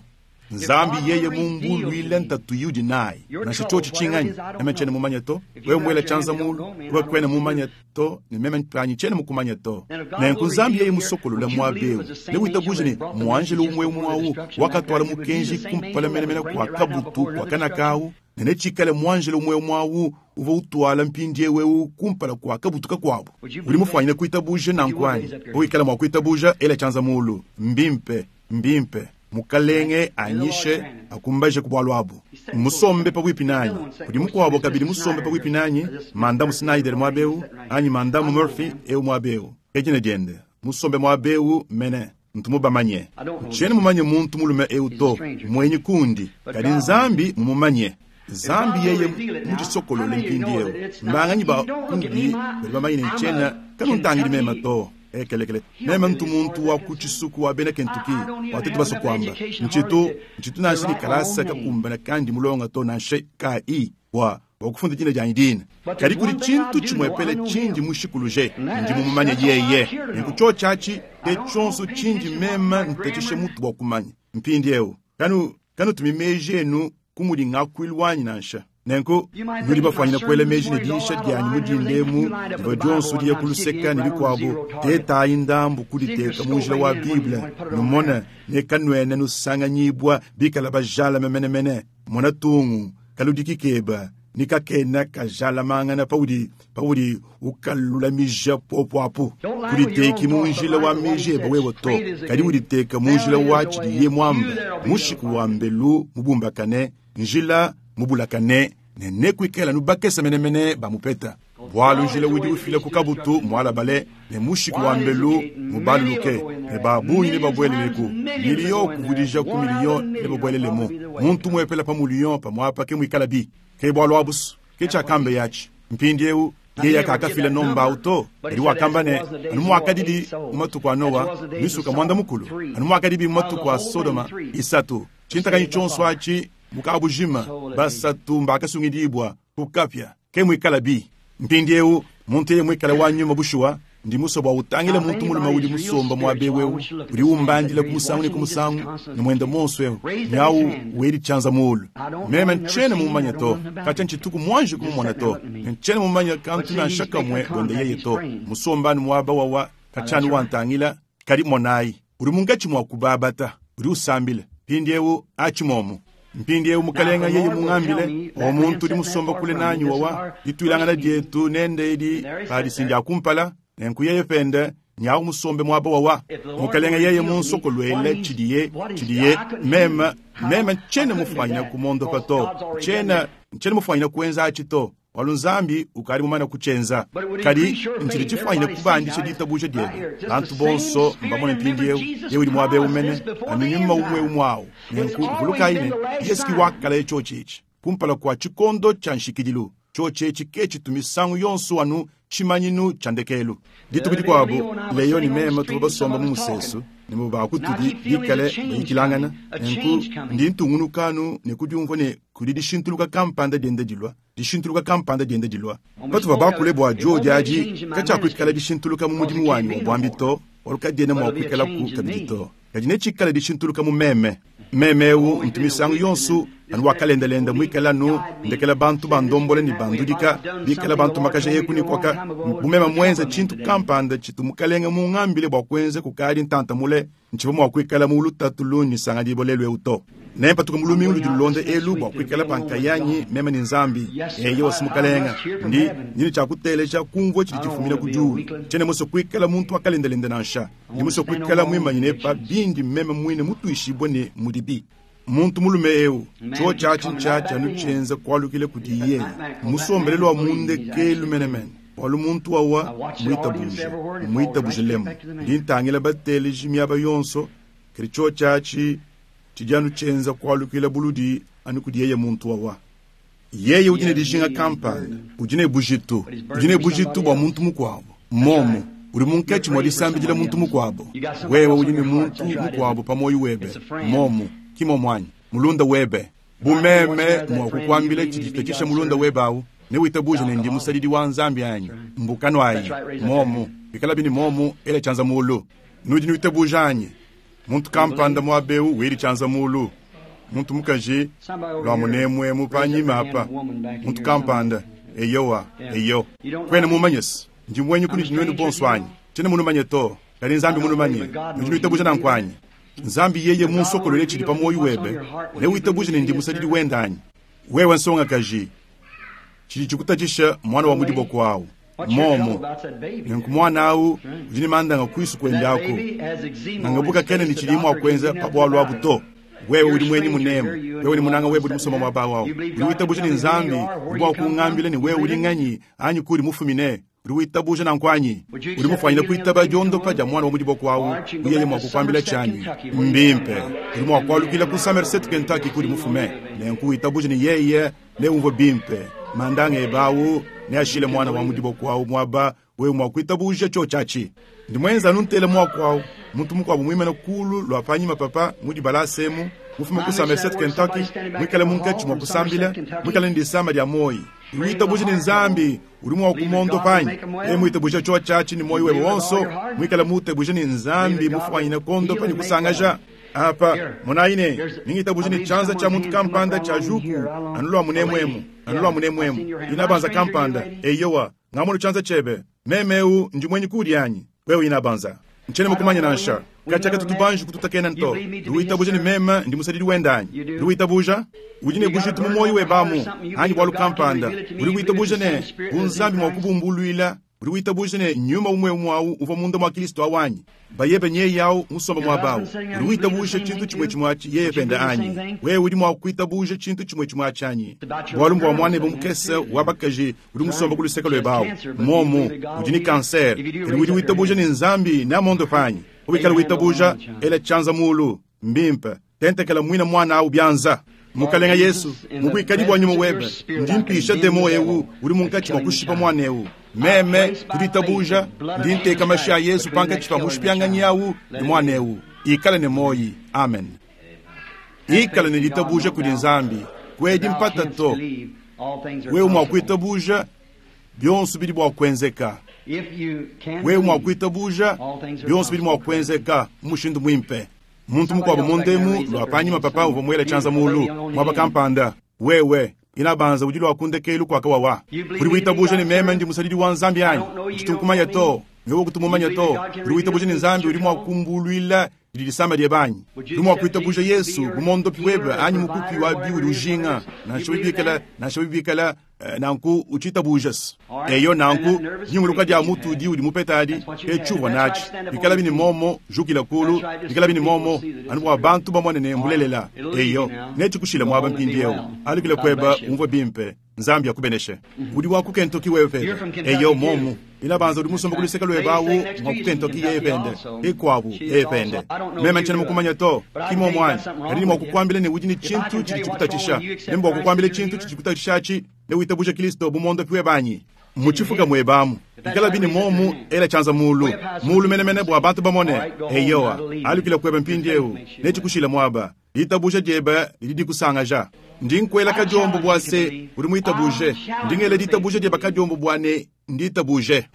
Nzambi yeye mumbuluile ntatu yudi nayi. Nansha tshiotshi tshinganyi, meme tshiena mumanye to. Wewe muela tshianza mulu, wewe kuena mumanye to, ne meme panyi tshiena mukumanye to. Nenku Nzambi yeye musokolole muaba eu, newitabuje ne muanjelo umue umue awu wakatwala mukenji kumpala menemene kua kabutu kua kanaka awu, ne netshikale muanjelo umue umue awu uvua utwala mpindieu eu kumpala kua kabutu kakuabu. Udi mufuanyine kuitabuja nanku anyi? Wikala mua kuitabuja, ela tshianza mulu. Mbimpe, mbimpe. Mukalenge anyishe akumbaje ku bualu abu. Musombe pabuipi nanyi. Kudi mukuabo kabidi musombe pabuipi nanyi, Mandamu Snyder muaba eu, anyi Mandamu Murphy eu muaba eu. Ke dina diende. Musombe muaba eu mene, ntu mubamanye. Ntshiena mumanye muntu mulume eu to, muenyi kundi, kadi Nzambi mumumanye. Nzambi yeye mudisokolole mpindieu. Mbanganyi ba kundi badi bamanye ne ntshiena kanuntangidi meme to. Ekelekele. Meme ntu muntu wa ku tshisuku wa bena Kentucky, wa tetu basue kuamba. Ntshitu, ntshitu nansha ne kalasa kakumbana kandi mulonga to nansha kai bua kufunda dina dianyi dina. Kadi kudi tshintu tshimuepele tshindi mushikuluje, ndi mumumanye yeye. Nenku tshiotshi atshi ke tshionso tshindi meme nteteshe mutu bua kumanya. Mpindieu, kanu kanutumi meji enu ku mudi ngakuilu wanyi nansha. Nenku nudi bafuanyine kuela meji ne diisha dianyi mu dinda emu, divua dionso diya ku luseka ne bikuabu, tetayi ndambu kuditeka mu njila wa Bible, numone ne kanuena nusanganyibua bikala bajalame menemene. Mona tungu. kaludiki keba ni kakena kajalamangana paudi paudi ukalulamija popo apu. Kuditeki mu njila wa meji ebe wewe to, kadi uditeka mu njila wa tshidiye muambe, mushiku wa mbelu mubumbakane, njila mubulakane, ne nekuikala nubakesa menemene bamupeta. Bwalu njila udi ufila ku kabutu mualabale, ne mushiku wa mbelu mubaluluke, ne babungi ne babweleleku, miliyo kuvudija ku miliyo ne babwelelemu. Muntu muepela pa muliyo pamuapa ke muikala bi. Ke bwalu abusu, ke tshiakambe yatshi. Mpindiewu yeye kakafila nomba auto, kadi wakamba ne anu muakadidi mu matuku a Noa misuka mwanda mukulu, anu muakadibi mu matuku a Sodoma isatu. Tshintakanyi tshionso atshi mukabujima basatu mbakasungidibwa kukapya ke muikala bi. Mpindiewu muntu yeye muikala wa nyuma bushuwa, ndi musue bua utangile muntu mulume udi musomba muaba ewu, udi umbandila ku musangu ne ku musangu ne muende monso ewu, nyawu wedi tshianza mulu. Meme ntshiena mumanya to, katshia ntshituku muanji kumumona to, ne ntshiena mumanya kantu nansha kamue buende yeye to. Musombanu muaba wawa katshianu wantangila, kadi monayi, udi munkatshi mua kubabata, udi usambila. Mpindiewu atshi momu. Mpindiewu mukalenga yeye mungambile, o muntu udi musomba kule nanyi wawa, dituilangana dietu nende edi padisindi akumpala, nenku yeye pende nyawu musombe muaba wawa. Mukalenga yeye munsokolwele tshidiye, tshidiye, meme, meme ntshiena mufanyina kumondopa to, ntshiena, ntshiena mufanyina kuenza atshi to. Walu Nzambi ukali mumana kutshienza. Kadi ntshidi tshifanyina kubandisha ditabuja diebe. Bantu bonso mbamone mpindiewu, yeye udi muaba ewu mene, anu nyuma umwe umwe awu. Nenku vulukayi ne Yesu ki wakala tshiotshi etshi kumpala kua tshikondo tshia nshikidilu. Tshiotshi etshi ke tshitu misangu yonso anu tshimanyinu tshia ndekelu. Dituku dikuabu Leo ne meme tuvua basomba mu musesu, ne mu bakutudi bikale bayikilangana. Nenku ndi ntungunuka anu ne kudiumvua ne kudi dishintuluka kampanda dienda dilua, dishintuluka kampanda dienda dilua. Patuvua bakule bua diodi adi, katshiakuikala dishintuluka mu mudimu wanyi wa buambi to, bualu kadiena mua kuikalaku kabidi to. Kadi netshikale dishintuluka mu meme. Meme ewu ntu misangu yonso anu wakalendelenda muikala anu ndekela bantu bandombola ne bandudika, bikala bantu makaja eku ne kuaka. Bu meme muenza tshintu kampanda tshitu mukalenga mungambile bua kuenza kukadi ntanta mule, ntshivua mua kuikala mu lutatu lundi nsangadibo lelu ewu to. Nempatuka mu lumingu ludi lulonda elu bua kuikala pa nkayanyi meme ne Nzambi. Eyo wasi mukalenga, ndi ndi ne tshia kuteleja kumvua tshidi tshifumina ku diulu. Tshiena musue kuikala muntu wakalendelenda nansha. Ndi musue kuikala muimanyine pa bindi meme muine mutuishibue ne mudibi. Muntu mulume ewu, tshiotshi atshi ntshiatshi anu tshienza kualukile kudi yeye. Musombelelo wa mundekelu menemene. Bualu muntu wawa muitabuje, muitabuje lemu. Ndi ntangila bateleji miaba yonso, kadi tshiotshi atshi tshidi anu tshienza kualukila buludi anu kudi yeye muntu wawa. Yeye udi ne dijinga kampanda, udi ne bujitu, udi ne bujitu bua muntu mukuabo. Momo, udi munkatshi mua disambidila muntu mukuabo. Wewe udi ne muntu mukuabo pa moyo webe. Momo, ki momo anyi? Mulunda webe. Bu meme mua kukuambila tshidi tshitatshisha mulunda webe awu, ne witabuje ne ndi musadidi wa Nzambi anyi? Mbukano ayi. Momo, bikala bini momo, ela tshianza mulu. Nudi nuitabuja anyi? Muntu kampanda muaba ewu weli tshianza mulu. Muntu mukaji lua munemuemu panyima apa. Muntu kampanda, eyowa, eyo. Kuena mumanye se, ndi muenyi kunudi nuenu bonso anyi? Tshiena munumanye to, kadi Nzambi munumanye. Nudi nuitabuja nanku anyi? Nzambi yeye munsokolole tshidi pa moyo webe, ne witabuje ne ndi musadidi wende anyi? Wewe nsongakaji, tshidi tshikutatshisha mwana wa mudiboko awu. Momo, nenku mwana awu udi ne mandanga kuisu kuende aku. Nangabuka kene ne tshidi mua kuenza pa bualu abu to. Wewe udi mwenyi munemu, wewe ni munanga webe udi musoma muaba wawu. Udi witabuja ne Nzambi, udi bua kungambila ne wewe udi nganyi anyi kudi mufumine. Udi witabuja nanku anyi? Udi mufanyine kuitaba diondopa dia mwana wa mudiboko awu, uyeye mua kukuambila tshianyi. Mbimpe. Udi mua kualukila ku Somerset, Kentucky kudi mufume. Nenku witabuja ne yeye ne umvue bimpe. Mandanga ebe awu ne ashile mwana wa mudiboko awu muaba wewe mua kuitabuja tshiotshi atshi. Ndi mwenza anu ntele muaku awu. Muntu mukuabu muimane kulu lua panyima papa mudi balasemu, mufume ku Somerset, Kentucky, muikale munkatshi mua kusambila, muikale ne disama dia moyi. Witabuja ne Nzambi udi mua kumondopa anyi? E muitabuja tshiotshi atshi ne moyo webe wonso, muikale mutebuja ne Nzambi mufanyine kondopa ne kusangaja. Apa, monayi ne, ningitabuja ne tshianza tshia muntu kampanda tshia juku, anu lua munemuemu, anu lua munemuemu. Inabanza kampanda, eyowa, ngamono tshianza tshiebe. Meme ewu ndi mwenyi kudi anyi? Wewe inabanza. Ntshiena mukumanye nansha. Katshia katutu banji kututakena to. Udi witabuja ne meme ndi musadidi wende anyi? Udi witabuja? Udi ne bujitu mu muoyo webe amu anyi bualu kampanda. Udi witabuja ne, bu Nzambi mua kubumbuluila, udi witabuja ne nyuma umue umue au uvua munda mua Kristo awu anyi? Bayebe nyeye au musomba muaba au. Udi witabuja tshintu tshimue tshimue atshi yeye pende anyi? Wewe udi mua kuitabuja tshintu tshimue tshimue atshi anyi? Bualu mbua muanebe mukese wa bakaji udi musomba ku luseke luebe au. Muomu, udi ne kansere. Kadi udi witabuja ne Nzambi neamuondope anyi? Wikala witabuja, ela tshianza mulu. Mbimpe, tentekela muina muana au bianza. Mukalenga Yesu, mu buikadi bua nyuma webe, ndi mpisha demo eu udi munkatshi mua kushipa muana eu. Meme ku ditabuja, ndi nteka mashi a Yesu pankatshi pa mushipianganyi au ne muana eu. Ikala ne muoyi. Amen. Ikala ne ditabuja kudi Nzambi. Kuedi mpata to. Wewe mua kuitabuja, bionso bidi bua kuenzeka. Wewe mua kuitabuja, bionso bidi mua kuenzeka mu mushindu muimpe. Muntu mukuabo mundemu lua panyima papa uvua muela tshianza mulu muaba kampanda. Wewe inabanza udi lua kundekelu kua kawawa. Udi witabuja ne meme ndi musadidi wa Nzambi anyi? Ntshitu nkumanya to. Wewe kutumumanya to. Udi witabuja ne Nzambi udi mua kumbuluila didi disama diebe anyi? Udi mua kuitabuja Yesu bu mondopi webe anyi mukupi wa biudi ujinga, nansha bibikala, nansha bibikala nanku utshitabuja. Eyo nanku nyunguluka dia mutu udi udi mupeta adi ke tshiuvua natshi. Bikala bini momo jukila kulu, bikala bini momo anu bua bantu bamone ne mbulelela. Eyo netshikushile muaba mpindieu. Alukile kueba umvue bimpe. Nzambi akubeneshe. Udi wa ku Kentucky wewe pebe. Eyo momu. Inabanza udi musomba ku luseke luebe awu mwa ku Kentucky yeye pende. Ikuabu yeye pende. Meme ntshiena mukumanya to. Ki momu anyi? Kadi ndi mua kukuambila ne udi ne tshintu tshidi tshikutatshisha. Ne mbua kukuambila tshintu tshidi tshikutatshisha atshi, ne witabuje Kristo bu muondopi webe anyi? Mu tshifuka muebe amu. Ikala bine momu, ela tshianza mulu. Mulu menemene bua bantu bamone. Eyowa. Alukila kuebe mpindieu. Netshikushile muaba. Ditabuja diebe didi dikusangaja. Ndi nkuela kadiombo bua se udi muitabuje. Ndi ngela ditabuja diebe kadiombo bua ne nditabuje.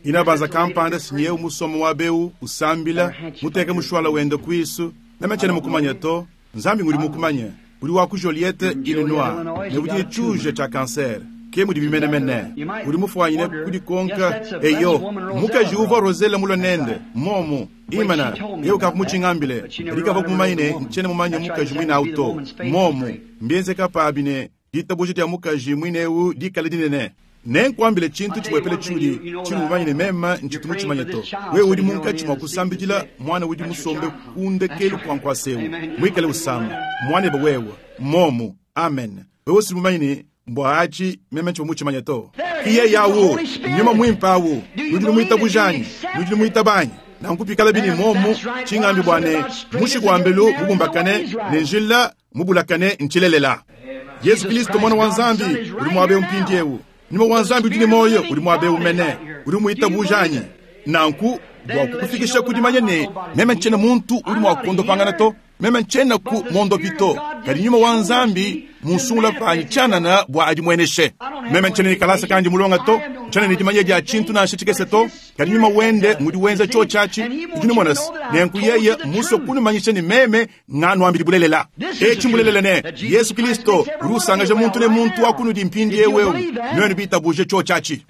Inabanza kampanda sinyeu musoma wa beu usambila muteke mushwala wende kuisu. Meme tshiena mukumanya to. Nzambi ngudi mukumanye. Udi wa ku Joliet, Illinois, ne udi ne tshiuja tshia kanser. Ke mudi bimenemene. Udi mufuanyine kudikonka. Eyo, mukaji uvua Rosella mulue nende momu. Imana, yeye ukavua kadi kavua kumumanye ne ntshiena mumanye mukaji muine au to. Momu, mbienzeka pabi ne ditabuja dia mukaji muine eu dikale dinene. Nenkuambile tshintu tshimuepele tshiudi tshiyi mumanye ne meme ntshitu mutshimanye to. Wewe udi munkatshi mua kusambidila muana udi musombe ku ndekelu kua nkuasa eu, muikale usama. Muanebe wewe. Momu. Amen. Wewe si mumanye ne mbua atshi meme ntshivua mutshimanye to. Ki yeye awu, nyuma muimpe awu. Nudi numuitabuja anyi? Nudi numuitaba anyi? Nanku pikala bini momu, tshingambi bua ne mushiku wa mbelu mubumbakane ne njila mubulakane ntshilelela. Yesu Kristo mwana wa Nzambi udi muaba eu mpindieu. Nyuma wa Nzambi udi ne muoyo udi muaba eu mene. Udi umuitabuja anyi? Nanku bua kukufikisha ku dimanya ne meme ntshiena muntu udi mua kuondopangana to, meme ntshiena ku mondopi to, kadi nyuma wa Nzambi munsungula panyi tshianana bua adimueneshe. Meme ntshiena ne kalasa kandi mulonga to, ntshiena ne dimanya dia tshintu nansha tshikese to, kadi nyuma wende ngudi wenza tshiotshi atshi. Udi numona se, nenku yeye musue kunumanyisha ne meme nganuambidi bulelela. Etshi mbulelela ne Yesu Kristo udi usangaja muntu ne muntu wa kunudi mpindieu eu, nuenu bitabuje tshiotshi atshi.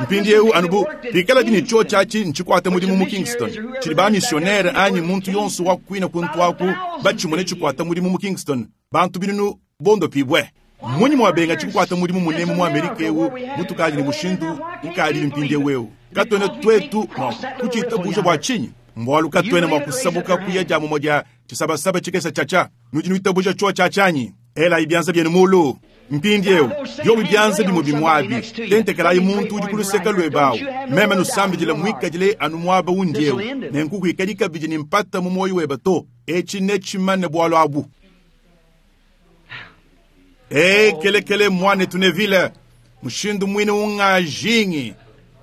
Mpindieu anu bu pikalabi ne tshiotshi atshi ntshikuate mudimu mu Kingston, tshidi ba-missionnaire anyi muntu yonso wa kuina kuntu aku batshimone tshikuata mudimu mu Kingston, bantu binunu bondopibue. Mmunyi muabenga tshikuata mudimu munemu mu Amerika eu mutukadi ne mushindu ukadi mpindieu eu? Katuena tuetu mua kutshitabuja bua tshinyi? Mbualu katuena mua kusabuka kuya dia mumue dia tshisabasaba tshikese tshiatshia. Nudi nuitabuja tshiotshi atshi anyi? Elayi bianza bienu mulu. Mpindieu, biobi bianza bimue bimue abi, tentekelayi muntu udi ku luseke luebe awu. Meme nusambidila muikadile anu muaba undi eu, nenku kuikadi kabidi ne mpata mu muoyo webe to. Etshi netshimane bualu abu. Ee, kelekele muanetu Neville, mushindu muine ungajingi,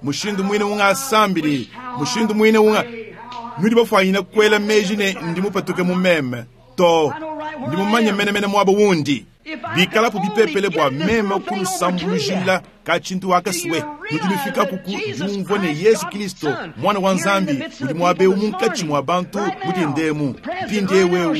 mushindu muine ungasambidi, mushindu muine unga nudi bafuanyine kuela meji ne ndi mupatuke mu meme to, ndi mumanye menemene muaba wundi. Bikalapu bipepele bua meme kunusambulujila ka tshintu akasue, nudi nufikaku ku diumvua ne Yesu Kristo mwana wa Nzambi udi muaba eu munkatshi mua bantu mudindemu mpindieu eu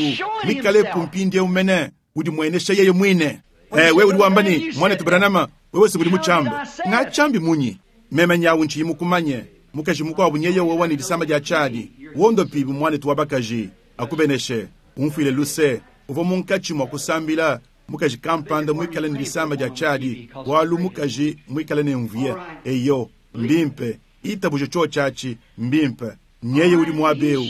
mikalepu mpindieu mene udi muenesha yeye muine. Wewe udi wamba ne mwanetu Branham, wewe se udi mutshiambe. Ngatshiambi munyi? Meme nyawu ntshiyi mukumanye. Mukaji mukuabu nyeye wowa ne disama dia tshiadi. Wondopibu muanetu wa bakaji. Akubeneshe. Umfuile luse. Uvua munkatshi mua kusambila mukaji kampanda muikale ne disama dia tshiadi, bualu mukaji muikale ne mvuye. Eyo, mbimpe. Itabuje tshiotshi mbimpe. Nyeye udi muaba eu,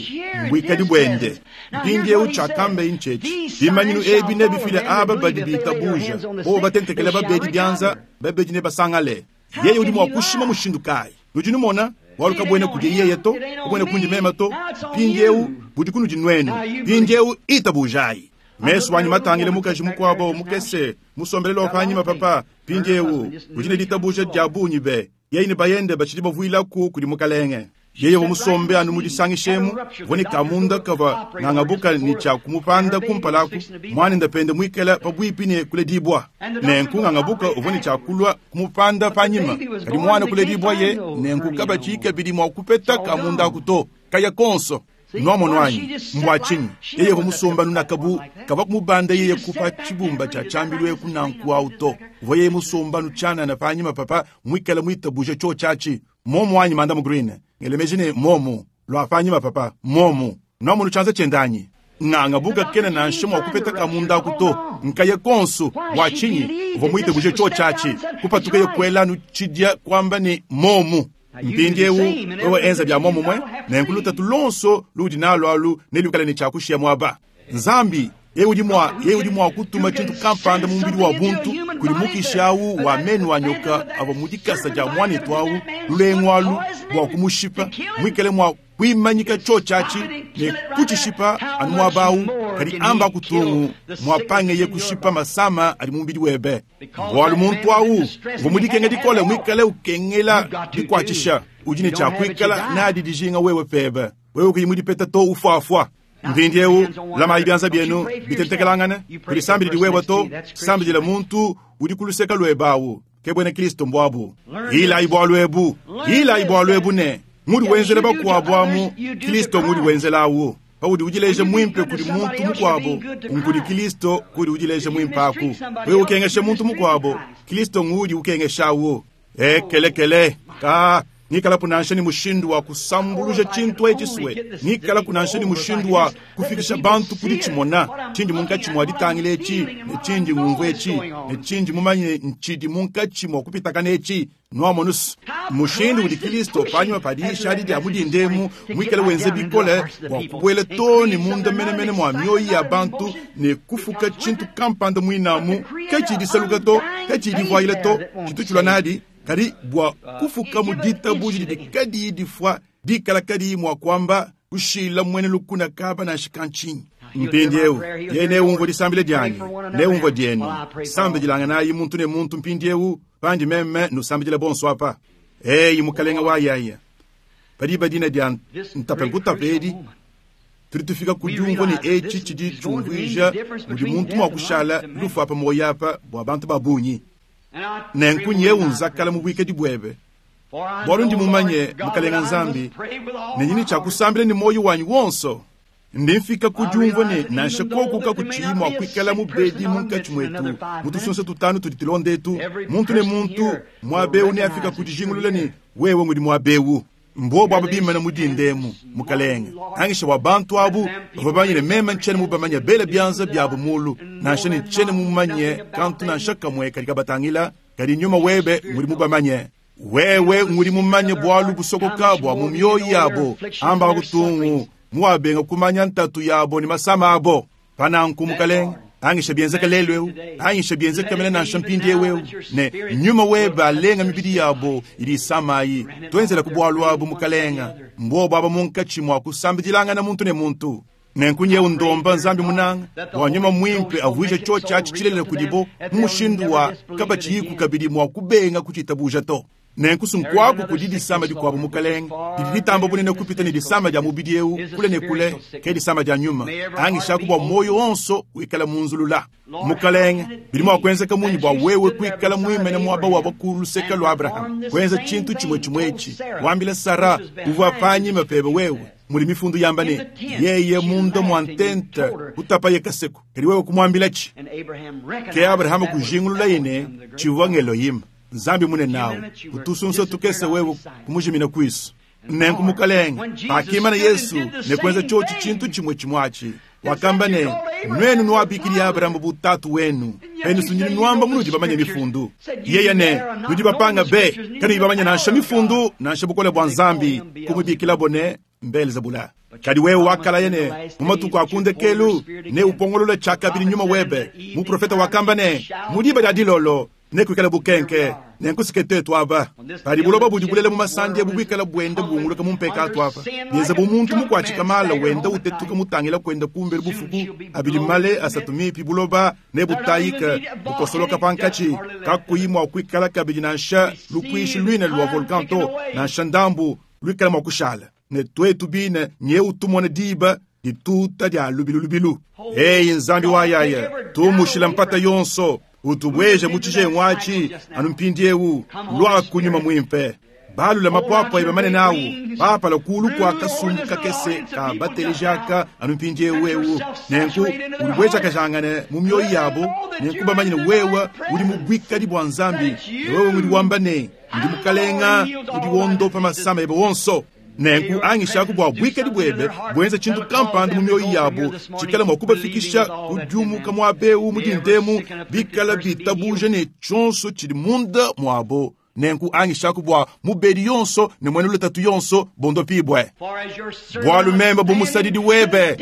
mbuikadi buende. Mpindieu tshiakambaye ntshietshi: bimanyinu ebi nebifile aba badi bitabuja, bobo batentekela babedi bianza, babedi nebasangale. Yeye udi mua kushima mushindu kayi? Nudi numona, bualu kabuena kudi yeye to, kabuena kundi meme to. Mpindieu budi kunudi nuenu. Mpindieu itabujayi. Mesu anyi matangile mukaji mukuabo mukese musombelelo wa panyima papa. Mpindieu udi ne ditabuja dia bungi be. Yeye ne bayende batshidi bavuilaku kudi mukalenge. Yeye wa musombe anu mudisangishemu vone kamunda kava ngangabuka ni tshia kumupanda kumpalaku mwanenda pende muikala pabuipi ne kuledibwa. Nenku ngangabuka uvua ne tshia kulua kumupanda panyima, kadi mwana kuledibwa ye nenku kabatshi kabidi mua kupeta kamunda aku to kaya konso. Nwamono anyi mbwa tshinyi yeye uvua musomba nunakabu kava kumubanda yeye kupa tshibumba tshia tshiambilu eku nanku awu to uvua yeye musomba nutshianana panyima papa muikala muitabuje tshio tshiatshi momo anyi mandamu green ngelemeji ne momo lwa panyima papa momo nwamono tshianza tshiendanyi ngangabuka kena nansha mua kupeta kamunda aku to nkaye konso bua tshinyi uvua muitabuje tshio tshiatshi kupatuka ye kuela nutshidia kuamba ne momo. Mpindieu wewe enza bia momumwe nenku lutatu lonso ludi nalo alu nelukale ne tshiakushiya muaba. Nzambi yeye udi mua kutuma tshintu kampanda mu mubidi wa buntu kudi mukishi awu wa menu wa nyoka avua mu dikasa dia muanetu awu lulengu alu bua kumushipa muikale mua kuimanyika tshio tshiatshi ne kutshishipa anu muaba awu, kadi amba kutungu muapangeye kushipa masama adi mu mubidi webe. Bualu muntu awu uvua mu dikenga dikole muikale ukengela dikuatshisha, udi ne tshia kuikala nadi dijinga wewe pebe, wewe kuyi mudipeta to ufuafua. Mpindieu lamayi bianza bienu bitentekelangane, kudisambidili wewe to, sambidila muntu udi ku luseke luebe awu, ke buena Kristo mbuabu. Ilayi bualu ebu, ilayi bualu ebu ne ngudi wenzela bakuabu amu Kristo ngudi wenzela awu. Paudi udileja mwimpe kudi muntu mukuabo, nkudi Kristo kudi udileja mwimpe aku. Wewe ukengesha muntu mukuabo, Kristo ngudi ukengeshawo. Ekelekele ka ngikala kunansha ni mushindu wa kusambuluja tshintu etshi sue, ngikala kunansha ni mushindu wa kufikisha bantu kudi tshimona tshindi munkatshi mua ditangila etshi ne tshindi ngumvu etshi ne tshindi mumanye ntshidi munkatshi mua kupitakana etshi. Nwamonusu mushindu udi Kristo panyima padiisha adi dia mudindemu muikale wenze bikole bua kubuela to ne munda menemene mua mioyo ya bantu ne kufuka tshintu kampanda muinamu katshidisaluka to katshidivuayila to tshitu tshilua nadi kadi bua kufuka mu ditabuja didi kadiyi difua dikala kadiyi mua kuamba kushila muena lukuna kaba nansha kantshinyi. Mpindieu yeye neumvue disambila dianyi, neumvue dienu. Sambidilanganayi muntu ne muntu mpindieu pandi meme nusambidila bonso apa. Eyi mukalenga wa yaya, padi badina dia ntape edi tudi tufika ku diumvua ne etshi tshidi tshiumvuija mudi muntu mua kushala lufu apa moyo apa bua bantu ba bungi. Nenku nyewu nzakala mu buikadi buebe, bualu ndi mumanye mukalenga Nzambi ne nyini tshia kusambila ne moyo wanyi wonso. Ndi mfika ku diumvua ne nansha koku kakutshiyi mua kuikala mubedi munkatshi muetu mu tusunsa tutanu tudi tulonda etu, muntu ne muntu muaba eu neafika ku dijingulula ne wewe ngudi muaba eu. Mbobo aba bimana mu dindemu mukalenge angisha bua bantu abu bavua bamanye ne meme ntshiena mubamanye bela bianza biabu mulu, nansha ne ntshiena mumanye kantu nansha kamwe kadi kabatangila, kadi nyuma webe ngudi mubamanye. Wewe ngudi mumanye bualu busokoka bua mu mioyo yabo, amba kutungu muwabenga kumanya ntatu yabo ne masama abo. Pananku mukalenge angisha bienzeka lelu eu, angisha bienzeka mene nansha mpindieu eu, ne nyuma webe alenga mibidi yabo idi isamayi. Tuenzela ku bualu abu mukalenga, mbobo aba munkatshi mua kusambidilangana muntu ne muntu. Nenku nyewu ndomba Nzambi munanga bua nyuma mwimpe avuije tshio tshiatshi tshilelela kudibo mu mushindu wa kabatshiyiku kabidi mua kubenga kutshitabuja to. Nenku sunkuaku kudi disama dikuabu mukalenge didi ditamba bunene kupita ne disama dia mubidi eu kule ne kule, ke disama dia nyuma. Angishaku bua moyo wonso wikala munzulula. Mukalenge, bidi mua kuenzeka munyi bua wewe kuikala muimene muaba wa ku luseke lua Abraham, kuenza tshintu tshimue tshimue etshi, wambila Sara uvua panyima pebe wewe muli mifundu yamba ne yeye munda mua ntente kutapaye kaseko, kadi wewe kumuambila tshi. Ke Abraham kujingulula yene tshivua ng'Elohim Nzambi munene nawu utusunsa tukese wewe kumujimina kwisu. Nenku Mukalenge, pakimana Yesu ne kuenza tshiotshi tshintu tshimue tshimue atshi, wakamba ne, Nuenu nuabikidi Abrahama bu tatu wenu, penu sundini nuamba munudi bamanye mifundu. Yeye ne, Nudi bapanga be, kanuyi bamanye nansha mifundu nansha bukole bua Nzambi, kumubikilabo ne Mbelzebula. Kadi wewe wakalaya ne, mu matuku a ku ndekelu neupongolole tshiakabidi nyuma webe. Muprofete wakamba ne, mu diba dia dilolo nekuikale bukenke, nenkusike tuetu aba. Padi buloba budi bulela mu masandi ebu buikala buenda bunguluka mu mpekatu apa, bienza bu muntu mukuatshika mala wenda utetuka mutangila kuenda kumbelu bufuku, abidi male asatu mipi buloba nebutayike bukosoloka pankatshi, kakuyi mua kuikala kabidi nansha lupuishi luine lua volcan to, nansha ndambu luikala mua kushala. Ne tuetu bine nyeu tumona diba dituta dia lubilu lubilu. Eyi Nzambi wa yaya, tumushila mpata yonso, utubueje mu tshijengu atshi anu mpindiewu, luaku nyuma muimpe. Balula mapuapua ebe manene awu, papala kulu kua kasumbu kakese ka bateleji aka anu mpindiewu ewu. Nenku udibuejakajangane mu mioyo yabo, nenku bamanye ne wewe udi mu buikadi bua Nzambi, ne wewe ngudi wamba ne, ndi Mukalenga udi wondopa masama ebe wonso. Nenku angishaku bua buikadi buebe buenze tshintu kampanda mu mioyo yabo tshikala mua kubafikisha ku diumuka muaba eu mu dindemu, bikala bitabuje ne tshionso tshidi munda muabo. Nenku angishaku bua mubedi yonso ne muena lutatu yonso bondopibue. Bualu meme bu musadidi webe,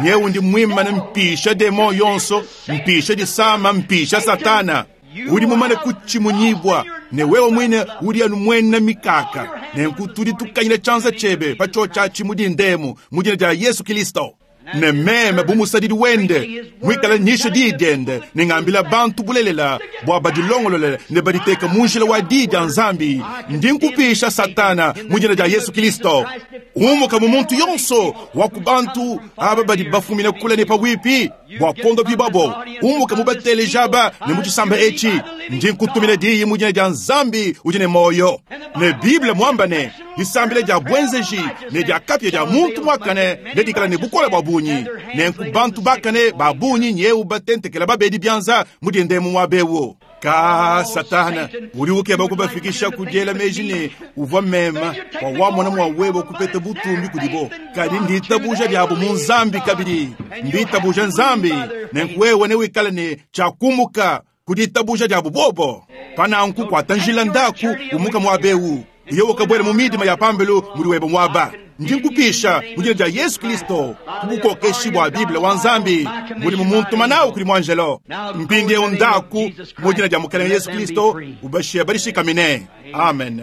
nyeu ndi muimane mpisha demon yonso, mpisha disama, mpisha Satana. Udi mumane kutshimunyibua, ne wewe muine udi anu muena mikaka. Nenku tudi tukanyina tshianza tshiebe pa tshiotshi atshi mu dindemu, mu dina dia Yesu Kilisto. Ne meme bu musadidi wende, muikale nyisha diyi diende ne ngambila bantu bulelela bua badilongolole ne baditeke mu njila wa diyi dia Nzambi, ndi nkupisha Satana mu dina dia Yesu Kilisto. Umuka mu muntu yonso wa ku bantu aba badi bafumine kule ne pabuipi bua kuondopibwabo. Umuka mu bateleji aba ne mu tshisamba etshi. Ndi nkutumina diyi mu dina dia Nzambi udi ne muoyo. Ne Bible muamba ne, disambila dia buenzeji ne dia kapia dia muntu muakane nedikale ne bukole bua bungi. Nenku bantu bakane ba bungi nyewu batentekela babedi bianza mu dindemu muaba eu. Ka Satana udi ukeba kubafikisha ku diela meji ne uvua mema bua wamona mua wewe kupeta butumbi kudibo, kadi nditabuja diabo mu Nzambi kabidi mbitabuja Nzambi. Nenku wewe newikale ne tshiakumuka ku ditabuja diabo bobo. Pa nanku kuata njila ndaku umuka muaba eu, uye ukabuela mu midima ya pambelu mudi webe muaba. Ndi nkupisha mu dina dia Yesu Kristo ku bukokeshi bua Bible wa Nzambi budi mu muntuma nawu kudi muanjelo. Mpindieu ndaku mu dina dia Mukalenge Yesu Kristo, ubashiye badishikamine. Amen.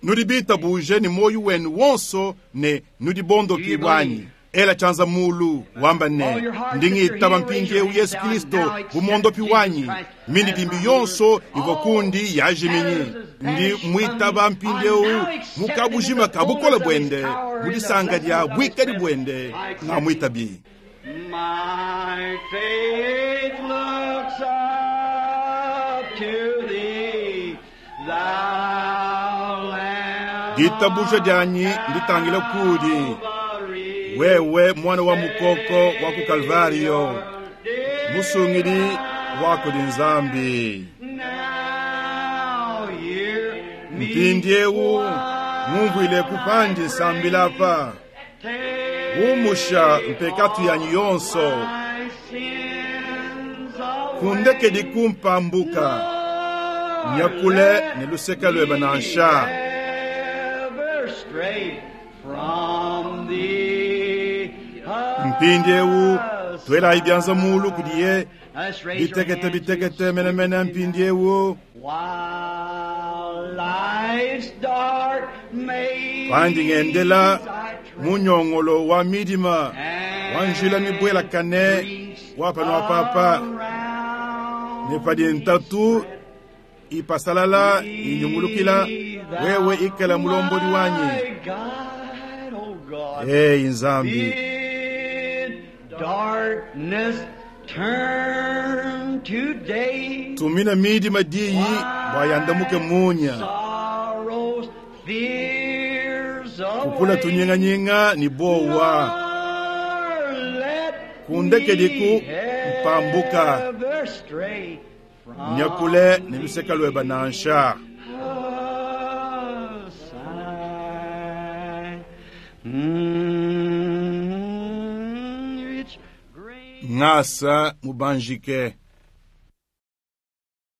Nudi bitabuje ne muoyo wenu wonso ne nudi bondopibue anyi? Ela tshianza mulu, wamba ne, ndi ngitaba mpindieu Yesu Kristo bu muondopi wanyi. Mindidimbi yonso ivua kundi yajiminyi. Ndi muitaba mpindieu mu kabujima ka bukole buende, mu disanka dia buikadi buende, ngamuitabi. My faith looks up to thee, thou Lamb Ditabuja dianyi nditangila kudi Calvary. wewe, mwana wa mukoko wa ku Kalvario, musungidi wa kudi Nzambi. Now hear me Mpindiewu ngumvuile kupandi nsambila apa, umusha mpekatu yanyi yonso, my sins away. kundekedi kumpambuka, nyakule ne luseke luebe nansha. Ever stray from thee. Mpindiewu tuelayi bianza mulu kudiye, Let's raise your bitekete hands. bitekete menemene mpindiewu. While life's dark maze Pandi ngendela I tread, mu nyongolo wa midima wa njila mibuelakane wa pano apapa, ne padi ntatu ipasalala inyungulukila, wewe ikala mulombodi wanyi. My guide, oh God. Eyi Nzambi, Bid darkness turn to day. tumina midima diyi bua yandamuke munya, Sorrows, fears kupula away. tunyinganyinga ni bowa, Nor let Kundekediku me mpambuka. ever stray from nyakule ne luseka lueba nansha. aside. It's great. Ngasa mubanjike.